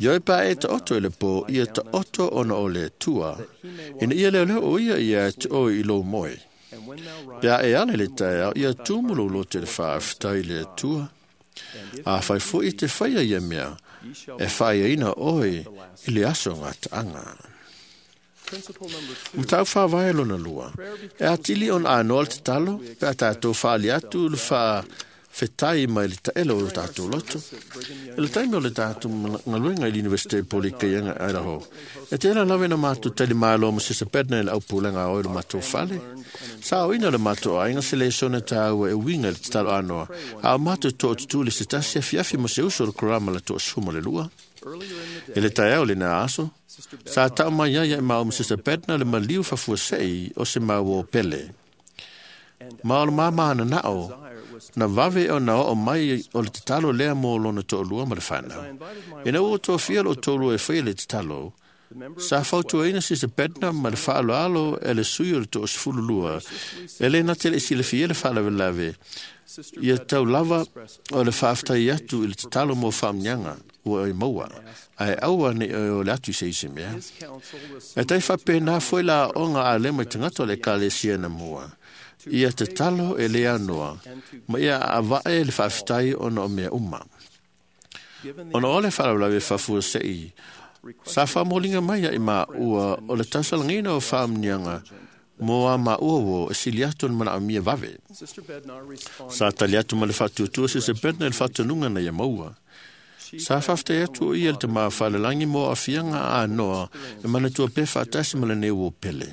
Ia oe pa e taoto i le pō, ia taoto ona o le Atua, ina ia leoleo o ia ia te oe i lou moe. Pe a e ala i le taeao, ia tumu lou loto i le faafetai i le Atua. Afai foi i te faia ia mea, e faaiaina oe i le aso gataaga. Mataupu faavae lona lua. E atili ona anoa le tatalo, pe a tātou faali atu le faafetai mai le taele o tātou loto. I le taimi o le tātou galuega i le Universite Polikaianga Idaho, e tēla lava ina mātou tali malo ma Sister Bednar i le aupulega a oe le matou fale. Sa aoina le matou aiga se lesona tāua e uiga i le tatalo anoa, a o matou tootutū le se tasi afiafi ma se uso o le korama le 12. I le taeao lena aso, sa tau mai ai ia e mau ma Sister Bednar le maliu faafuasei o se mau o pele. Ma o le māmā nanao, na vave ona oo mai o le tatalo lea mo lona toalua ma le fanau. Ina ua tofia loo toalua e faia le tatalo, sa fautuaina Sister Bednar ma le faaaloalo e le sui o le 12, e le na te le i silafia le faalavelave, ia tau lava o le faafetai atu i le tatalo mo faamniaga ua e maua, ae aua nei o le atu i se isi mea. E tai faapena foi la aoga a lema i tagata o le Ekalesia na mua. Ia tatalo e le anoa, ma ia avae le faafetai ona o mea uma. Ona o le faalavelave faafuasei, sa faamoliga mai ia i maua o le tausalagaina o faamniaga mo a maua ua e sili atu o le manaomia vave. Sa tali atu ma le faatuatua Sister Bednar i le faatonuga na ia maua. Sa faafetai atu o ia le tamā faalelangi mo aafiaga anoa e manatua pea faatasi ma lenei uo pele.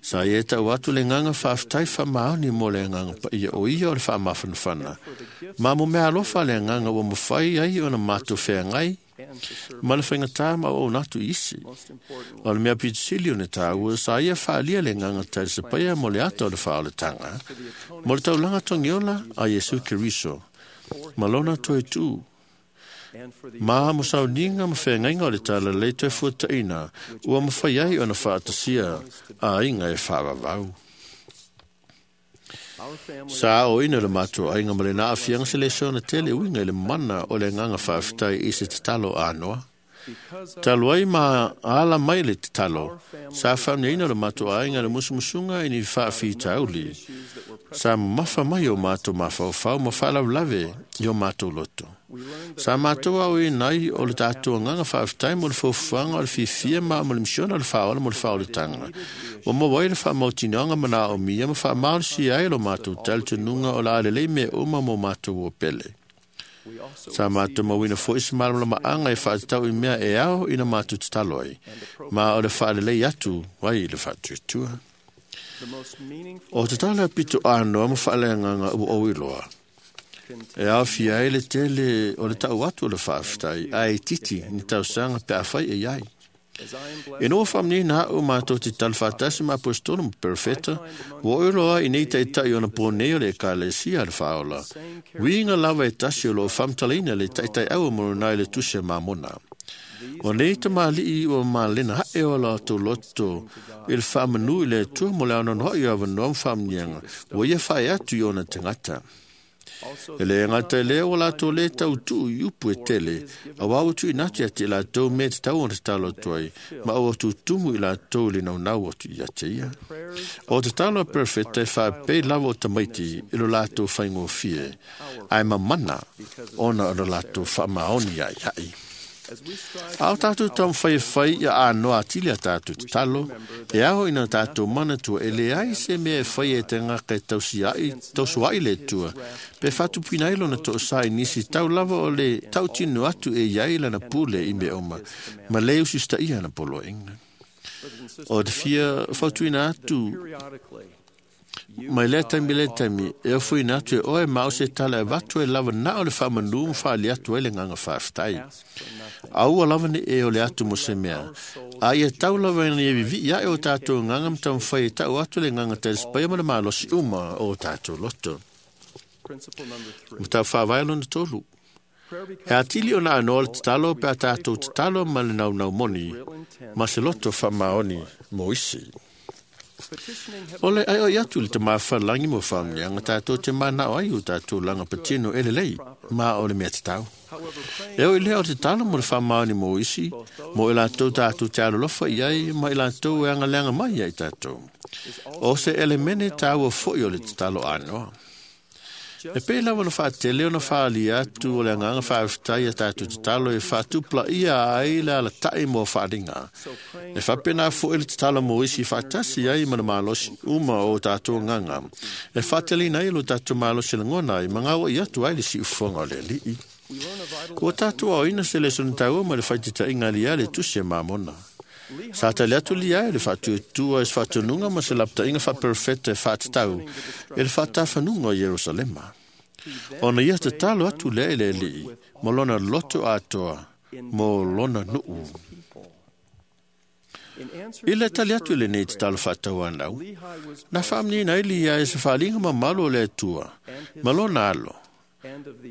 Sa ia e tau atu le agaga faafetai faamaoni mo le agaga paia o ia o le faamafanafana. Ma mo mea alofa le agaga ua mafai ai ona matou feagai ma le faigata ma auauna atu i isi. O le mea pito sili ona tāua, sa ia faaalia le agaga talisapaia mo le ata o le faaolataga, mo le taulaga togiola a Iesu Keriso, ma lona toe tū. Ma mo sauniga ma feagaiga o le talalelei toe fuataina, ua mafai ai ona faatasia aiga e faavavau. Sa aoina le matou aiga ma lena aafiaga se lesona tele uiga i le mana o le agaga faafetai i se tatalo anoa. Talu ai ma ala mai le tatalo, sa faamniaina le matou aiga i le musumusuga i ni faafitauli. Sa mamafa mai o mātou mafaufau ma faalavelave i o mātou loto. Sa mātou au i nai o le tātou anganga whaaftai mo le fofuanga o le fifia ma mo le misiona o le whaola mo le whaoletanga. Ua maua ai le whaamautinoanga mana o mia ma whaamalosi ai lo mātou talitonuga o le a lelei mea uma mo mātou o pele. Sa mātou mauina foi se malamalamaanga e faatatau i mea e ao ina mātou tatalo ai, ma o le faalelei atu ai i le faatuatua. O te tala pito anoa ma faaleagaga ua ou iloa. E aofia ai le tele o le tau atu o le faafetai, ae itiiti ni tausaga pe afai e i ai. Ina ua faamanino a'u matou te tala faatasi ma aposetolo ma perofeta, ua ou iloa i nei taita'i ona po nei o le Ekalesia a le Faaola, uiga lava e tasi o loo faamatalaina le taitai'au a Molonai i le tusi a Mamona. O nei tamalii ua malena haʻe o latou loto i le faamanu i le Atua mo le anoanoaʻi o avanoa ma faamanuiaga ua ia faae atu i ona tagata. E lē gata i lea ua latou lē tautuu i upu e tele, auā ua tuuina atu ia te i latou mea e tatau ona tatalo atu ai, ma ua tutumu i latou i le naunau atu ia te ia. O tatalo a perofeta e faapei lava o tamaiti i lo latou faigofie, ae mamana ona o lo latou faamaoni ia i haʻi. A o tātou taumafai e fai ia anoa atili a tātou tatalo, e ao ina tātou manatua e leai se mea e fai e te gaka e tausuaʻi le Atua, pe faatupuina ai lona toosā i nisi tau lava o le tautino atu e iai lana pule i mea uma, ma le usitaia ana poloaiga. O te fia fautuina atu mai lea taimi lea taimi, e ofoina atu e oe ma o se tala e avatu e lava na o le faamanu ma faali atu ai le agaga faafetai. Aua lava ne i e ole atu mo se mea. A ia tau lava ina ia vivii ae o tātou agaga ma taumafai e tau atu le agaga talisapaia ma le malosi uma o tātou loto. Mataupu faavae lona tolu. E atili ona anoa le tatalo pe a tātou tatalo ma le naunau moni ma se loto faamaoni mo isi. O le aioi atu i le Tama Falelagi mo faamanuiaga tātou te manao ai o tātou laga patino e lelei ma o le mea tatau. E oi lea o te talo mo le faamaoni mo isi, mo i latou tātou te alolofa i ai ma i latou e agaleaga mai ia i tātou. O se elemene tāua foi o le tatalo anoa. E pei lava ona faatele ona faaalia atu o le agaga faafetai ia tātou tatalo e faatupulaia ai le alataʻi mo faaliga. E faapena foʻi le tatalo mo isi faatasi ai ma le malosi uma o tātou agaga. E faateleina ai lo tātou malosi lagona ai ma gauaʻi atu ai le siufofoga o le Alii. Ua tātou aoina se lesona taua ma le faititaiga aliā le tusi a Mamona. Sa tali atu lia e le faatuatua i se faatonuga ma se lapataʻiga faaperofeta e faatatau i le faatafanuga o Ierusalema. Ona ia tatalo atu lea i le Alii ma lona loto atoa mo lona nuu. I le tali atu i lenei tatalo faatauanau, na faamanino ai lia e se faaliga mamalu o le Atua ma lona alo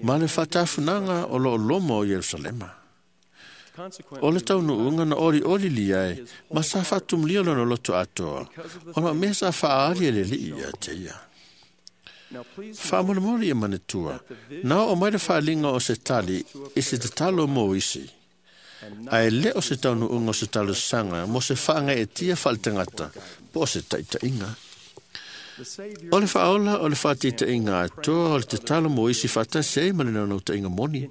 ma le faatafunaga o loo loma o Ierusalema. O le taunuuga na olioli lia e ma sa faatumulia lona loto atoa, ona o mea sa faaali e le Alii ia te ia. Faamolemole ia manatua, na oo mai le faaliga o se tali i se tatalo mo isi, ae le o se taunuuga o se talosaga mo se faagaeetia faaletagata po o se taitaiga. O le faaola o le faataitaiga atoa o le tatalo mo isi faatasi ai ma le naunautaiga moni.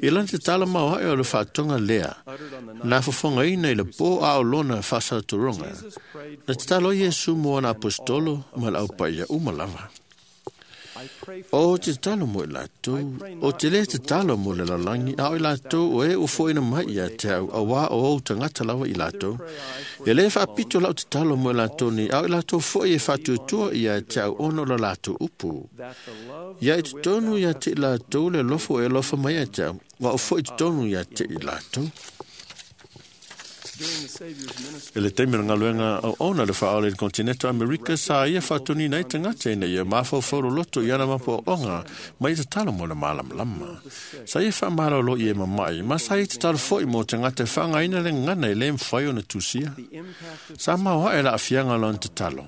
I lana tatalo maoaʻe o le faatoga lea, na fofogaina i le pō a o lona faasalatologa, na tatalo ai Iesu mo ana aposetolo ma le aupaia uma lava. O te tatalo mo i latou, o te lē tatalo mo le lalolagi, a o i latou o e ua foʻina mai ia te au, auā o ou tagata lava i latou. E lē faapito lau tatalo mo i latou nei, a o i latou foʻi e faatuatua ia te au ona o lo latou upu. Ia i totonu ia te i latou le alofa ua e alofa mai ia te au, ua ou foʻi totonu ia te i latou. I le taimi o le galuega auauna le faaola i le kontinete o Amerika, sa ia faatoniina ai tagata ina ia mafaufau loloto i ana mapuaoga ma ia tatalo mo le malamalama. Sa ia faamalolo i e mamaʻi, ma sa ia tatalo foʻi mo tagata e faaaogaina le gagana e lē mafai ona tusia. Sa maoaʻe le aafiaga o lona tatalo.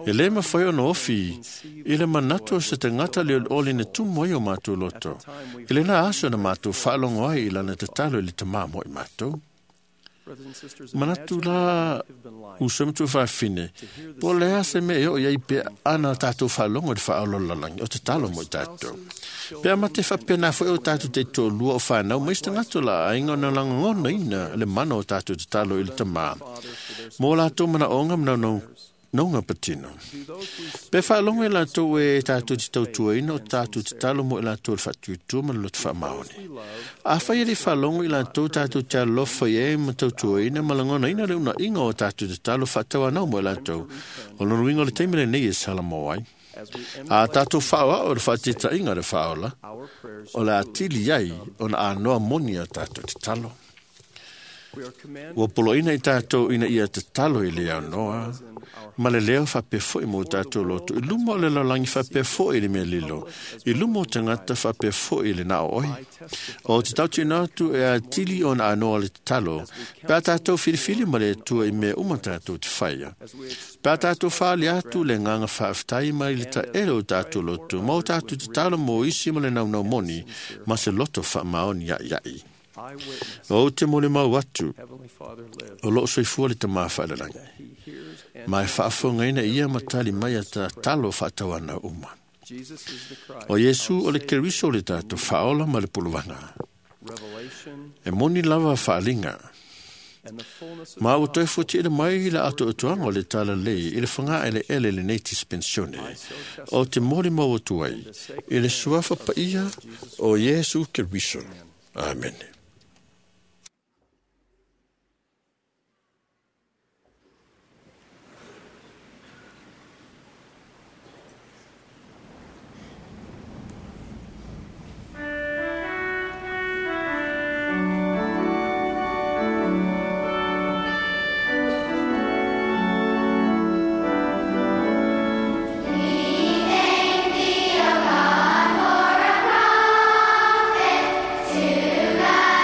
E lē mafai ona ofi i le manatu o se tagata le olioli na tumu ai o matou loto. I lena aso na matou faalogo ai i lana tatalo i le Tamā mo i matou. Manatu la uso e matua faafafine, po o le a se mea e oo i ai pe ana tātou faalogo i le faaola o le lalolagi, o tatalo mo i tātou. Pe a mate faapena foi o tātou taitoalua o whanau, ma isi tagata o la aiga ona lagonaina le mana o tātou tatalo i le tamā. Mo lātou manaoga ma naunauga patino. Pe faalogo e latou e tātou te tautuaina o tātou tatalo mo i latou le faatuatua ma le loto faamaoni. Afai e le faalogo i latou tātou te alofa i ai ma tautuaina ma lagonaina le unaiga o tātou tatalo faatauanau mo i latou. O lona uiga o le taimi lenei e salamo ai. A tātou whaoa o le whaatetainga le whaola, o le atili ai o na anoa moni a tātou tatalo. Ua poloina i tātou ina ia tatalo i le aunoa, ma le leo whapefo i mō tātou loto. I luma o le lalolagi faapea i le mea lilo. I luma o tagata faapea i le nao oi. O te tautina atu e atili o na anoa le tatalo, pe a tātou filifili ma le Atua i mea uma tātou te whaia. Pe a tātou whaali atu le nganga whaaftai mai le taele o tātou loto, ma o tātou tatalo mō isi ma le naunau moni, ma se loto whaamaoni ia iai. O te mole mau atu, o loo soifua le tamā whaalalangi. Ma e faafofogaina ia ma tali mai a tatalo faatauana uma. O Iesu o le Keriso le tātou faaola ma le polovaga. E moni lava faaaliga. Ma ua toe fuatiina mai le atoatoaga o le talalelei i le fagaeleele lenei dispensione. O te molimau atu ai i le suafa paia o Iesu Keriso. Amene. We thank thee, O God, for a prophet to guide.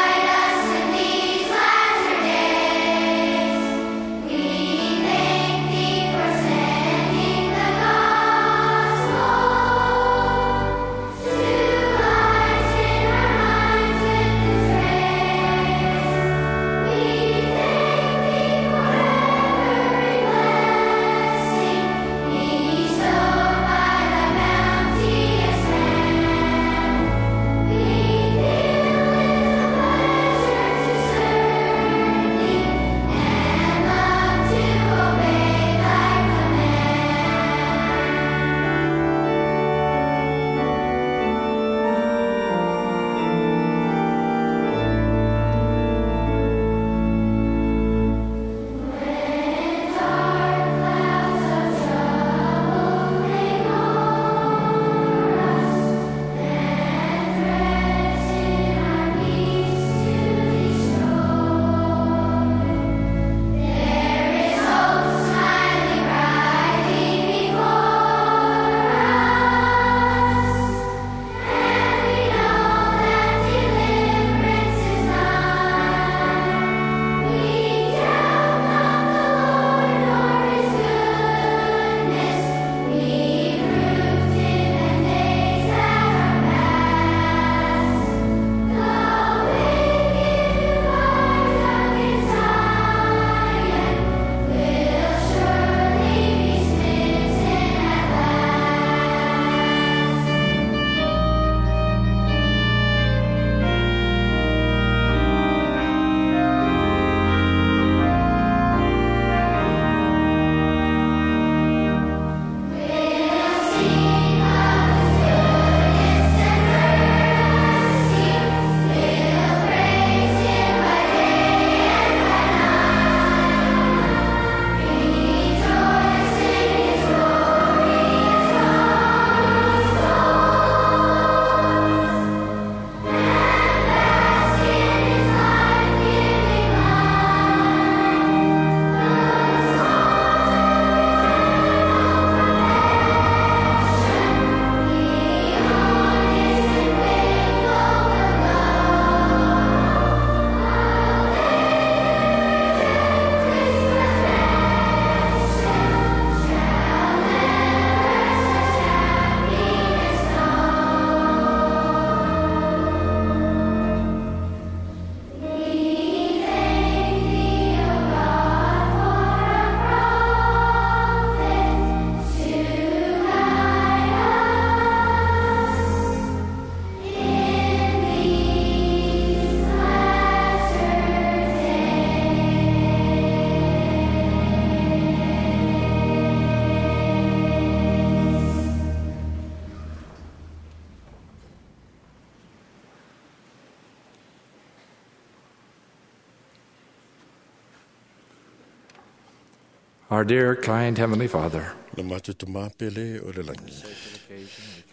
Our dear, kind Heavenly Father, Le mātou te māpele o le langi.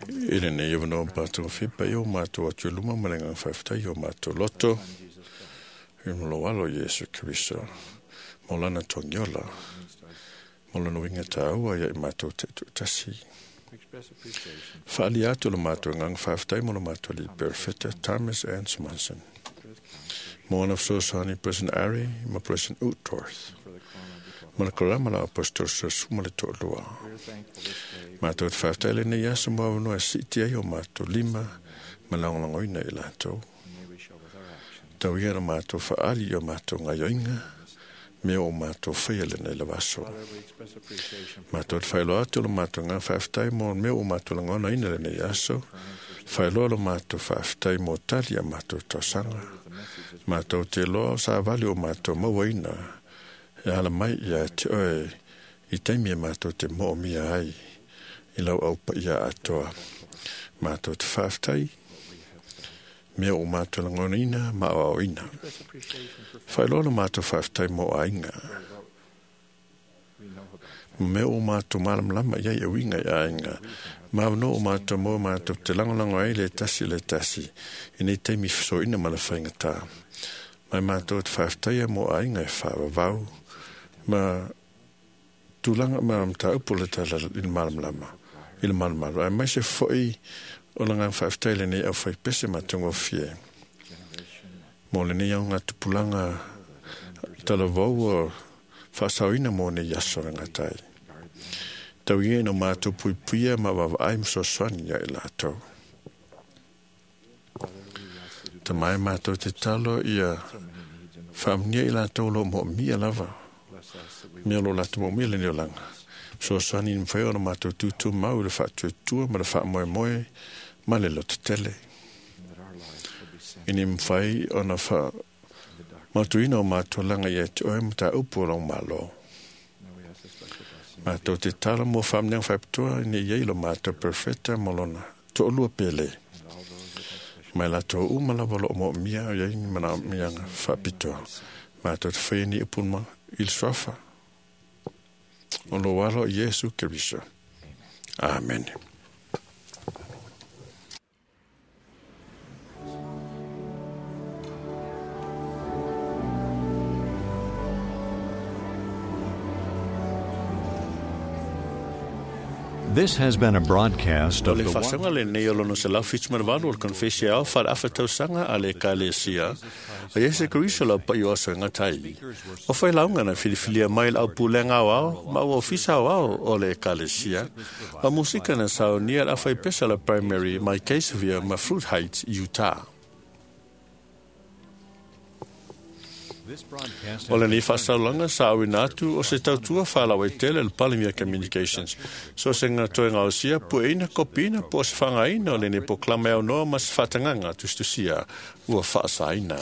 I le nei wanoa mātou whipa i o mātou atu luma ma le ngā whaiwhtai o mātou loto. I mo alo Yesu Kristo. Mo lana tongiola. Mo lana winga tāua ia i mātou te tasi. Whaali atu le mātou ngā whaiwhtai mo le mātou li Perfecta Thomas Ann Simonson. Mo ana whsosani President Ari ma President Utorth. Ma le korama la apostol sa suma le to'olua. Mātou te whawhtai le nei aso mua wanoa siti ai o mātou lima ma lagoina i latou. Tau ia na mātou whaali o mātou ngaioinga me o mātou whaia le nei lavaso. Mātou te whailoa atu lo mātou ngā whawhtai mō me o mātou langona ina le nei aso. Whailoa lo mātou whawhtai mō tali a mātou tausanga. Mātou te loa o sa vali o mātou mawaina. E ala mai ia te oe i taimi e mātou te mo mia ai i lau au pa ia atoa. Mātou te whawhtai, mea o mātou langona ina, ma o au ina. Whailoa lo mātou whawhtai mō ainga. Mea o mātou malamlama ia i winga i ainga. Mā no o mātou mō mātou te langolango ai le tasi le tasi. I nei taimi whiso ina ma le whainga tā. Mai mātou te whawhtai mō ainga e whawawau. Ma tūlanga ma mta upo le tala i le malamlama. I le malamalo. Ai mai se foi o la ngā whawhtai le nei au whai pese ma tungo fie. Mō le nei au ngā tupulanga tala vau o whasauina mō nei aso ngā tai. Tau ia no mātou puipuia ma wawaai msoswani ia i lātou. Te mai mātou te talo ia whaamnia i lātou lo mō mia lava. Mea lo lātou mō mia le neo langa. Msoswani ni mwhai ona mātou tūtū mau le whaatuatua ma le whaamoe moe ma le loto tele. Ini mwhai ona wha matuina o mātou langa ia te oe mata upu o long malo. Mātou te tala mō whaamneang whaipatua ni iei lo mātou perfecta mō lona to'olua pele. Mai lātou uma lava lo mō mia o iei ni mana mianga whapitoa. Mātou te whai ni upunma il swafa. O lo walo Yesu Kristo. Amen. This has been a broadcast O of le the whasanga le nei o lono se lau whitu marawalu o le konfesi au whara awha tausanga a le kalesia. A Yesu Kristo lau pai o aso ngā tai. O whai launga na whiliwhilia mai au pūlenga au au, ma ua ofisa au au o le kalesia. A musika na sao nia la whai pesa la primary mai Caseville ma Fruit Heights, Utah. O le nei whasaulanga sa awina atu o se tautua whalawa i tele le Palimia Communications. So se ngā toe ngā osia, pueina, kopina, po se whangaina o le nei poklama au noa ma se whatanganga tustusia ua whaasaina.